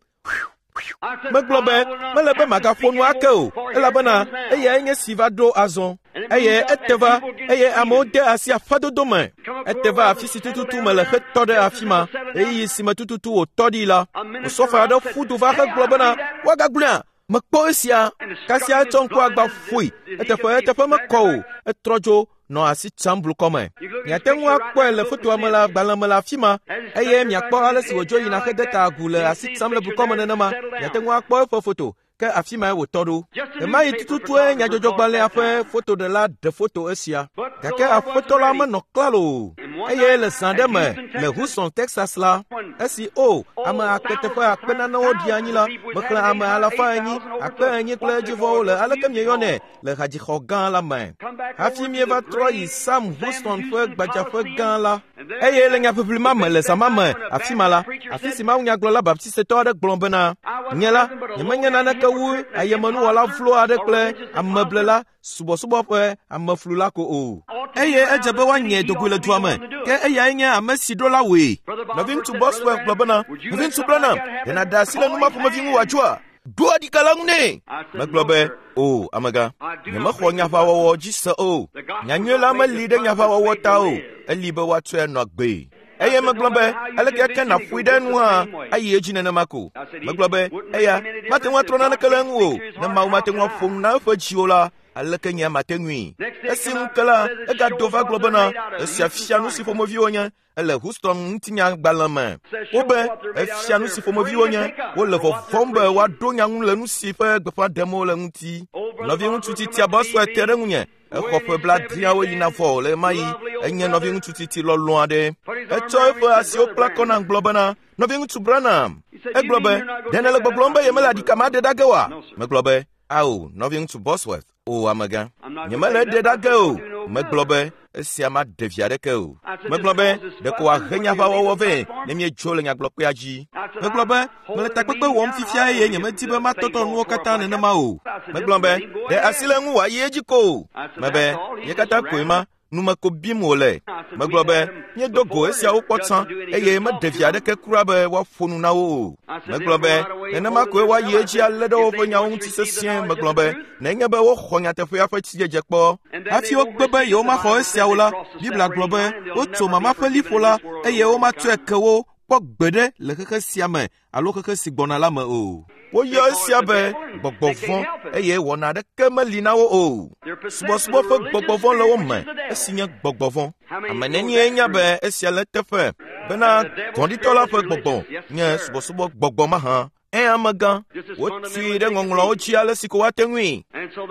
Megblɔ be mele be magaƒo nu ake o, elabena eyae nye si va ɖo azɔ. Eye ete va, eye amewo de asi aƒedodo me. Ete va afi si tututu mele hetɔ ɖe afi ma. Ɣeyiɣi si me tututu wòtɔ ɖi la, osɔfo aɖe ƒu du va hegblɔ bena, woagagblɔea? Mekpɔ esia. Kasia etsɔ ŋku agba ƒoe. Eteƒe eteƒe mekɔ o. Etrɔ dzo nɔ asi tsam blukɔ me. Miate ŋu akpɔe le fotoa me le agbalẽ me le afi ma eye miakpɔ ale si wòdzo yina hede ta agu le asi tsam le blukɔ me nenema. Miate ŋu akpɔ eƒe foto ke afi mae wòtɔ ɖo. Ɣemaɣi tututue nyadzɔdzɔgbalẽa ƒe fotoɖela ɖe foto esia. Gake aƒetɔ la menɔ klalo o. Eye le zã ɖe me le Houston, Texas la, esi o ame akpe teƒe akpe nanewo ɖi anyi la, mexlẽ ame 400, 4,000 kple edzivɔwo le aleke mieyɔnɛ le hadzixɔ gã la me. Hafi míeva trɔ yi Sam Houston ƒe gbadzaƒe gã la. Eye le nyaʋiʋli ma me le zã ma me afi ma la, afi si mawunyagblɔla Baptistetɔ aɖe gblɔ bena, nye la, nyemenye naneke wu ayemenuwɔla vlo aɖe kple ameblela subɔsubɔ ƒe ameflula ko o. Eye edze be woanyɛ dogoe le dua me, ke eyae nye ame si ɖo la wòe. Nɔviŋutsu Bosworth gblɔ bena, Nɔviŋutsu Branham, ɖe nàɖe asi le nu ma ƒomevi ŋu wòadzoa? Ɖo aɖika la ŋu nɛ. Megblɔ be, o, amegã, nyemexɔ nyaʋawɔwɔ dzi se o. Nyanyui la meli ɖe nyaʋawɔwɔ ta o, eli be woatsɔe anɔ agbee. Eye megblɔ be, aleke ke nàƒoe ɖe enu hã, ayi edzi nenema ko. Megblɔ be, eya, mate ŋu atrɔ naneke le eŋu o. Ne Mawu mate ŋu aƒo nu na eƒe dziwo la, aleke nye mate ŋui? Esi ŋu ke la, egado va gblɔ bena, esia fia nu si ƒomevi wonye. Ele Houston ŋutinyagbalẽ me. Wobe efia nu si ƒomevi wonye. Wole vɔvɔ̃m be woaɖo nya ŋu le nu si ƒe gbeƒã ɖem wole ŋuti. Nɔviŋutsu titia Bosworth te ɖe ŋunye. Exɔ ƒe 70 yina vɔ le ɣemaɣi. Enye nɔviŋutsu titi lɔlɔ̃ aɖe. Etsɔ eƒe asiwo kpla kɔ nam gblɔ bena, Nɔviŋutsu Branham. Egblɔ be, ɖe nèle gbɔgblɔm be yemele aɖika ma ɖe ɖa ge oa? Megblɔ be, ao, nɔviŋutsu Bosworth. O, amegã, nyemele eɖe ɖa ge o. Megblɔ be, esia maɖe vi aɖeke o. Megblɔ be, ɖeko wòahe nyaʋawɔwɔ vɛ ne míedzo le nyagblɔkpea dzi. Megblɔ be, mele takpekpe wɔm fifia eye nyemedi be matɔtɔ nuwo katã nenema o. Megblɔ be, ɖe asi le eŋu wòayi edzi ko. Mebe, ye katã koe ma, nume ko bim wòle. Megblɔ be, míedo go esiawo kpɔ tsã eye meɖe vi aɖeke kura be woaƒo nu na wo o. Megblɔ be, nenema koe woayi edzi alé ɖe woƒe nyawo ŋuti sesĩe. Megblɔ be, nenye be woxɔ nyateƒea ƒe sidzedze kpɔ. Hafi wogbe be yewomaxɔ esiawo la, Biblia gblɔ be wotso mama ƒe liƒo la eye womatsɔe ke wo kpɔ gbeɖe le xexe sia me alo xexe si gbɔna la me o. Woyɔ esia be gbɔgbɔ vɔ̃ eye wɔna aɖeke meli na wo o. Subɔsubɔ ƒe gbɔgbɔ vɔ̃ le wo me, esi nye gbɔgbɔ vɔ̃. Ame nenie nya be esia le eteƒe bena vɔ̃ɖitɔ la ƒe gbɔgbɔ nye subɔsubɔ gbɔgbɔ mahã? Ẽ, amegã, wotui ɖe ŋɔŋlɔawo dzi ale si ko woate ŋui.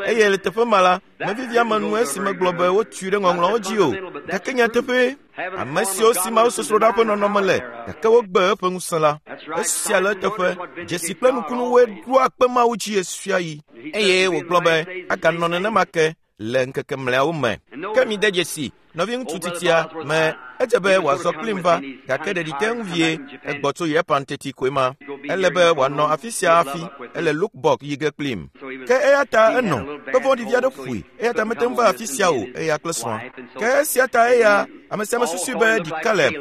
Eye le teƒe ma la, mevivia me nu esi megblɔ be wotui ɖe ŋɔŋlɔawo dzi o. Gake nyateƒee, ame siwo si mawusosroɖa ƒe nɔnɔme le gake wogbe eƒe ŋusẽ la, esia le eteƒe. Dzesi kple nukunuwoe ɖoa kpe Mawu dzi ɣesiaɣi. Eye wògblɔ be aganɔ nenema ke le ŋkeke mlɔeawo me. Ke mide dzesi, nɔviŋutsu titia me, edze be wòazɔ kplim va, gake ɖeɖi te ŋu vie, egbɔ tso Japan teti koe ma. Ele be wòanɔ afi sia hafi, ele Lukbok yi ge kplim. Ke eya ta enɔ, kpe vɔ̃ɖi vi aɖe ƒoe, eya ta mete ŋu va afi sia o, eya kple srɔ̃a. Ke esia ta eya, ame sia ame susui be ɖi Caleb.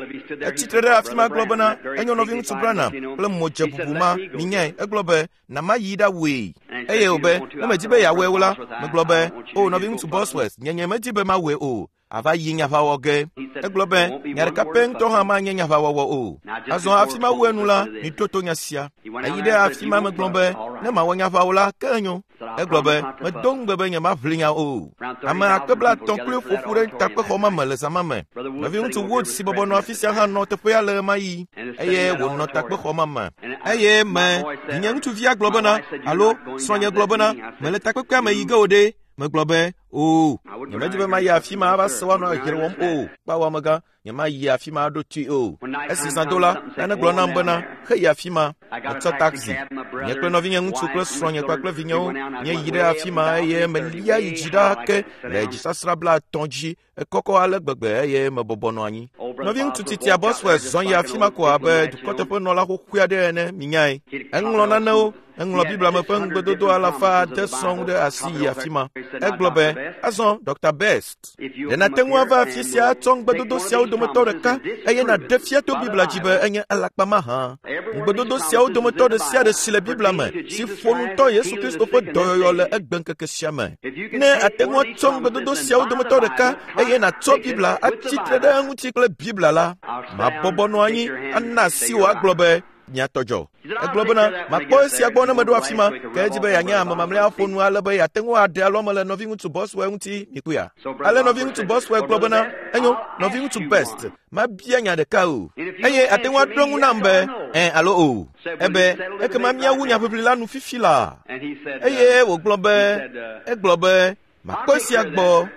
Etsi tre ɖe afi ma gblɔ bena, enyo nɔviŋutsu Branham kple modze bubu ma, minyae, egblɔ be, na mayi ɖawɔe. Eye wòbe, ne medi be yeawɔe o la, megblɔ be, o nɔviŋutsu Bosworth, nye nye medi be mawɔe o. Ava yi nyaʋawɔ ge. Egblɔ be, nya ɖeka pɛ ŋutɔ hã manye nyaʋawɔwɔ o. Azɔ hafi mawu enu la, mito to nya sia. Eyi ɖe afi ma megblɔ be, ne mawɔ nyaʋa o la, ke enyo. Egblɔ be, medo ŋugbe be nyemaʋli nya o. Ame akpe 50 kloe ƒo ƒu ɖe takpexɔ ma me le zã ma me. Nɔviŋutsu Wood si bɔbɔ nɔ afi sia hã nɔ teƒea le ɣemaɣi eye wònɔ takpexɔ ma me. Eye me, nye ŋutsuvia gblɔ bena, alo srɔ̃nye gblɔ bena, mele takpekpea me yi ge o ɖe. Megblɔ be, "Oo, nyemedi be mayi afi ma ava se woanɔ ahere wɔm o. Kpao amegã, nyemayi afi ma aɖo toe o." Esi zã do la, nane gblɔ nam bena, "Heyi afi ma." Metsɔ taxi. Nye kple nɔvinye ŋutsu kple srɔ̃nye kpakple vinyewo míeyi ɖe afi ma eye melia yi dzi ɖaa ke le dzisasrã 50 dzi. Ekɔkɔ ale gbegbe eye mebɔbɔ nɔ anyi. Nɔviŋutsu titia Boswell zɔ yi afi ma ko abe dukɔteƒenɔla xoxoe aɖe ene, minyae. Eŋlɔ nanewo, eŋlɔ Biblia me ƒe ŋugbedodo alafa ade sɔŋ ɖe asi yi afi ma. Egblɔ be, "Azɔ, Dr. Best, ɖe nàte ŋu ava afi sia atsɔ ŋugbedodo siawo dometɔ ɖeka eye nàɖe fia to Biblia dzi be enye alakpa mahã? Ŋugbedodo siawo dometɔ ɖe sia ɖe si le Biblia me si ƒo nu tɔ Yesu Kristo ƒe dɔyɔyɔ le egbeŋkeke sia me. Ne àte ŋu atsɔ ŋugbedodo siawo dometɔ ɖeka eye nàtsɔ Biblia atsi tre ɖe eŋuti kple Biblia la, mabɔbɔ nɔ anyi ana asi wò agblɔ be, Mia tɔ dzɔ. Egblɔ bena, makpɔ esia gbɔ ne meɖo afi ma, ke edzi be yeanye ame mamlɛa ƒo nu ale be yeate ŋu aɖe alɔme le nɔviŋutsu Boswell ŋuti, mikpɔea. Ale nɔviŋutsu Boswell gblɔ bena, enyo, nɔviŋutsu Best, mabia nya ɖeka o, eye ate ŋu aɖo eŋu nam be, ẽ alo o. Ebe, ekema míawu nyaʋiʋli la nu fifi laa. Eye wògblɔ be, egblɔ be, makpɔ esia gbɔ.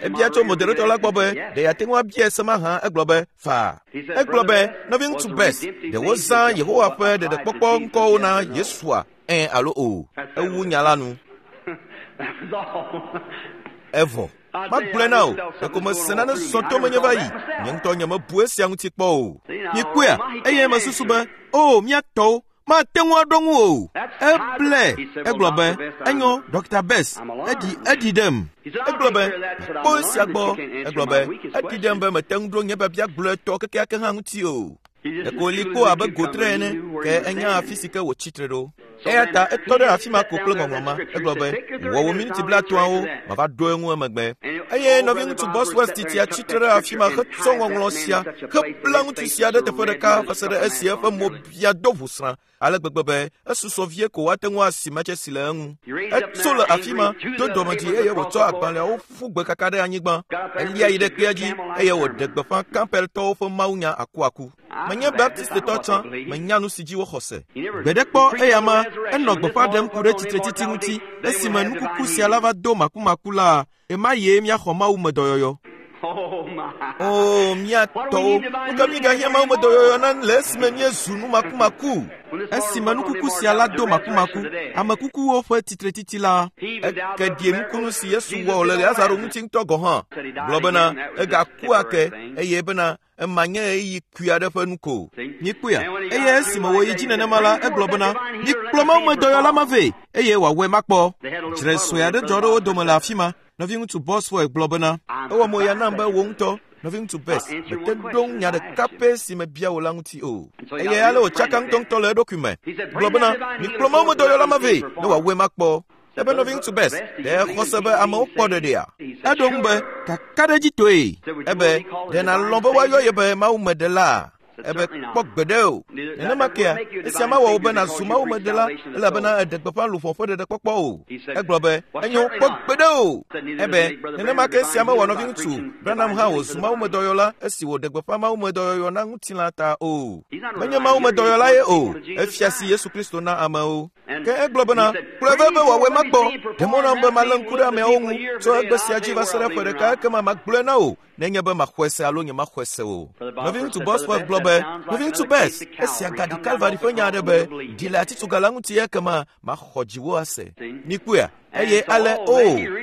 Ebia tso moderator la gbɔ be, ɖe yeate ŋu abia se mahã? Egblɔ be, faa. Egblɔ be, nɔviŋutsu Best, ɖe wozã Yehowa ƒe ɖeɖekpɔkpɔ ŋkɔwo na Yesua, ẽ alo o? Ewu nya la nu. Evɔ. Magblɔe na wò, ɖeko mese nane zɔ to menye va yi. Nye ŋutɔ nyemebu esia ŋuti kpɔ o. Mikpɔea? Eye mesusu be, o, mía tɔwo, mate ŋu aɖo ŋu o. Eblɛ. Egblɔ be, enyo, Dr. Best, eɖi, eɖi ɖem. Egblɔ be, mekpɔ esia gbɔ. Egblɔ be, eɖi ɖem be mete ŋu ɖo nye biabia gblɔetɔ kekeake hã ŋuti o. Ɖeko wòli kpo abe gotre ene, ke enya afi si ke wòtsi tre ɖo. Eya ta etɔ ɖe afi ma ko kple ŋɔŋlɔ ma. Egblɔ be, wɔ wò miniti 50awo, mava ɖo eŋu emegbe. Eye nɔviŋutsu Bosworth titia tsi tre ɖe afi ma hetsɔ ŋɔŋlɔ sia hebla ŋutsu sia ɖe teƒe ɖeka va se ɖe esi eƒe mo bia do ʋusrã ale gbegbe be esusɔ vie ko woate ŋu asi matsesi le eŋu. Etso le afi ma, do dɔmedzi eye wòtsɔ agbalẽawo ƒu gbe kaka ɖe anyigba. Elia yi ɖe kpea dzi eye wòɖe gbeƒã Campbelltɔwo ƒe mawunya akuaku. Menye Baptistetɔ tsã, menya nu si dzi woxɔ se. Gbe ɖe kpɔ eya ma, enɔ gbeƒã ɖem ku ɖe tsitretsitsi ŋuti esime nukuku sia la va do makumaku la, ema yee míaxɔ Mawu me dɔyɔyɔ. O, mía tɔwo, nu ka mígahiã Mawu me dɔyɔyɔ na le esime míezu nu makumaku? Esime nukuku sia la do makumaku, ame kukuwo ƒe tsitretsitsi la, eke ɖie nukunu si Yesu wɔ le Lazaro ŋuti ŋutɔ gɔ̃ hã. Gblɔ bena, egaku ake, eye bena, ema nye ɣeyiɣi kui aɖe ƒe nu ko. Mikpɔea? Eye esime wòyi dzi nenema la, egblɔ bena, mikplɔ Mawu me dɔyɔla ma vɛ, eye wòawɔe makpɔ. Dzre sue aɖe dzɔ ɖe wo dome le afi ma. Nɔviŋutsu Bosworth gblɔ bena, ewɔ mo ya nam be wò ŋutɔ, nɔviŋutsu Best, mete ɖo ŋu nya ɖeka pɛ si mebia wò la ŋuti o. Eye ale wòtsaka ŋutɔŋutɔ le eɖokui me. Gblɔ bena, mikplɔ Mawu me dɔyɔla ma vɛ, ne wòawɔe makpɔ. Ebe nɔviŋutsu Best, ɖe exɔ se be amewo kpɔ ɖeɖea? Eɖo ŋu be, kakaɖedzitɔe. Ebe, ɖe nàlɔ̃ be woayɔ ye be Mawu me ɖelaa? Ebe, kpɔ gbeɖe o. Nenema kea, esia mawɔ wò be nàzu Mawu me ɖela, elabena èɖe gbeƒã luʋɔ ƒe ɖeɖekpɔkpɔ o. Egblɔ be, enyo, kpɔ gbeɖe o. Ebe, nenema ke esia mewɔ nɔviŋutsu Branham hã wòzu Mawu me dɔyɔla esi wòɖe gbeƒã Mawu me dɔyɔyɔ na ŋutilã ta o. Menye Mawu me dɔyɔla ye o, efia si Yesu Kristo na amewo. Ke egblɔ bena, kplɔe vɛ be wòawɔe makpɔ. Ɖe mɔ nam be malé ŋku ɖe ameawo ŋu tso egbe sia dzi va se ɖe ƒe ɖeka ekema magblɔe na wò nenye be maxɔe se alo nyemaxɔe se o. Nɔviŋutsu Bosworth gblɔ be, Nɔviŋutsu Best, esia gaɖi Kalvari ƒe nya aɖe be, ɖi le atitsoga la ŋuti ekema maxɔ dziwò ase. Mikpɔea? Eye ale, o,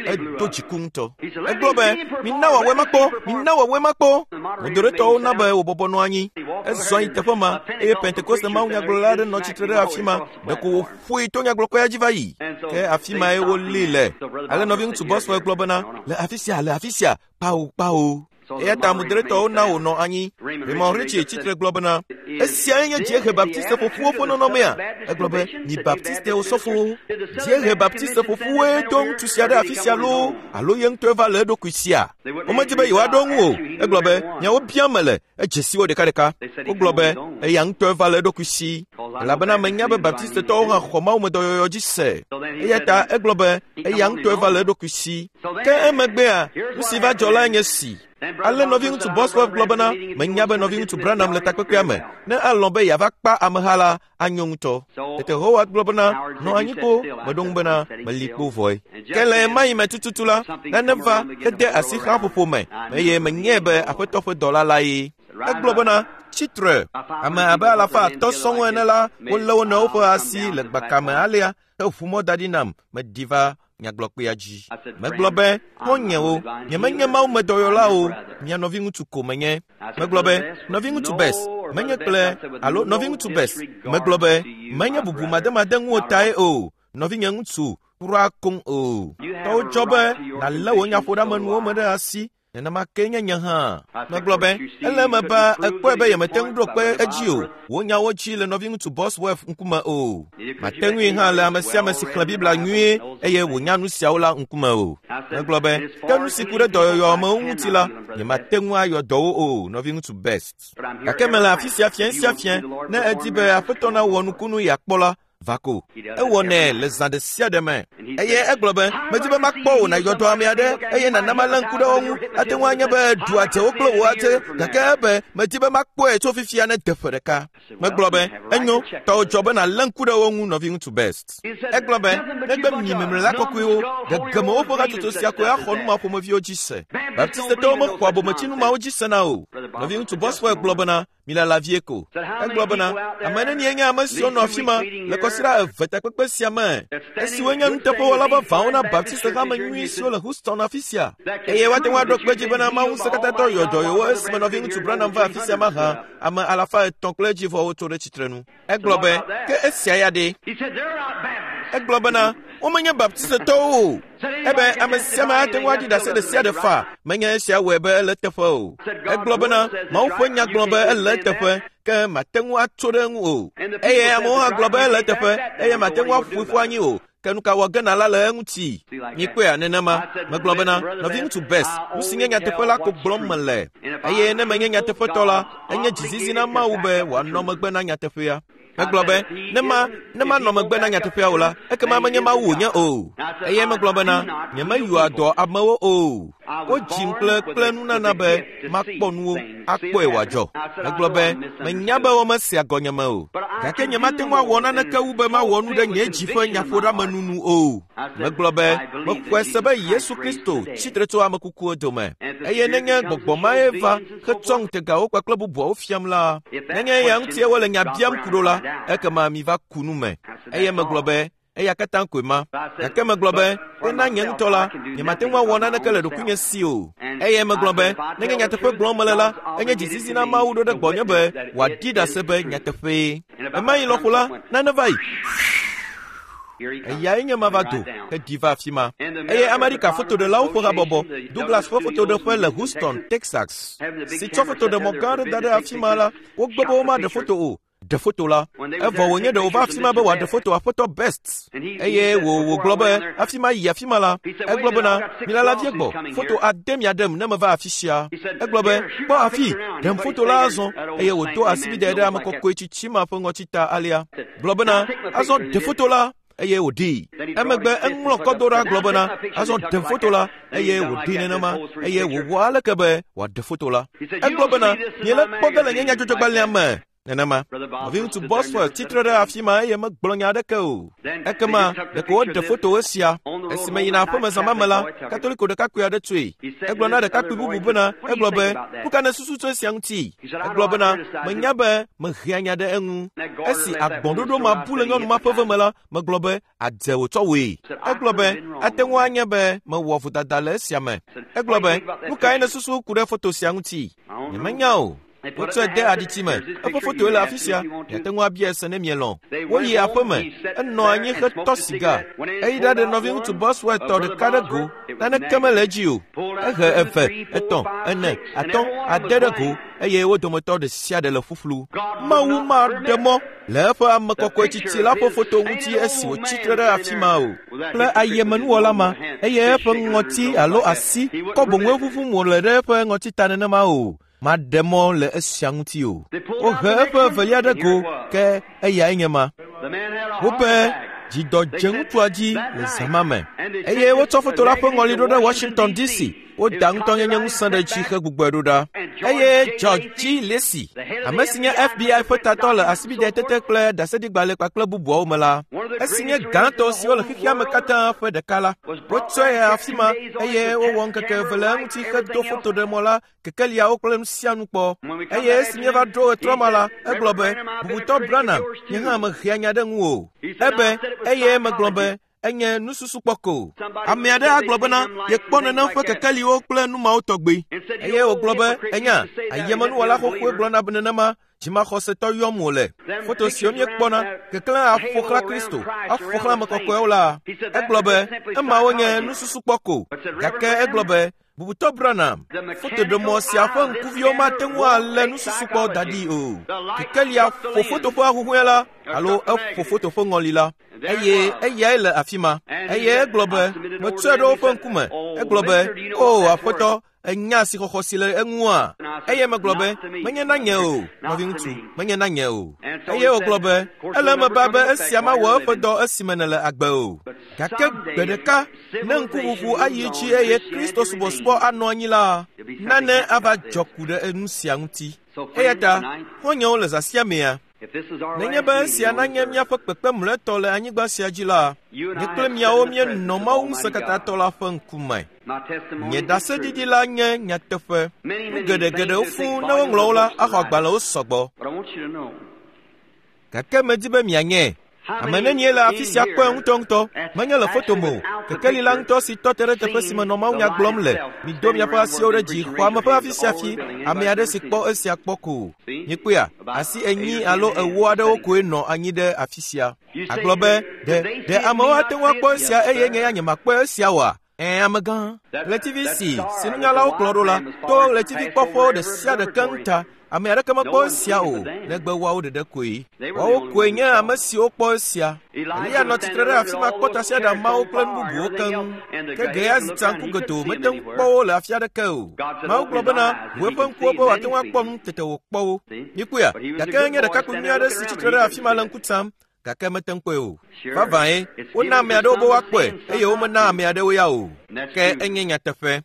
edo dziku ŋutɔ. Egblɔ be, mina wòawɔe makpɔ, mina wòawɔe makpɔ. Moderatorwo na be wòbɔbɔ nɔ anyi. Ezɔ yi teƒe ma, eye Pentekoste mawunyagblɔla aɖe nɔ tsitre ɖe afi ma. Ɖeko wòƒoe to nyagblɔkɔea dzi va yi. Ke afi mae wolée le. Ale nɔviŋutsu Bosworth gblɔ bena, le afi sia, le afi sia, kpao, kpao. Eya ta moderatorwo na wònɔ anyi. Raymond Richey tsitre gblɔ bena, esiae nye Dziehe Baptiste ƒoƒuwo ƒe nɔnɔmea. Egblɔ be, mi Baptiste osɔfowo, Dziehe Baptiste ƒoƒuwoe do ŋutsu sia ɖe afi sia loo, alo ye ŋutɔe va le eɖokui sia? Womedi be yewoaɖo eŋu o. Egblɔ be, nyawo biam mele, edze si wo ɖekaɖeka. Wogblɔ be, eya ŋutɔe va le eɖokui si, elabena menya be Baptistetɔwo hã xɔ Mawu me dɔyɔyɔ dzi se. Eya ta egblɔ be, eya ŋutɔe va le eɖokui si. Ke emegbea, nu si va dzɔ lae nye si. Ale nɔviŋutsu Bosworth gblɔ bena, menya be nɔviŋutsu Branham le takpekpea me, ne alɔ̃ be yeava kpa ameha la, anyo ŋutɔ. Tete Howard gblɔ bena, nɔ anyi kpo, meɖo ŋu bena, meli kpo vɔe. Ke le ɣemaɣi me tututu la, nane va hede asi xaƒoƒo me, eye menyae be Aƒetɔ ƒe dɔla lae. Egblɔ bena, tsi tre. Ame abe alafa atɔ̃ sɔŋ ene la, wolé wo nɔewo ƒe asi le gbakame alea heʋu mɔ da ɖi nam meɖi va nyagblɔkpea dzi. Megblɔ be, xɔ̃nyewo, nyemenye mawumedɔyɔla o, mia nɔviŋutsu ko menye. Megblɔ be, nɔviŋutsu Best, menye kple, alo nɔviŋutsu Best, megblɔ be, menye bubumademade ŋuwò tae o, nɔvinye ŋutsu, kura koŋ o. Tɔwò dzɔ be nàlé wò nyaƒoɖeamenuwo me ɖe asi, nenema ke nye nye hã. Megblɔ be, ele eme be èkpɔe be yemete ŋu ɖo kpe edzi o, wò nyawo dzi le nɔviŋutsu Bosworth ŋkume o. Mate ŋui hã le ame sia ame si xlẽ Biblia nyuie eye wònya nu siawo la ŋkume o. Megblɔ be, ke nu si ku ɖe dɔyɔyɔ amewo ŋuti la, nyemate ŋu ayɔ dɔwo o, nɔviŋutsu Best. Gake mele afi sia fiẽ sia fiẽ, ne èdi be Aƒetɔ nawɔ nukunu yeakpɔ la, va ko. Ewɔnɛ le zã ɖe sia ɖe me. Eye egblɔ be, medi be makpɔ wò nàyɔ dɔ ame aɖe eye nàna malé ŋku ɖe wo ŋu. Ate ŋu anye be ɖu adzewo kple wò adze, gake ebe, medi be makpɔe tso fifia ne de ƒe ɖeka. Megblɔ be, enyo, tɔwò dzɔ be nàlé ŋku ɖe wo ŋu, nɔviŋutsu Best. Egblɔ be, negbe mi memlela kɔkɔewo, gegeme woƒe hatsotso sia koe axɔ nu ma ƒomeviwo dzi se. Baptistetɔwo mexɔa bometsinu mawo dzi sena o. Nɔviŋutsu Bosworth gblɔ bena, milala vie ko. Egblɔ bena, ame nenie nye ame siwo nɔ afi ma le kɔsiɖa eve takpekpe sia me, esiwo nye nuteƒewɔla vavãwo na Baptist hame nyui siwo le Houston afi sia, eye woate ŋu aɖo kpe edzi bena Mawu Ŋusẽkatãtɔ yɔ dɔ yewo esime nɔviŋutsu Branham va afi sia mahã, ame alafa etɔ̃ kple edzivɔwo tso ɖe tsitrenu. Egblɔ be, ke esia ya ɖe? Egblɔ bena, womenye Baptistetɔwo o. Ebe ame sia ame ate ŋu aɖi ɖase ɖe sia ɖe faa, menye esia wɔe be ele eteƒe o. Egblɔ bena, Mawu ƒe nya gblɔ be ele eteƒe, ke mate ŋu atso ɖe eŋu o. Eye amewo hã gblɔ be ele eteƒe, eye mate ŋu aƒoe ƒu anyi o. Ke nu ka wɔ ge nàla le eŋuti? Mikpɔea nenema. Megblɔ bena, nɔviŋutsu Best, nu si nye nyateƒe la ko gblɔm mele. Eye ne menye nyateƒetɔ la, enye dzizizi na Mawu be wòanɔ megbe na nyateƒea. Megblɔ be, ne ma, ne manɔ megbe na nyateƒea o la, ekema menye Mawu wònye o. Eye megblɔ bena, nyemeyɔa dɔ amewo o. Wodzim kple kple nunana be makpɔ nuwo, akpɔe wòadzɔ. Megblɔ be, menya be womesea gɔnyeme o. Gake nyemate ŋu awɔ naneke wu be mawɔ nu ɖe nye dzi ƒe nyaƒoɖeamenu nu o. Megblɔ be, mexɔe se be Yesu Kristo tsi tre tso ame kukuwo dome. Eye nenye gbɔgbɔ mae va hetsɔ ŋutegawo kpakple bubuawo fiam la, nenye eya ŋutie wole nya biam ku ɖo la, ekema miva ku nu me. Eye megblɔ be, eya katã koe ma. Gake megblɔ be, ke na nye ŋutɔ la, nyemate ŋu awɔ naneke le ɖokuinye si o. Eye megblɔ be, nenye nyateƒe gblɔm mele la, enye dzizizi na Mawu ɖo ɖe gbɔnye be wòaɖi ɖase be nyateƒee. Ɣemaɣi lɔƒo la, nane va yi. Eyae nye ma va do heɖi va afi ma. Eye Amerika fotoɖelawo ƒe habɔbɔ, Douglas ƒe fotoɖeƒe le Houston, Texas, si tsɔ fotoɖemɔ gã aɖe da ɖe afi ma la, wogbe be womaɖe foto o. Ɖe foto la. Evɔ wònye ɖe wòva afi ma be wòaɖe foto Aƒetɔ Best. Eye wò, wògblɔ be, hafi mayi afi ma la, egblɔ bena, milala vie gbɔ, foto ade miaɖem ne meva afi sia. Egblɔ be, kpɔ afi, ɖem foto la azɔ. Eye wòdo asibidɛ ɖe ame kɔkɔe tsitsi ma ƒe ŋɔti ta alea. Gblɔ bena, azɔ ɖe foto la. Eye wòɖee. Emegbe eŋlɔ kɔ do ɖa gblɔ bena, azɔ ɖe foto la, eye wòɖee nenema, eye wòwɔ aleke be wòaɖe foto la. Egblɔ bena, miele kpɔ ge le nye nyadzɔdzɔgbalẽa me. Nenema. Nɔviŋutsu Bosworth tsi tre ɖe afi ma eye megblɔ nya aɖeke o. Ekema ɖeko woɖe foto esia. Esi meyina aƒeme zã ma me la, Katoliko ɖekakpui aɖe tsoe. Egblɔ na ɖekakpui bubu bena, egblɔ be, nu ka nèsusu tso esia ŋuti? Egblɔ bena, menya be mehea nya ɖe eŋu. Esi agbɔ̃ɖoɖo ma bu le nyɔnu ma ƒe ve me la, megblɔ be, adze wòtsɔ wòe. Egblɔ be, ate ŋu anye be mewɔ vodada le esia me. Egblɔ be, nu kae nèsusu ku ɖe foto sia ŋuti? Nyemenya o. Wotsɔe de aɖitsi me. Eƒe fotoe le afi sia. Miate ŋu abiae se ne mielɔ̃. Woyi aƒe me. Enɔ anyi hetɔ siga. Eyi ɖaɖe nɔviŋutsu Bosworth tɔ ɖeka ɖe go. Naneke mele edzi o. Ehe eve, etɔ̃, ene, atɔ̃, ade ɖe go eye wo dometɔ ɖe sia ɖe le ƒuƒlu. Mawu maɖe mɔ le eƒe ame kɔkɔe tsitsi la ƒe foto ŋuti esi wòtsi tre ɖe afi ma o. Kple ayemenuwɔla ma, eye eƒe ŋɔti alo asi kɔ boŋue ʋuʋum wòle ɖe eƒe ŋɔti ta nenema o. Maɖe mɔ le esia ŋuti o. Wohe eƒe evelia ɖe go, ke eyae nye ma. Wobe dzidɔ dze ŋutsua dzi le zã ma me, eye wotsɔ foto la ƒe ŋɔli ɖo ɖe Washington, D.C. Woda ŋutɔnyenye ŋusẽ ɖe dzi hegbugbɔe ɖo ɖa. Eye George G. Lacy, ame si nye FBI ƒe tatɔ le asibidɛ kple ɖaseɖigbalẽ kpakple bubuawo me la, esi nye gãtɔ siwo le xexea me katã ƒe ɖeka la, wotsɔe yi afi ma eye wowɔ ŋkeke eve le eŋuti hedo fotoɖemɔ la kekeliawo kple nu sia nu kpɔ. Eye esi míeva ɖo ɣetrɔ ma la, egblɔ be, Bubutɔ Branham, nye hã mehea nya ɖe ŋuwò. Ebe, eye megblɔ be, enye nususukpɔ ko. Ame aɖe agblɔ bena yekpɔ nenem ƒe kekeliwo kple nu mawo tɔgbi. Eye wògblɔ be, enya, ayemenuwɔla xoxoe gblɔna be nenema dzimaxɔsetɔ yɔm wòle. Foto siwo míekpɔna, keklẽ aƒo xlã Kristo, aƒo xlã ame kɔkɔewo la. Egblɔ be, emawo nye nususukpɔ ko. Gake egblɔ be, Bubutɔ Branham, fotoɖemɔ sia ƒe ŋkuviwo mate ŋu alé nususukpɔ da ɖi o. Kekelia ƒo foto ƒe ahuhɔ̃e la alo eƒo foto ƒe ŋɔli la. Eye eyae le afi ma. Eye egblɔ be, metsɔe ɖe woƒe ŋkume. Egblɔ be, O Aƒetɔ, ènya asixɔxɔ si le eŋua? Eye megblɔ be, menye na nye o, nɔviŋutsu, menye na nye o. Eye wògblɔ be, ele eme ba be esia mawɔ eƒe dɔ esime nèle agbe o. Gake gbe ɖeka, ne ŋkuʋuʋu ayi dzi eye Kristo subɔsubɔ anɔ anyi la, nane ava dzɔ ku ɖe enu sia ŋuti. Eya ta, xɔ̃nyewo le zã sia mea, nenye be esia nanye míaƒe kpekpe mlɔetɔ le anyigba sia dzi la, nye kple miawo míenɔ Mawu Ŋusẽkatãtɔ la ƒe ŋkume. Nye ɖaseɖiɖi la nye nyateƒe. Nu geɖegeɖewo fũu ne woŋlɔ wo la, axɔ agbalẽwo sɔgbɔ. Gake medi be mianye. Ame nenie le afi sia kpɔe ŋutɔŋutɔ, menye le foto me o. Kekeli la ŋutɔ si tɔ te ɖe teƒe si me nɔ mawunya gblɔm le. Mido miaƒe asiwo ɖe dzi, xɔ ame ƒe afi sia afi, ame aɖe si kpɔ esia kpɔ ko. Mikpɔea, asi enyi alo ewo aɖewo koe nɔ anyi ɖe afi sia. Agblɔ be, ɖe, ɖe amewo ate ŋu akpɔ esia eye nye ya nyemakpɔe esia oa? Ɛ̃, amegã. Ɣletivi si, si nunyalawo kplɔ ɖo la, to ɣletivikpɔƒewo ɖe sia ɖe keŋ ta. Ame aɖeke mekpɔ esia o, negbe woawo ɖeɖe koe. Woawo koe nye ame siwo kpɔ esia. Eliya nɔ tsitre ɖe afi ma kpɔ tasiaɖamawo kple nu bubuwo keŋ. Ke Gehazi tsa ŋku godoo mete ŋu kpɔ wo le afi aɖeke o. Mawu gblɔ bena, ʋu eƒe ŋkuwo be wòate ŋu akpɔ nu, tete wòkpɔ wo. Mikpɔea? Gake enye ɖekakpui nyui aɖe si tsitre ɖe afi ma le ŋku tsam, gake mete ŋu kpɔe o. Vavãe, wona ame aɖewo be woakpɔe eye womena ame aɖewo ya o. Ke enye nyateƒe.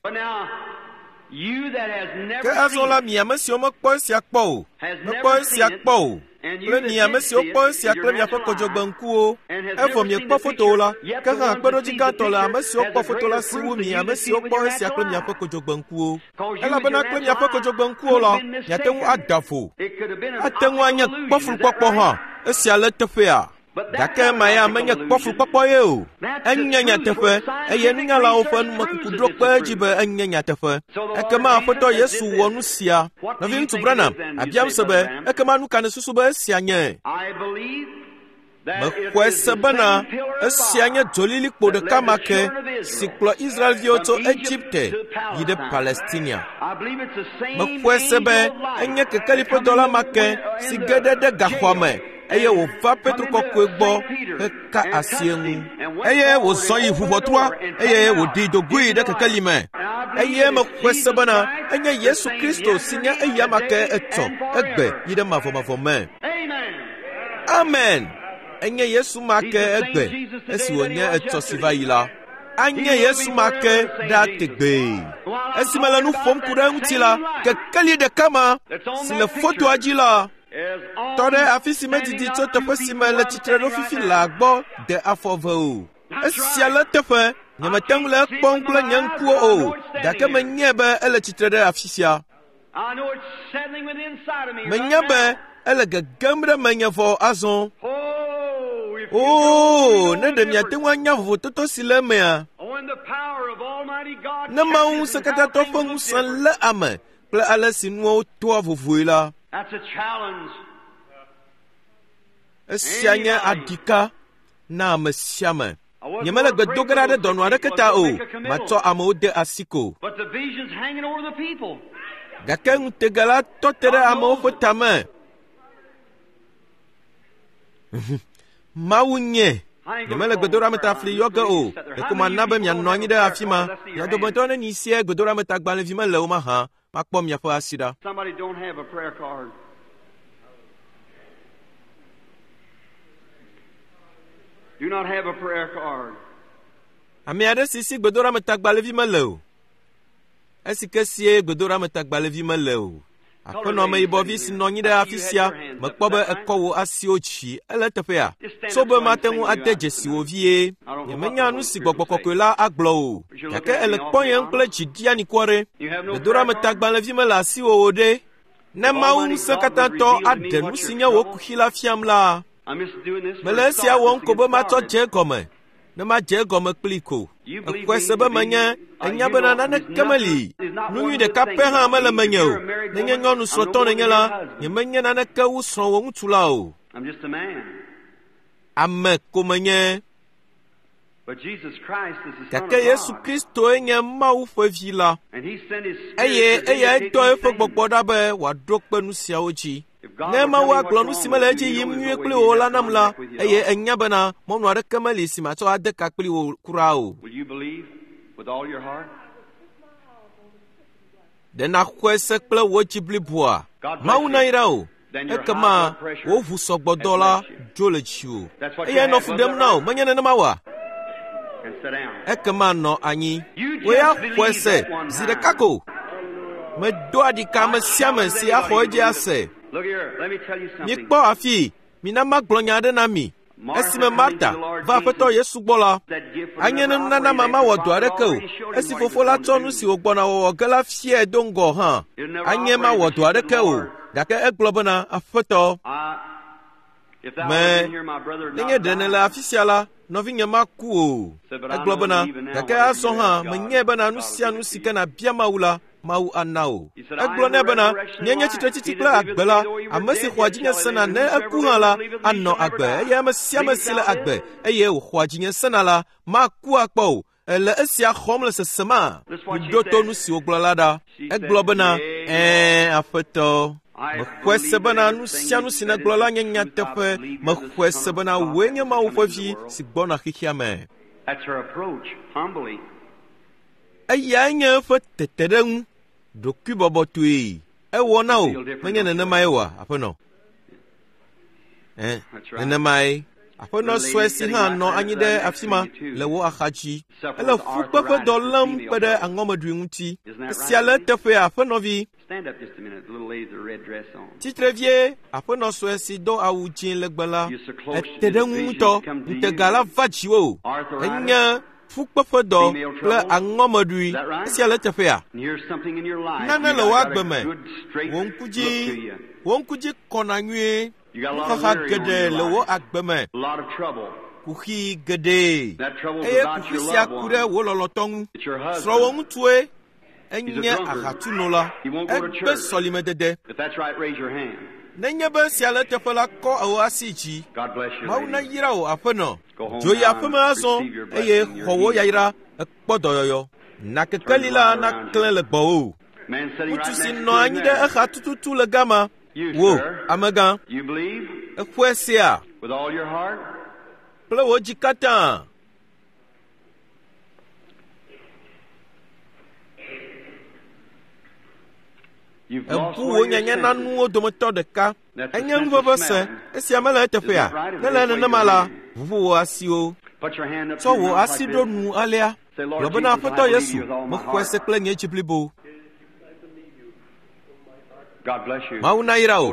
Ke azɔ la, mi ame siwo mekpɔ esia kpɔ o, mekpɔ esia kpɔ o, kple mi ame siwo kpɔ esia kple miaƒe kodzogbeŋkuwo, evɔ miekpɔ fotowo la, ke hã kpeɖodzi gãtɔ le ame siwo kpɔ foto la si wu mi ame siwo kpɔ esia kple miaƒe kodzogbeŋkuwo. Elabena kple miaƒe kodzogbeŋkuwo la, miate ŋu ada vo. Ate ŋu anye kpɔflukpɔkpɔ hã, esia le teƒea. Gake ma ya menye kpɔflukpɔkpɔ ye o. Enye nyateƒe, eye nunyalawo ƒe numekuku ɖo kpe edzi be enye nyateƒe. Ekema Aƒetɔ Yesu wɔ nu sia. Nɔviŋutsu Branham, abiam se be, ekema nu ka nèsusu be esia nye? Mexɔe se bena esia nye dzolilikpo ɖeka ma ke si kplɔ Israelviwo tso Egipte yi ɖe Palestinia. Mexɔe se be enye kekeli ƒe dɔla ma ke si ge ɖe ɖe gaxɔa me eye wòva Petro kɔkɔe gbɔ heka asi eŋu. Eye wòzɔ yi ʋuʋɔtrua eye wòɖi dogoe ɖe kekeli me. Eye mexɔe se bena enye Yesu Kristo si nye eya ma ke etsɔ egbe yi ɖe mavɔmavɔ me. Amen. Enye Yesu ma ke egbe esi wònye etsɔ si va yi la. Anye Yesu ma ke ɖa tegbee. Esi mele nu ƒom ku ɖe eŋuti la, kekeli ɖeka ma si le fotoa dzi la tɔ ɖe afi si medidi tso teƒe si me le tsitre ɖo fifi laa gbɔ de afɔ ve o. Esia le teƒe, nyemete ŋu le ekpɔm kple nye ŋkuwo o, gake menyae be ele tsitre ɖe afi sia. Menya be ele gegem ɖe menye vɔ azɔ. Oo, ne ɖe miate ŋu anya vovototo si le emea. Ne Mawu Ŋusẽkatãtɔ ƒe ŋusẽ lé ame kple ale si nuwo toa vovoe la, esia nye aɖika na ame sia ame. Nyemele gbe do ge ɖa ɖe dɔnɔ aɖeke ta o, matsɔ amewo de asi ko. Gake ŋutega la tɔ te ɖe amewo ƒe tame. Mawu nye. Nyemele gbedoɖametafli yɔ ge o. Ɖeko mana be mianɔ anyi ɖe afi ma. Mia dometɔ neni sie gbedoɖametagbalẽvi mele o mahã, makpɔ miaƒe asi ɖa. Somebody don't have a prayer card. Do not have a prayer card. Ame aɖe si si gbedoɖametagbalẽvi mele o. Esi ke sie gbedoɖametagbalẽvi mele o. Aƒenɔ ameyibɔvi si nɔ anyi ɖe afi sia, mekpɔ be ekɔ wò asiwo dzi. Ele eteƒea? Tso be mate ŋu ade dzesi wò vie. Nyemenya nu si gbɔgbɔ kɔkɔe la agblɔ o. Gake ele kpɔyem kple dzi ɖianikɔ ɖe. Gbedoɖametagbalẽvi mele asiwò o ɖe. Ne Mawu ŋusẽkatãtɔ aɖe nu si nye wò kuxi la fiam la, mele esia wɔm ko be matsɔ dze egɔme. Ne madze egɔme kplii ko. Exɔe se be menye enya bena naneke meli. Nu nyui ɖeka pɛ hã mele menye o. Nenye nyɔnu srɔ̃tɔ nènye la, nyemenye naneke wu srɔ̃wò ŋutsu la o. Ame ko menye. Gake Yesu Kristoe nye Mawu ƒe vi la. Eye eyae dɔ eƒe gbɔgbɔ ɖa be wòaɖo kpe nu siawo dzi. Ne Mawu agblɔ nu si mele edzi yim nyuie kpli wò la nam la, eye enya bena mɔnu aɖeke meli si matsɔ ade ka kpli wò kura o. Ɖe nàxɔe se kple wò dzi bliboa? Mawu nayra wò. Ekema wò ʋu sɔgbɔdɔ la dzo le dziwò. Eyae nɔ fu ɖem na wò, menye nenema oa? Ekema nɔ anyi. Wò ya xɔe se zi ɖeka ko. Medoa ɖika ame sia ame si axɔ edzi ase. Mikpɔ afi, mina magblɔ nya aɖe na mi. Esime Marta va Aƒetɔ Yesu gbɔ la, anye ne nunana ma mawɔ dɔ aɖeke o. Esi fofo la tsɔ nu si wògbɔna wɔwɔ ge la fiae do ŋgɔ hã, anye mawɔ dɔ aɖeke o. Gake egblɔ bena, Aƒetɔ, me, nenye ɖe nèle afi sia la, nɔvinye maku o. Egblɔ bena, gake azɔ hã menyae bena nu sia nu si ke nàbia Mawu la, Mawu ana wò. Egblɔ nɛ bena, nye nye tsitretsitsi kple agbe la, ame si xɔa dzinye sena ne eku hã la, anɔ agbe eye ame sia ame si le agbe eye wòxɔa dzinye sena la, maku akpɔ o. Ele esia xɔm le sesema? Miɖo to nu si wògblɔ la ɖa. Egblɔ bena, ɛ̃, Aƒetɔ. Mexɔe se bena nu sia nu si nègblɔ la nye nyateƒe. Mexɔe se bena wòe nye Mawu ƒe vi si gbɔna xexea me. Eyae nye eƒe teteɖeŋu ɖokuibɔbɔtɔe. Ewɔ na wò, menye nenemae oa, aƒenɔ? Ẽ, nenemae. Aƒenɔ sue si hã nɔ anyi ɖe afi ma le wò axa dzi. Ele ƒukpeƒe dɔ lém kpe ɖe aŋɔmeɖui ŋuti. Esia le eteƒea, aƒenɔvi. Tsitre vie, aƒenɔ sue si do awu dzĩ legbe la, ete ɖe ŋu ŋutɔ. Ŋutega la va dziwò. Enye ƒukpeƒedɔ kple aŋɔmeɖui. Esia le eteƒea? Nane le wò agbe me. Wò ŋku dzi, wò ŋku dzi kɔna nyuie. Nuxaxa geɖe le wò agbe me. Kuxi geɖe. Eye kuxi sia ku ɖe wò lɔlɔ̃tɔ ŋu. Srɔ̃wò ŋutsue enye ahatsunola. Egbe sɔlimedede. Nenye be esia le eteƒe la, kɔ wò asi dzi. Mawu nayra wò, aƒenɔ. Dzo yi aƒeme azɔ eye xɔ wò yayra ekpɔ dɔyɔyɔ. Na kekeli la naklẽ le gbɔwò. Ŋutsu si nɔ anyi ɖe exa tututu le gama. Wò, amegã, èxɔe sea kple wò dzi katã. Èbu wò nyanyananuwo dometɔ ɖeka. Enye nuʋeʋẽ se. Esia mele eteƒea? Ne le nenema la, ʋuʋu wò asiwo. Tsɔ wò asi ɖo nu alea. Gblɔ bena, Aƒetɔ Yesu, mexɔe se kple nye dzi blibo. Mawu nayra wò.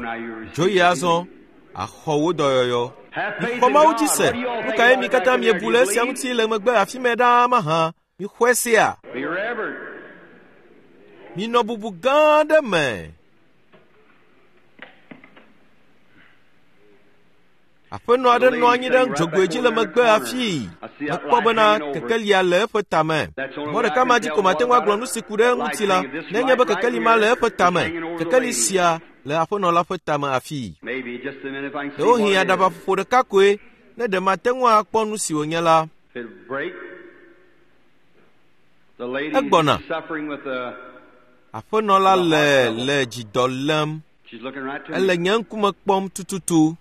Dzo yi azɔ. Axɔ wò dɔyɔyɔ. Mixɔ Mawu dzi se. Nu kae mi katã miebu le esia ŋuti le megbe afi mɛ ɖaa mahã? Mixɔe sea? Minɔ bubu gã aɖe me. Aƒenɔ aɖe nɔ anyi ɖe dzogoe dzi le megbe afii. Mekpɔ bena kekelia le eƒe tame. Mɔ ɖeka ma dzi ko mate ŋu agblɔ nu si ku ɖe eŋuti la, nenye be kekeli ma le eƒe tame. Kekeli sia le aƒenɔ la ƒe tame afii. Ɖewohĩ aɖabaƒoƒo ɖeka koe, ne ɖe mate ŋu akpɔ nu si wònye la. Egbɔna. Aƒenɔ la le le dzidɔ lém. Ele nye ŋkume kpɔm tututu.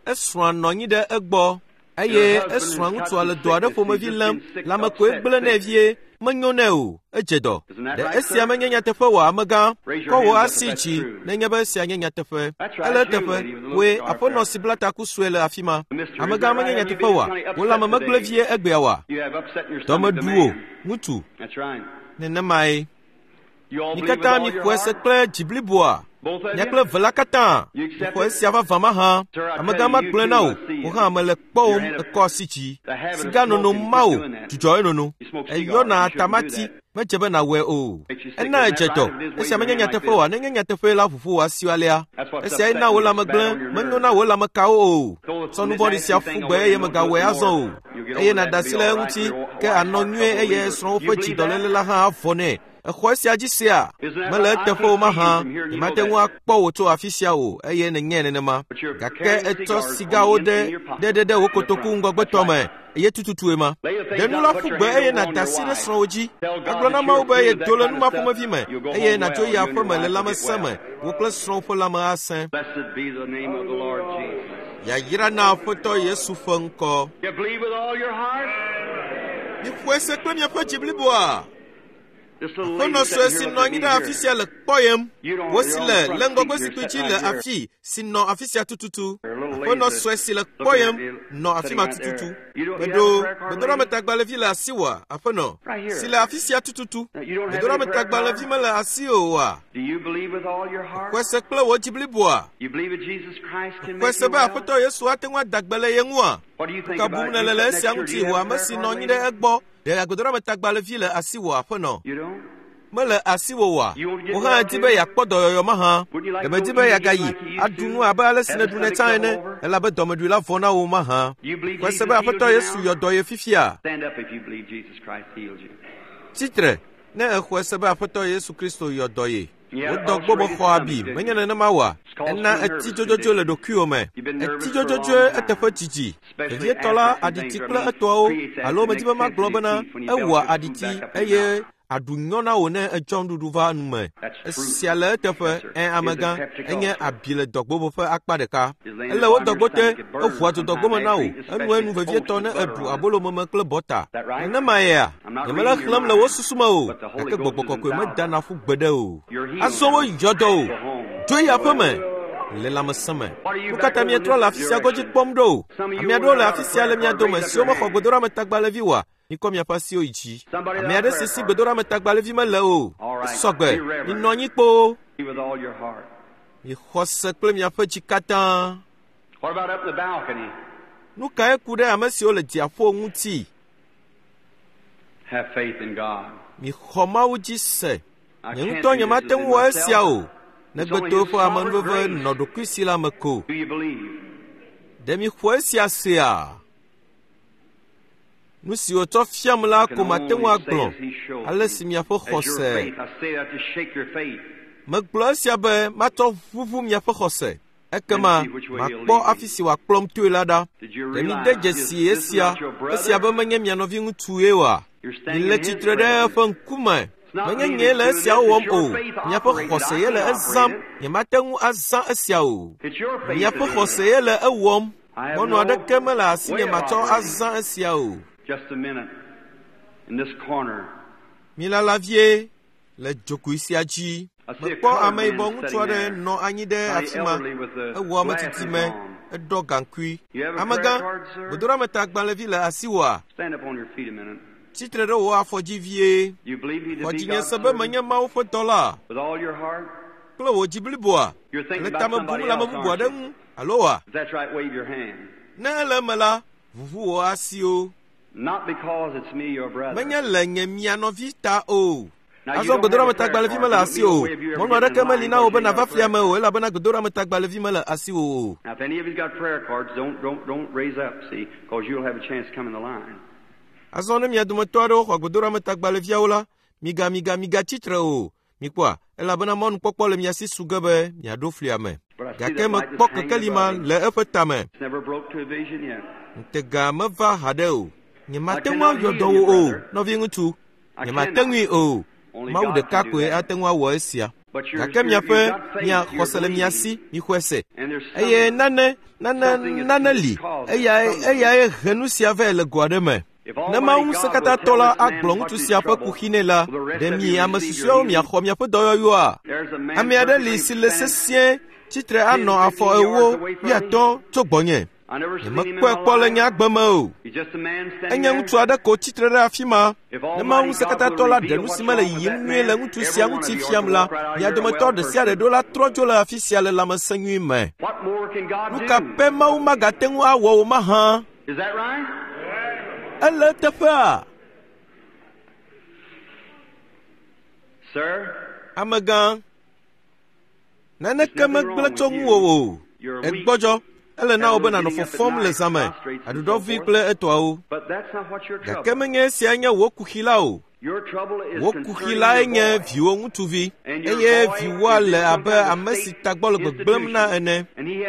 Esrɔ̃a nɔ anyi ɖe egbɔ eye esrɔ̃a ŋutsua le dɔ aɖe ƒomevi lém. Lãme koe gblẽ nɛ vie. Menyo nɛ o, edze dɔ. Ɖe esia menye nyateƒe oa, amegã? Kɔ wò asi dzi nenye be esia nye nyateƒe. Ele eteƒe. Wòe, aƒenɔ si bla taku sue le afi ma. Amegã menye nyateƒe oa? Wò lãme megblẽ vie egbea oa? Dɔme ɖu wò, ŋutsu. Nenemae. Mi katã mixɔe se kple dzi bliboa. Mia kple eve la katã mixɔ esia vavã mahã. Amegã magblɔe na wò, wò hã mele kpɔwòm ekɔ asi dzi. Siga nono ma wò, dzudzɔ enono. Eyɔna atamati, medze be nàwɔe o. Ena èdze dɔ. Esia menye nyateƒe oa? Nenye nyateƒee la, ʋuʋu wò asiwo alea. Esiae na wò lãme gblẽ, menyo na wò lãmekawo o. Tsɔ nu vɔ̃ɖi sia ƒu gbe eye mègawɔe azɔ o. Eye nàɖe asi le eŋuti, ke ànɔ nyuie eye srɔ̃wò ƒe dzidɔléle la hã avɔ nɛ. Exɔ esia dzi sea? Mele eteƒe o mahã. Nyemate ŋu akpɔ wò tso afi sia o, eye nènyae nenema. Gake ètsɔ sigawo ɖe ɖe ɖe wò kotoku ŋgɔgbetɔ me, eye tututue ma. Ɖe nu la ƒu gbe eye nàda asi ɖe srɔ̃wò dzi. Agblɔ na Mawu be yedo le nu ma ƒomevi me, eye nàdzo yi aƒe me le lãmesẽ me, wò kple srɔ̃wò ƒe lãme asẽ. Yayra na Aƒetɔ Yesu ƒe ŋkɔ. Mixɔe se kple miaƒe dzi bliboa. Aƒenɔ sue si nɔ anyi ɖe afi sia le kpɔyem. Wò si le le ŋgɔgbezikpui dzi le afi si nɔ afi sia tututu. Aƒenɔ sue si le kpɔyem nɔ afi ma tututu. Meɖo gbedoɖametagbalẽvi le asiwòa, aƒenɔ? Si le afi sia tututu. Gbedoɖametagbalẽvi mele asiwò oa? Xɔe se kple wò dzi bliboa? Xɔe se be Aƒetɔ Yesu ate ŋu ada gbe le ye ŋua? Nu ka bum nèle le esia ŋuti, wò ame si nɔ anyi ɖe egbɔ? Ɖe agbedoɖametagbalẽvi le asiwò, aƒenɔ? Mele asiwò oa? Wò hã èdi be yeakpɔ dɔyɔyɔ mahã? Ɖe mèdi be yeagayi aɖu nu abe ale si nèɖunɛ tsã ene, elabe dɔmeɖui la vɔ na wò mahã? Xɔe se be Aƒetɔ Yesu yɔ dɔ ye fifia? Tsi tre, ne èxɔe se be Aƒetɔ Yesu Kristo yɔ dɔ ye. Wò dɔgbo mexɔ abi, menye nenema oa? Ena ètsi dzodzodzoe le ɖokuiwò me. Ètsi dzodzodzoe eteƒe didi. Vevietɔ la, aɖiti kple etɔawo, alo medi be magblɔ bena ewɔa aɖiti eye aɖu nyɔ na wò ne ètsɔ nuɖuɖu va nu me. Esia le eteƒe, ẽ amegã, enye abi le dɔgbo ƒe akpa ɖeka. Ele wò dɔgbo te, eʋua dzo dɔgbo me na wò, enuenu vevietɔ ne èɖu abolo meme kple bɔta. Nenemaea? Nyemele xlẽm le wò susu me o, gake gbɔgbɔ kɔkɔe medana ƒu gbeɖe o. Azɔ woyɔ dɔ o. Dzo yi aƒe me le lãmesẽ me. Nu ka ta mietrɔ le afi sia godzi kpɔm ɖo? Ame aɖewo le afi sia le mia dome siwo mexɔ gbedoɖametagbalẽvi oa? Mikɔ miaƒe asiwo yi dzi. Ame aɖe si si gbedoɖametagbalẽvi mele o. Esɔ gbe. Minɔ anyi kpoo. Mixɔ se kple miaƒe dzi katã. Nu kae ku ɖe ame siwo le dziaƒo ŋuti? Mixɔ Mawu dzi se. Nye ŋutɔ nyemate ŋu wɔ esia o, negbe to eƒe amenuveve nɔ ɖokuisi la me ko. Ɖe mixɔ esia sea? Nu si wòtsɔ fiam la ko mate ŋu agblɔ ale si miaƒe xɔse. Megblɔ esia be matsɔ ʋuʋu miaƒe xɔse. Ekema makpɔ afi si wòakplɔm toe la ɖa. Ɖe mide dzesi esia, esia be menye mia nɔviŋutsue oa? Mile tsitre ɖe eƒe ŋkume. Menye nyee le esiawo wɔm o. Miaƒe xɔse ye le ezãm. Nyemate ŋu azã esia o. Miaƒe xɔse ye le ewɔm. Mɔnu aɖeke mele asinye matsɔ azã esia o. Milala vie le dzogoe sia dzi. Mekpɔ ameyibɔ ŋutsu aɖe nɔ anyi ɖe afi ma. Ewɔ ame tsitsime, eɖɔ gaŋkui. Amegã, gbedoɖametagbalẽvi le asiwòa? Tsitre ɖe wò afɔ dzi vie. Xɔ dzinye se be menye Mawu ƒe dɔla kple wò dzi bliboa. Èle tame bum le ame bubu aɖe ŋu, alo oa? Ne ele eme la, ʋuʋu wò asiwo. Menye le nye mia nɔvi ta o. Azɔ gbedoɖametagbalẽvi mele asiwò o. Mɔnu aɖeke meli na wò be nàva flia me o elabena gbedoɖametagbalẽvi mele asiwò o. Azɔ ne mia dometɔ aɖewo xɔ gbedoɖametagbalẽviawo la, miga miga migatsi tre o. Mikpɔa, elabena mɔnukpɔkpɔ le mia si su ge be miaɖo flia me. Gake mekpɔ kekeli ma le eƒe tame. Ŋutega meva haɖe o. Nyemate ŋu ayɔ dɔ wò o, nɔviŋutsu. Nyemate ŋui o. Mawu ɖeka koe ate ŋu awɔ esia. Gake miaƒe mia xɔse le mia si, mixɔe se. Eye nane, nane, nane li. Eyae, eyae he nu sia vɛ le go aɖe me. Ne Mawu Ŋusẽkatãtɔ la agblɔ ŋutsu sia ƒe kuxi nɛ la, ɖe mi ame susɔeawo miaxɔ miaƒe dɔyɔyɔa? Ame aɖe li si le sesĩe tsitre anɔ afɔ 40, 80 tso gbɔnye. Nyemekpɔe kpɔ le nye agbe me o. Enye ŋutsu aɖe ko tsitre ɖe afi ma. Ne Mawu Ŋusẽkatãtɔ la ɖe nu si mele yiyim nyuie le ŋutsu sia ŋuti fiam la, mia dometɔ ɖe sia ɖe ɖo la trɔ dzo le afi sia le lãmesẽ nyui me. Nu ka pɛ Mawu magate ŋu awɔ o mahã? Ele eteƒea? Amegã, naneke megblẽ tso ŋuwò o. Ègbɔdzɔ. Ele na wò be nànɔ fɔfɔm le zã me, aɖuɖɔvi kple etɔawo. Gake menye esia nye wò kuxi la o. Wò kuxi lae nye viwò ŋutsuvi, eye viwòa le abe ame si tagbɔ le gbegblẽm na ene,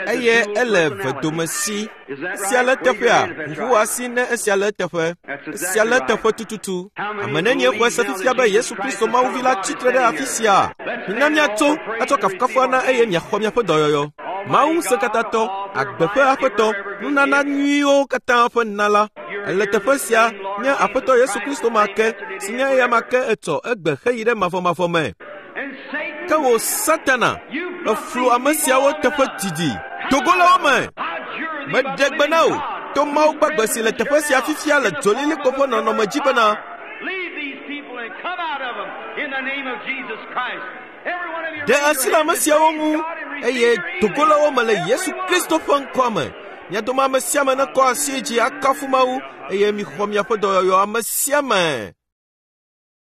eye ele vedomesi. Esia le eteƒea? Ʋuʋu wò asi ne esia le eteƒe. Esia le eteƒe tututu. Ame nenie xɔe se fifia be Yesu Kristo Mawuvi la tsitre ɖe afi sia? Mina míatso atsɔ kafukafu ana eye miaxɔ miaƒe dɔyɔyɔ. Mawu Ŋusẽkatãtɔ, agbe ƒe Aƒetɔ, nunana nyuiwo katã ƒe nala. Ele teƒe sia nye Aƒetɔ Yesu Kristo ma ke, si nye eyama ke etsɔ egbe heyi ɖe mavɔmavɔ me. Ke wò Satana, èflu ame siawo teƒe didi. Dogo le wo me! Meɖe gbe na wò to Mawu gbagbe si le teƒe sia fifia le dzolilikpo ƒe nɔnɔme dzi bena, Ɖe asi le ame siawo ŋu, eye dogo le wo me le Yesu Kristo ƒe ŋkɔa me. Mia dome ame sia ame nekɔ asi dzi akafu Mawu, eye mixɔ miaƒe dɔyɔyɔ ame sia ame.